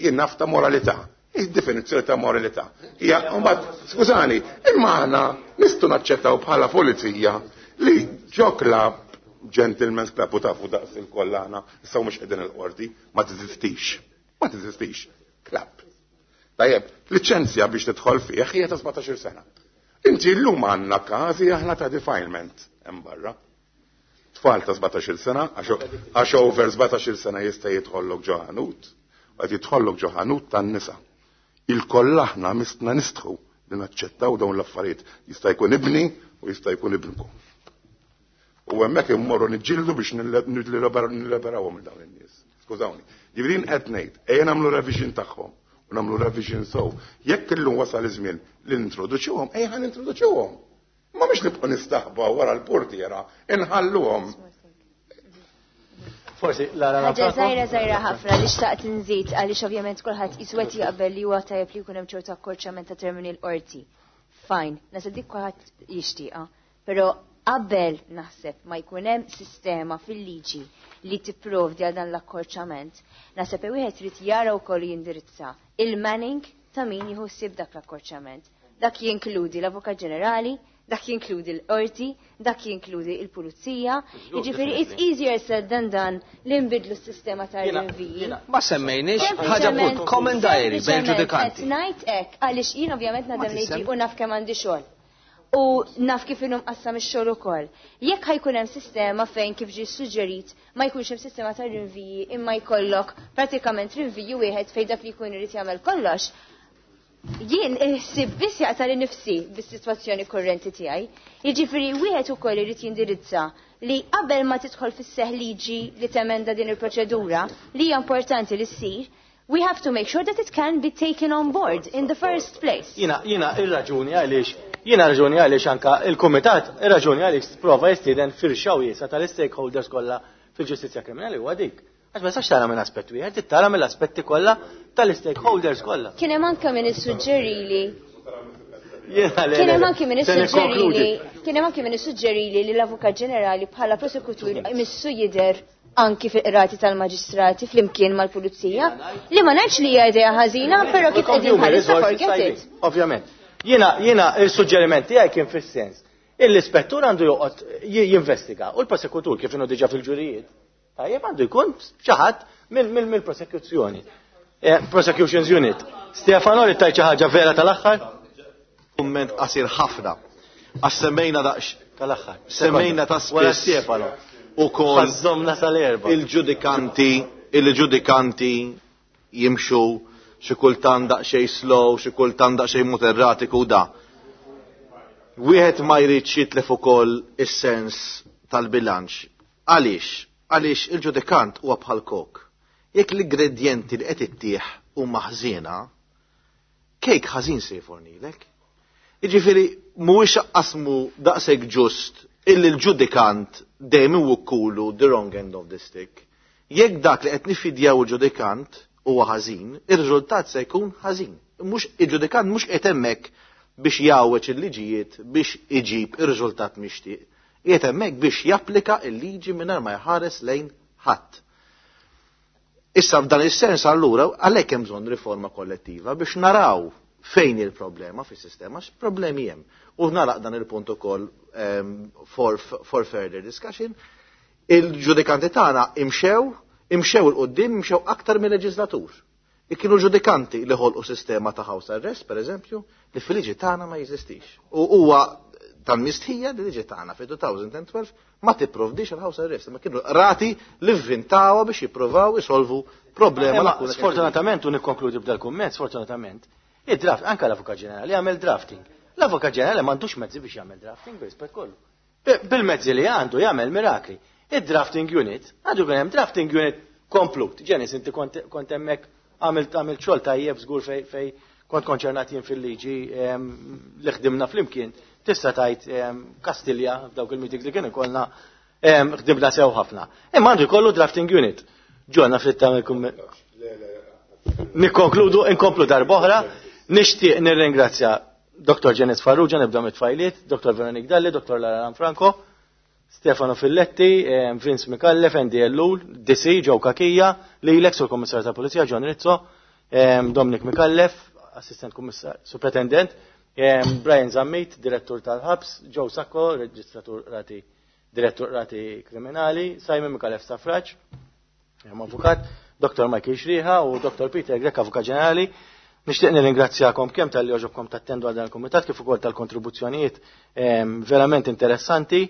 Jien naf ta' moralità. Id-definizzjoni ta' moralità. Hija mbagħad, skużani, imma aħna nistgħu naċċettaw bħala pulizija li ġo club, gentleman's club u tafu daqs il-kollana, issa mhux qegħdin il-qorti, ma teżistix. Ma teżistix. Club. Tajjeb, liċenzja biex tidħol fih hija ta' sbatax-il sena. Inti llum għandna każi aħna ta' defilement hemm barra. Tfal ta' sbatax-il sena, għax over sbatax-il sena jista' jidħollok ġo ħanut, qed jidħollok ġo ħanut tan-nisa. Il-koll aħna mistna nistħu li naċċettaw dawn l-affarijiet. Jista' jkun ibni u jista' jkun ibnkom. U hemmhekk immorru niġġieldu biex nilliberawhom minn dawn in-nies. Skużawni. Ġifieri qed ngħid, ejja nagħmlu revision tagħhom u nagħmlu revision sew. Jekk illum wasal iż-żmien li nintroduċuhom, ejja nintroduċuhom. Ma mhux nibqgħu nistaħba wara l-portiera, inħalluhom. Forsi, Lara Ħaġa żgħira żgħira ħafna li xtaqt nżid għaliex ovvjament kulħadd iswed jaqbel li huwa tajjeb li jkun hemm ċertu akkorċament ta' termini l-qorti. Fine, naħseb dik kulħadd jixtieqha, però qabel naħseb ma jkun hemm sistema fil-liġi li tipprovdi għal dan l-akkorċament, naħseb wieħed irid jara wkoll jindirizza il-manning ta' min jieħu ssib dak l-akkorċament. Dak jinkludi l-Avukat Ġenerali, dak jinkludi l-qorti, dak jinkludi l-pulizija. Jiġifieri it's easier said than done li nbidlu s-sistema ta' rinviji. Ma semmejniex ħaġa punt common diary bejn ġudikanti. Qed ngħid hekk għaliex jien ovvjament nadem liġi u naf kemm għandi xogħol. U naf kif inhu mqassam ix-xogħol ukoll. Jekk ħajkun hemm sistema fejn kif ġie suġġerit ma jkunx hemm sistema ta' rinviji imma jkollok pratikament rinviju wieħed fejn dak li jkun irid jagħmel kollox. Jien ħsib biss jaqta' li nifsi bis-sitwazzjoni kurrenti tiegħi. Jiġifieri wieħed ukoll irid jindirizza li qabel ma tidħol fis-seħ liġi li temenda din il-proċedura li hija importanti li ssir, we have to make sure that it can be taken on board in the first place. Jiena jiena ir-raġuni għaliex jiena raġuni għaliex anka il-kumitat ir-raġuni għaliex prova jistieden firxa wiesa tal-stakeholders kollha fil-ġustizzja kriminali huwa dik. Għax ma tistax tara minn aspett wieħed, trid tara mill-aspetti kollha tal-stakeholders kollha. Kien hemm anke min issuġġerili Kien hemm anke min issuġġerili kien hemm anke min issuġġerili li l-Avukat Ġenerali bħala prosekutur imissu jidher anki fil-qrati tal-maġistrati flimkien mal-pulizija, li ma ngħidx li hija idea ħażina, però kif qegħdin bħalissa forget it. Ovvjament. Jiena jiena il-suġġeriment tiegħi kien fis-sens l-ispettur għandu joqgħod jinvestiga u l-prosekutur kif inhu diġà fil-ġurijiet. Tajjeb, għandu jkun xi ħadd mill-prosekuzzjoni. Prosecutions Unit. Stefano, li tajt xi ħaġa vera tal-aħħar? Kumment qasir ħafna. Għax semmejna daqs tal-aħħar. Semmejna ta' Wara spiss Stefano. ukoll Ħażżomna sal-erba. Il-ġudikanti, il-ġudikanti jimxu xi kultant daqsxejn slow, xi kultant daqsxejn mod erratiku da. Wieħed ma jridx jitlef ukoll is-sens tal-bilanċ. Għaliex? Għaliex il-ġudikant huwa bħal kok. Jekk l-ingredjenti li qed ittieħ huma ħżiena, kejk ħażin se jfornilek. Jiġifieri mhuwiex qasmu daqshekk ġust illi l-ġudikant dejjem iwukkulu the wrong end of the stick. Jekk dak li qed nifidjaw il-ġudikant huwa ħażin, ir-riżultat se jkun ħażin. Mhux il-ġudikant mhux qed hemmhekk biex jgħawweġ il-liġijiet biex iġib ir-riżultat mixtieq. Qiegħed hemmhekk biex japplika l-liġi mingħajr ma jħares lejn ħadd. Issa f'dan is-sens allura għalhekk hemm bżonn riforma kollettiva biex naraw fejn il-problema fis-sistema, x'problemi hemm. U naraq dan il-punt ukoll um, for, for further discussion. Il-ġudikanti tagħna imxew, imxew 'il quddiem, imxew aktar mill-leġislatur. Kienu ġudikanti li ħolqu sistema ta' house arrest, per eżempju, li fil-liġi tagħna ma jeżistix. U huwa tal-mistħija li liġi tagħna fi elfejn u tnax ma tipprovdix il-house arrest, ma kienu rati li vvintawha biex jippruvaw isolvu problema. Imma sfortunatament, u nikkonkludi b'dal kumment, sfortunatament, id-draft, anka l-Avukat Ġenerali jagħmel drafting. L-Avukat Ġenerali m'għandux mezzi biex jagħmel drafting b'rispett kollu. Bil-mezzi li għandu jagħmel mirakli. Id-drafting unit, għandu jkun hemm drafting unit komplut. Ġenis, inti kont hemmhekk, għamilt għamilt xogħol tajjeb żgur fej fej kont konċernat jien fil-liġi li ħdimna flimkien. Tista' tajt Kastilja f'dawk il-meetings li kien ikollna, ħdimna sew ħafna. Imma għandu jkollu drafting unit. Ġonna ftit tagħmel kumment. Nikkonkludu, inkomplu darb'oħra. Nixtieq nirringrazzja Doktor Janice Farrugia, nibda mit-tfajliet, Doktor Veronique Dalli, Doktor Lara Franco, Stefano Filletti, Vince Micallef, Andy Ellul, D C, Joe Cachia, lilek sur Kommissarju ta' Pulizija, John Rizzo, Dominic Micallef, Assistent Kommissar, Superintendent, Brian Zammit, Direttur tal-Ħabs, Joe Sacco, Reġistratur Rati, Direttur Rati Kriminali, Simon Micallef Stafrace, Avukat, Doktor Michael Xriħa u Doktor Peter Grech, Avukat Ġenerali. Nixtieq nirringrazzjakom kemm talli għoġobkom tattendu għal dan il-kumitat kif ukoll tal-kontribuzzjonijiet verament interessanti.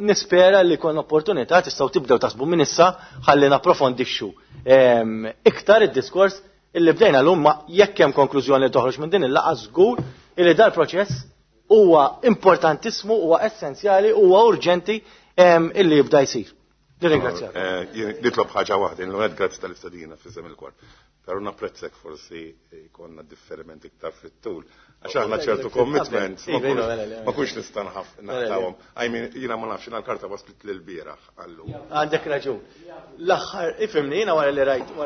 Nispera li kon opportunità tistgħu tibdew taħsbu minn issa ħalli napprofondixxu iktar id-diskors illi bdejna llum, ma jekk hemm konklużjoni li toħroġ minn din il-laqgħa, żgur illi dal-proċess huwa importantissimu, huwa essenzjali, huwa urġenti illi jibda jsir. Nirringrazzjak. Nitlob ħaġa waħda, l grazzi tal-istedina f'isem il-kor. Però napprezzek forsi jkollna differimenti iktar fit-tul. Għax aħna ċertu commitments ma kunx nista' naqtawhom. I mean, jiena ma nafx, l-karta waslet lil bieraħ għallu. Għandek raġun. L-aħħar, ifhimni, jiena wara li rajt,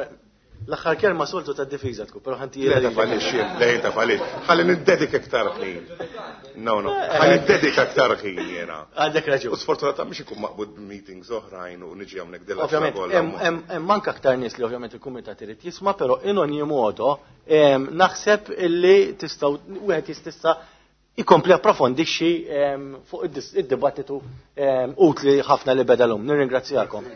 l-aħħar kelma soltu ta' difiża tkun, però ħanti Le tafalix, le tafalix. Ħalli niddedika iktar ħin. No, no, ħalli niddedika iktar ħin jiena. Għandek raġun. U sfortunatament mhux ikun maqbud b'meetings oħrajn u niġi hawnhekk dilla. Ovvjament, hemm manka aktar nies li ovvjament il-kumitat irid jisma', però in ogni modo naħseb illi tistgħu wieħed jistista' jkompli approfondixxi fuq id-dibattitu utli ħafna li beda llum. Nirringrazzjakom.